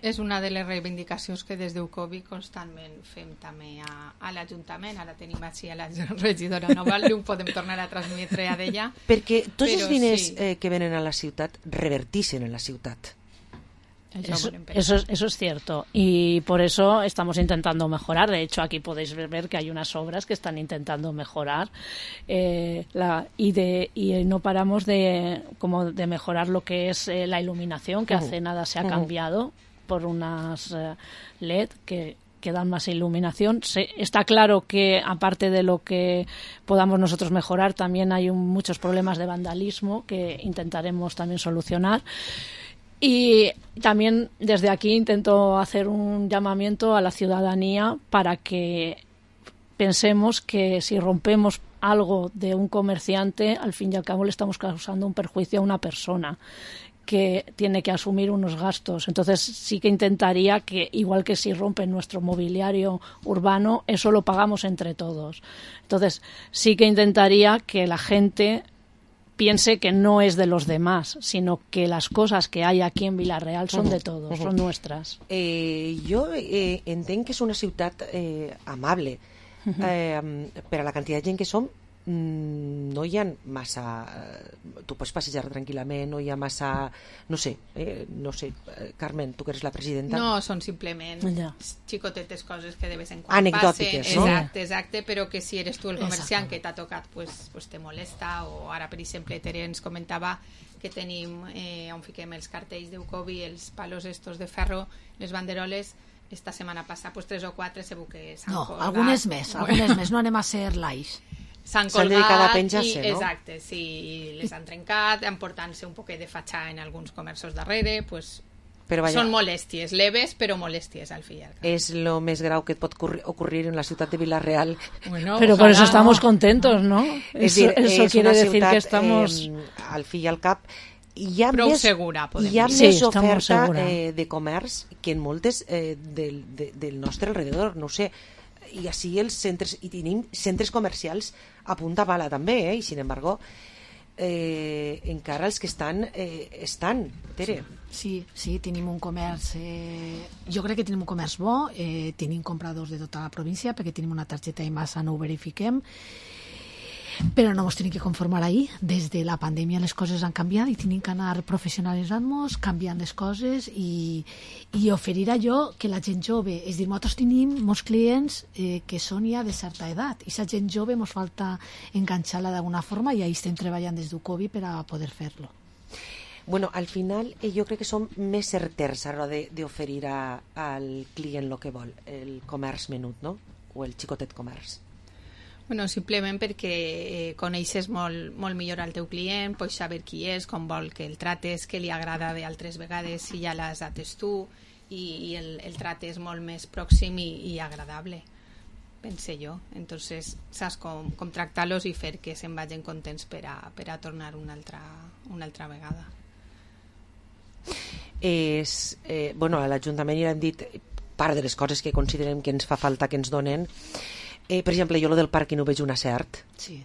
És una de les reivindicacions que des d'UCOBI constantment fem també a l'Ajuntament. Ara tenim així a la regidora Nova, ho podem tornar a transmetre a d'ella. Perquè tots els diners que venen a la ciutat revertixen en la ciutat. Eso es cierto, y por eso estamos intentando mejorar. De hecho, aquí podéis ver que hay unas obras que están intentando mejorar y no paramos de mejorar lo que es la iluminación, que hace nada se ha cambiado por unas LED que dan más iluminación. Está claro que, aparte de lo que podamos nosotros mejorar, también hay muchos problemas de vandalismo que intentaremos también solucionar. Y también desde aquí intento hacer un llamamiento a la ciudadanía para que pensemos que si rompemos algo de un comerciante, al fin y al cabo le estamos causando un perjuicio a una persona que tiene que asumir unos gastos. Entonces sí que intentaría que, igual que si rompen nuestro mobiliario urbano, eso lo pagamos entre todos. Entonces sí que intentaría que la gente piense que no es de los demás, sino que las cosas que hay aquí en Vila-real son de todos, son nuestras. Jo entenc que és una ciutat amable. Per a la quantitat de gent que som, no hi ha massa... Tu pots passejar tranquil·lament, no hi ha massa... No sé, Carmen, tu que eres la presidenta. No, són simplement xicotetes coses que de vez en quan anecdòtiques, passen. No? Exacte, però que si eres tu el comerciant que t'ha tocat, pues te molesta. O ara, per exemple, Tere ens comentava que tenim on fiquem els cartells d'UCOBI, els palos estos de ferro, les banderoles. Esta setmana passada, pues 3 o 4 segur que s'han colgat. No, algunes més, no anem a ser live. S'han colgat a penjar-se, no? Exacte, sí, les han trencat, emportant-se un poquet de fatxà en alguns comerços darrere, pues Són molèsties, leves però molèsties al fin. És lo més grau que et pot ocurrir en la ciutat de Vila-real. Bueno, pero por eso estamos contentos, ¿no? Eso quiere decir que estamos... al fi i al cap hi ha prou més, segura, podem hi ha dir. més oferta de comerç que en moltes del nostre alrededor, no ho sé. I així els centres, i tenim centres comercials a punta pala també, i sin embargo encara els que estan, Tere. Sí, tenim un comerç, jo crec que tenim un comerç bo, tenim compradors de tota la província perquè tenim una targeta i massa no ho verifiquem, però no ens tenim que conformar ahir. Des de la pandèmia les coses han canviat i tenim que anar professionalitzant-nos, canviant les coses i oferir allò que la gent jove, és dir, nosaltres tenim molts clients que són ja de certa edat i la gent jove ens falta enganxar-la d'alguna forma i ahir estem treballant des del Covid per a poder fer-lo. Bueno, al final jo crec que som més certers a l'hora d'oferir al client el que vol, el comerç menut, no? O el xicotet comerç. Bueno, simplement perquè coneixes molt millor al teu client, pots saber qui és, com vol que el trates, què li agrada d'altres vegades si ja les dates tu, i el tracte és molt més pròxim i agradable, pense jo. Entonces saps com tractar-los i fer que se'n vagin contents per a tornar una altra vegada. Bueno, a l'Ajuntament ja hem dit part de les coses que considerem que ens fa falta que ens donen. Per exemple, jo lo del pàrquing ho veig un acert. Sí.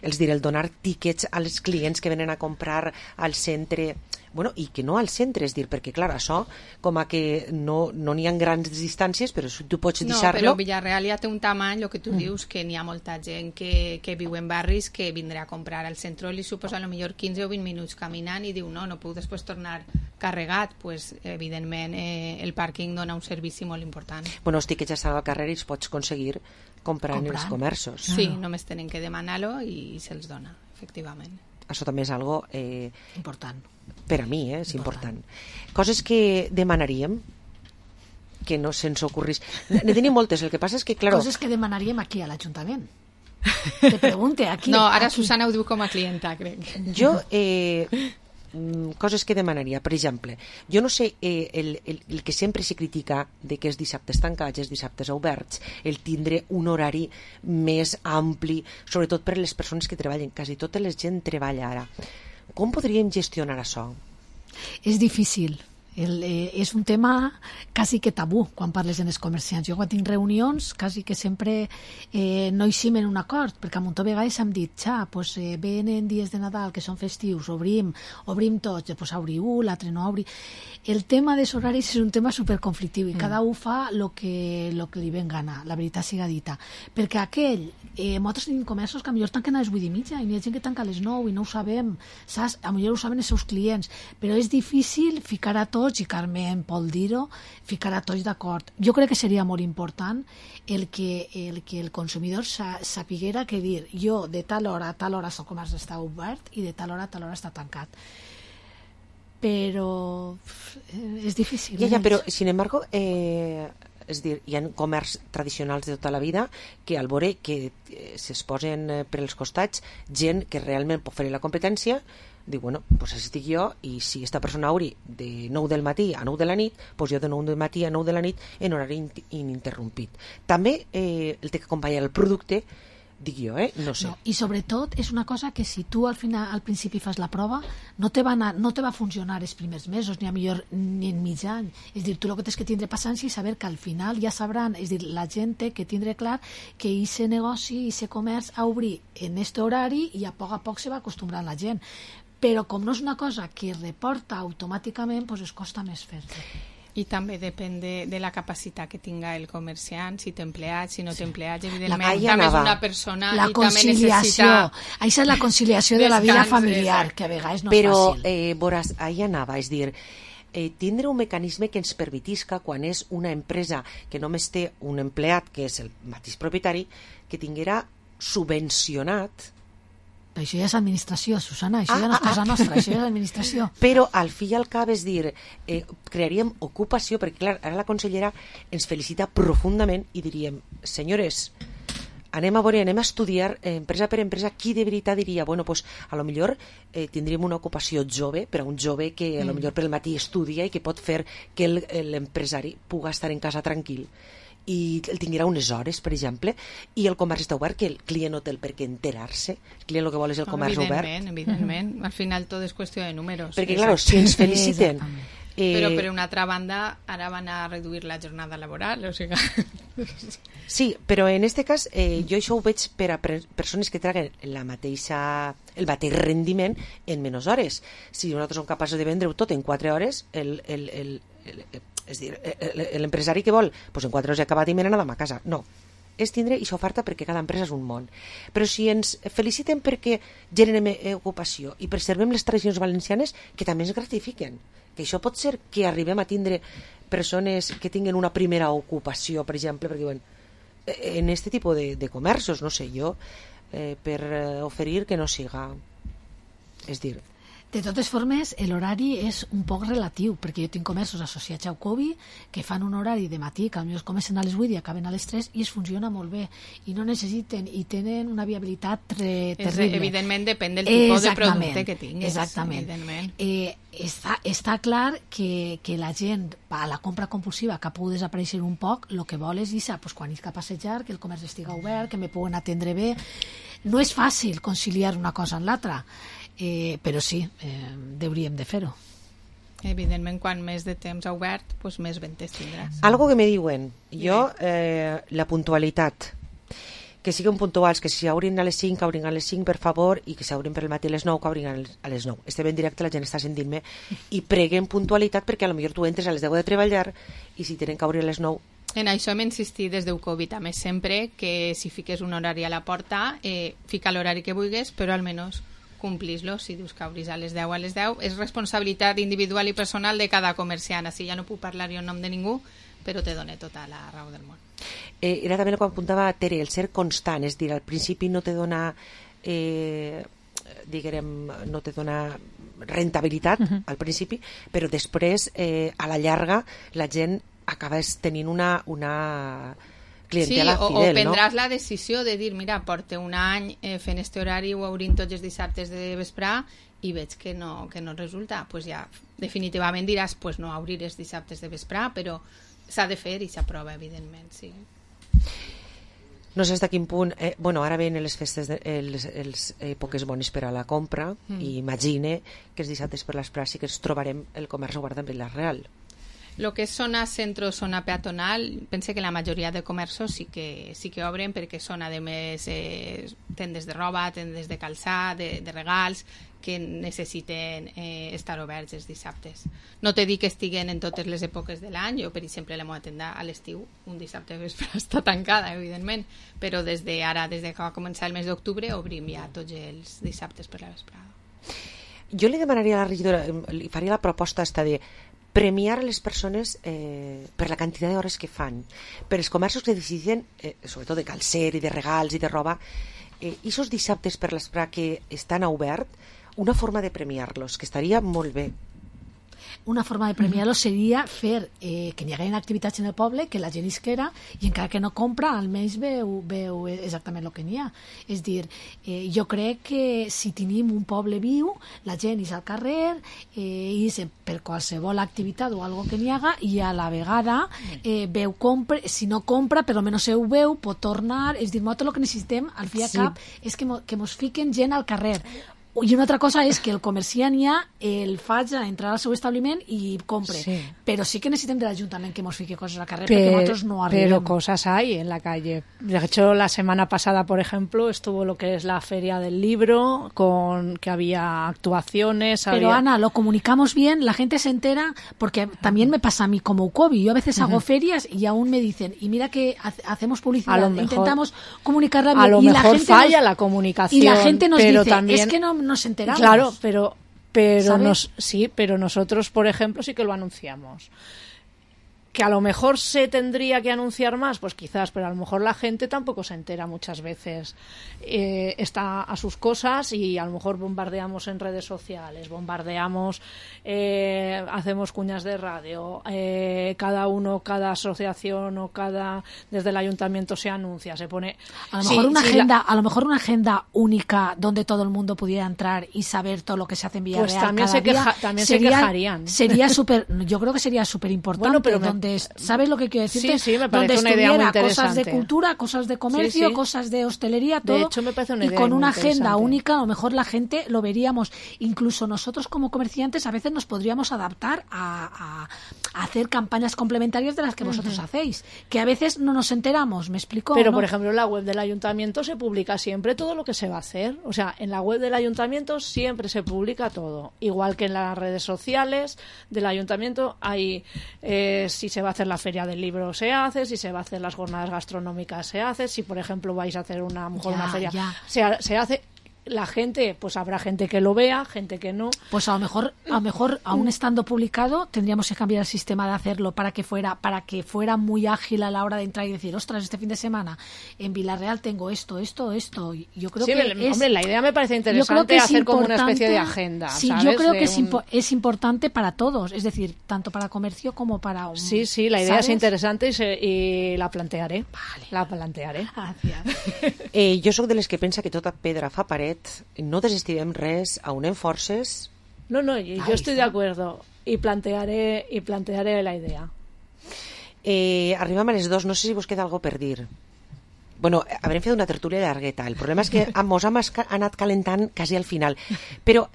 Els diré, el donar tíquets als clients que venen a comprar al centre, bueno, i que no al centre, és dir, perquè clar, això com a que no n'hi ha grans distàncies, però si tu pots deixar-lo... No, però Villarreal ja té un tamany, el que tu dius, que n'hi ha molta gent que viu en barris que vindrà a comprar al centre, li suposa a lo millor 15 o 20 minuts caminant i diu, no puc després tornar carregat, pues evidentment el pàrquing dona un servici molt important. Bueno, els tíquets ja estan al carrer i els pots aconseguir comprant en els comerços. Sí, només tenen que demanar-lo i se'ls dona, efectivament. Això també és algo... important. Per a mi, és important. Coses que demanaríem que no se'ns ocorrís. Ne tenim moltes, el que passa és que, claro... Coses que demanaríem aquí a l'Ajuntament. Te pregunte, aquí... No, ara aquí. Susana ho diu com a clienta, crec. Jo... coses que demanaria, per exemple, jo no sé, el que sempre se critica de que els dissabtes tancats, els dissabtes oberts, el tindre un horari més ampli, sobretot per a les persones que treballen, quasi tota la gent treballa ara. Com podríem gestionar això? És difícil. És un tema quasi que tabú quan parles en els comerciants. Jo quan tinc reunions quasi que sempre no eixim en un acord, perquè a muntó vegades hem dit pues, venen dies de Nadal que són festius, obrim tots, pues obriu, l'altre no obri. El tema dels horaris és un tema superconflictiu i cada un fa el que li ven gana, la veritat siga dita, perquè nosaltres tenim comerços que potser tanquen a les 8:30 i n'hi ha gent que tanca a les 9 i no ho sabem, saps? A millor ho saben els seus clients, però és difícil ficar a tots, i Carmen pot dir-ho, ficar a tots d'acord. Jo crec que seria molt important el que el consumidor sapiguera que dir, jo de tal hora a tal hora el comerç està obert i de tal hora a tal hora està tancat. Però és difícil. Ja, però, sin embargo, és dir, hi ha comerç tradicionals de tota la vida que al veure que s'exposen per als costats gent que realment pot fer la competència, diu, bueno, doncs estic jo i si aquesta persona obri de 9 del matí a 9 de la nit, doncs jo de 9 del matí a 9 de la nit en horari ininterrompit. També el té que acompanyar el producte, dic jo, no sé. I sobretot és una cosa que si tu al principi fas la prova no te va funcionar els primers mesos ni a millor ni en mig any. És dir, tu el que tens que tindre paciència i saber que al final ja sabran, és dir, la gent té que tindre clar que aquest negoci, aquest comerç a obrir en aquest horari i a poc se va acostumbrant la gent. Però com no és una cosa que reporta automàticament, doncs es costa més fer-ho. I també depèn de la capacitat que tinga el comerciant, si té empleats, si no té empleats, evidentment també és una persona la i també necessita... Això és la conciliació de la vida familiar, que a vegades no és fàcil. Però, veuràs, ahí anava, és dir, tindre un mecanisme que ens permetisca, quan és una empresa que només té un empleat, que és el mateix propietari, que tinguera subvencionat. Això ja és administració, Susana, això ja no és cosa nostra, això ja és administració. Però al fi i al cap, és dir, crearíem ocupació, perquè clar, ara la consellera ens felicita profundament i diríem, senyores, anem a estudiar empresa per empresa qui de veritat diria, bueno, pues, a lo millor tindríem una ocupació jove, per a un jove que a lo millor pel matí estudia i que pot fer que l'empresari pugui estar en casa tranquil i el tinguerà unes hores, per exemple, i el comerç està obert, que el client no té el per què enterar-se, el client el que vol és el comerç obert. Evidentment, al final tot és qüestió de números. Perquè, clar, si ens feliciten... Però per una altra banda, ara van a reduir la jornada laboral, o sigui... Sí, però en aquest cas jo això ho veig per a persones que traguen el mateix rendiment en menys hores. Si nosaltres som capaços de vendre-ho tot en 4 hores, és dir, l'empresari que vol, doncs en 4 hores he acabat i me n'he anat a casa. No, és tindre aquesta oferta perquè cada empresa és un món. Però si ens feliciten perquè generem ocupació i preservem les tradicions valencianes, que també ens gratifiquen, que això pot ser que arribem a tindre persones que tinguen una primera ocupació, per exemple, perquè diuen, en aquest tipus de comerços, no sé jo, per oferir que no siga, és dir... De totes formes, l'horari és un poc relatiu, perquè jo tinc comerços associats a Ucovi que fan un horari de matí, que potser comencen a les 8 i acaben a les 3 i es funciona molt bé i no necessiten i tenen una viabilitat terrible. Evidentment depèn del tipus de producte que tinguis. Exactament. Està clar que la gent a la compra compulsiva que ha pogut desaparèixer un poc, el que vol és pues, quan és cap a passejar, que el comerç estiga obert, que me puguen atendre bé. No és fàcil conciliar una cosa amb l'altra, però sí, hauríem de fer-ho. Evidentment, quan més de temps ha obert, doncs més ventes tindràs. Algo que me diuen, jo, la puntualitat, que siguin puntuals, que si obrin a les 5, que obrin a les 5, per favor, i que si obrin per el matí a les 9, que obrin a les 9. Estem en directe, la gent està sentint-me, i preguen puntualitat perquè potser tu entres a les 10 de treballar i si tenen que obrir a les 9... En això hem insistit des d'Ucovi també sempre, que si fiques un horari a la porta, fica l'horari que vulguis, però almenys complis-lo. Si dius que obris a les 10 a les 10, és responsabilitat individual i personal de cada comerciant. Així ja no puc parlar jo en nom de ningú, però te dona tota la raó del món. Era també el que apuntava Tere, el ser constant, és dir, al principi no te dona no te dona rentabilitat al principi, però després a la llarga la gent acaba tenint una clientela fidel, o prendràs la decisió de dir, mira, porto un any fent este horari o obrint tots els dissabtes de vesprà i veig que no resulta, pues ja definitivament diràs, pues no obrir els dissabtes de vesprà, però s'ha de fer i s'aprova, evidentment, sí. No sé fins a quin punt... ara venen les festes, les èpoques bones per a la compra, i imagine que els dissabtes per les pràctiques ens trobarem el comerç obert en Vila-real. Lo que és zona centro, zona peatonal, pense que la majoria de comerços sí que obren, perquè són, a més, tendes de roba, tendes de calçar, de regals, que necessiten estar oberts els dissabtes. No te dic que estiguen en totes les èpoques de l'any. Jo, per exemple, la meva tenda a l'estiu, un dissabte de vespre està tancada, evidentment, però des que va començar el mes d'octubre obrim ja tots els dissabtes per la vesprada. Jo li demanaria a la regidora, li faria la proposta de premiar les persones per la quantitat d'hores que fan, per els comerços que decidien, sobretot de calcer i de regals i de roba, i aquests dissabtes per l'esprà que estan obert, una forma de premiar-los, que estaria molt bé. Una forma de premiar-los seria fer que hi hagi activitats en el poble, que la gent isquera, i encara que no compra, almenys veu exactament el que n'hi ha. És dir, jo crec que si tenim un poble viu, la gent és al carrer, és per qualsevol activitat o algo que n'hi haga, i a la vegada veu compra, si no compra, per almenys ho veu, pot tornar. És dir, tot el que necessitem, al fi i al cap, és que mos fiquen gent al carrer. I una altra cosa és que el comerciant ja el faig a entrar al seu establiment i compre. Sí. Pero sí que necesitem de l'Ajuntament que nos fique cosas a la carrera, porque nosotros no arribemos. Pero cosas hay en la calle. De hecho, la semana pasada, por ejemplo, estuvo lo que es la Feria del Libro, que había actuaciones. Pero Ana, lo comunicamos bien, la gente se entera, porque también me pasa a mí como Ucovi. Yo a veces hago ferias y aún me dicen, y mira que hacemos publicidad, intentamos comunicarla bien. A lo y mejor la gente falla la comunicación. Y la gente nos dice, también, es que no nos enteramos. Claro, pero nosotros, por ejemplo, sí que lo anunciamos. Que a lo mejor se tendría que anunciar más, pues quizás, pero a lo mejor la gente tampoco se entera muchas veces. Está a sus cosas y a lo mejor bombardeamos en redes sociales, bombardeamos, hacemos cuñas de radio, cada asociación o desde el ayuntamiento se anuncia, se pone... A lo mejor una agenda única donde todo el mundo pudiera entrar y saber todo lo que se hace en Villarreal. Pues también se quejarían. Sería yo creo que sería súper importante. Bueno, pero ¿sabes lo que quiero decirte? Sí, me parece una idea muy interesante. Cosas de cultura, cosas de comercio, cosas de hostelería, todo. De hecho, me parece una idea y con una agenda interesante. única, a lo mejor la gente lo veríamos. Incluso nosotros como comerciantes a veces nos podríamos adaptar a hacer campañas complementarias de las que vosotros hacéis, que a veces no nos enteramos, ¿me explico? Pero, ¿no? por ejemplo, en la web del ayuntamiento se publica siempre todo lo que se va a hacer. O sea, en la web del ayuntamiento siempre se publica todo. Igual que en las redes sociales del ayuntamiento hay, si se va a hacer la feria del libro se hace, si se va a hacer las jornadas gastronómicas se hace, si por ejemplo vais a hacer una feria se hace. La gente, pues habrá gente que lo vea, gente que no. Pues a lo mejor aún estando publicado tendríamos que cambiar el sistema de hacerlo para que fuera muy ágil a la hora de entrar y decir, ostras, este fin de semana en Villarreal tengo esto. Yo creo hombre, la idea me parece interesante hacer como una especie de agenda. Sí, ¿sabes? Yo creo que es importante para todos, es decir, tanto para comercio como para un... Sí, la idea es interesante y la plantearé. Vale. La plantearé. Gràcies. Jo sóc de les que pensa que tota pedra fa paret, no desestimem res, aunem forces... No, yo estoy de acuerdo y plantearé la idea. Arribem a les 2, no sé si vos queda algo per dir. Bueno, haurem fet una tertúlia llargueta. El problema és que mos hem anat calentant quasi al final. Però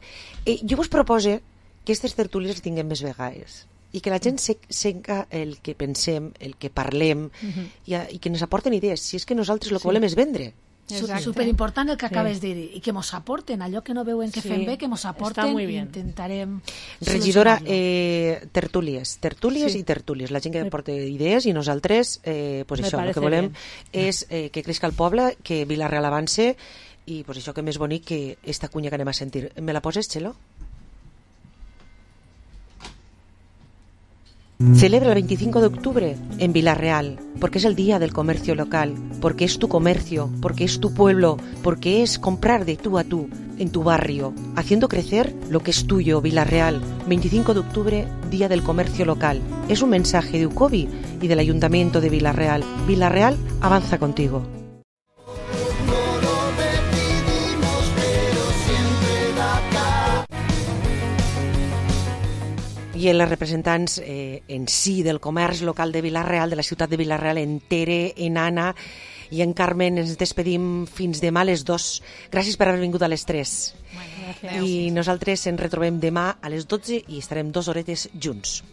jo vos propose que aquestes tertúlies les tinguem més vegades i que la gent sega el que pensem, el que parlem i que ens aporten idees. Si és que nosaltres el que volem és vendre. Superimportant el que acabes de dir i que mos aporten allò que no veuen que fem bé, que mos aporten i intentarem regidora, tertúlies i tertúlies, la gent que aporta idees i nosaltres pues això, el que volem és que creixi el poble, que Vila-real avance i pues això que més bonic que esta cunya que anem a sentir. Me la poses, Txelo? Celebra el 25 de octubre en Vila-real, porque es el día del comercio local, porque es tu comercio, porque es tu pueblo, porque es comprar de tú a tú en tu barrio, haciendo crecer lo que es tuyo, Vila-real. 25 de octubre, Día del Comercio Local. Es un mensaje de UCOBI y del Ayuntamiento de Vila-real. Vila-real avanza contigo. I els representants en si del comerç local de Vila-real, de la ciutat de Vila-real, en Tere, en Anna i en Carmen, ens despedim fins demà a les 2. Gràcies per haver vingut a les 3. I nosaltres ens retrobem demà a les 12 i estarem 2 horetes junts.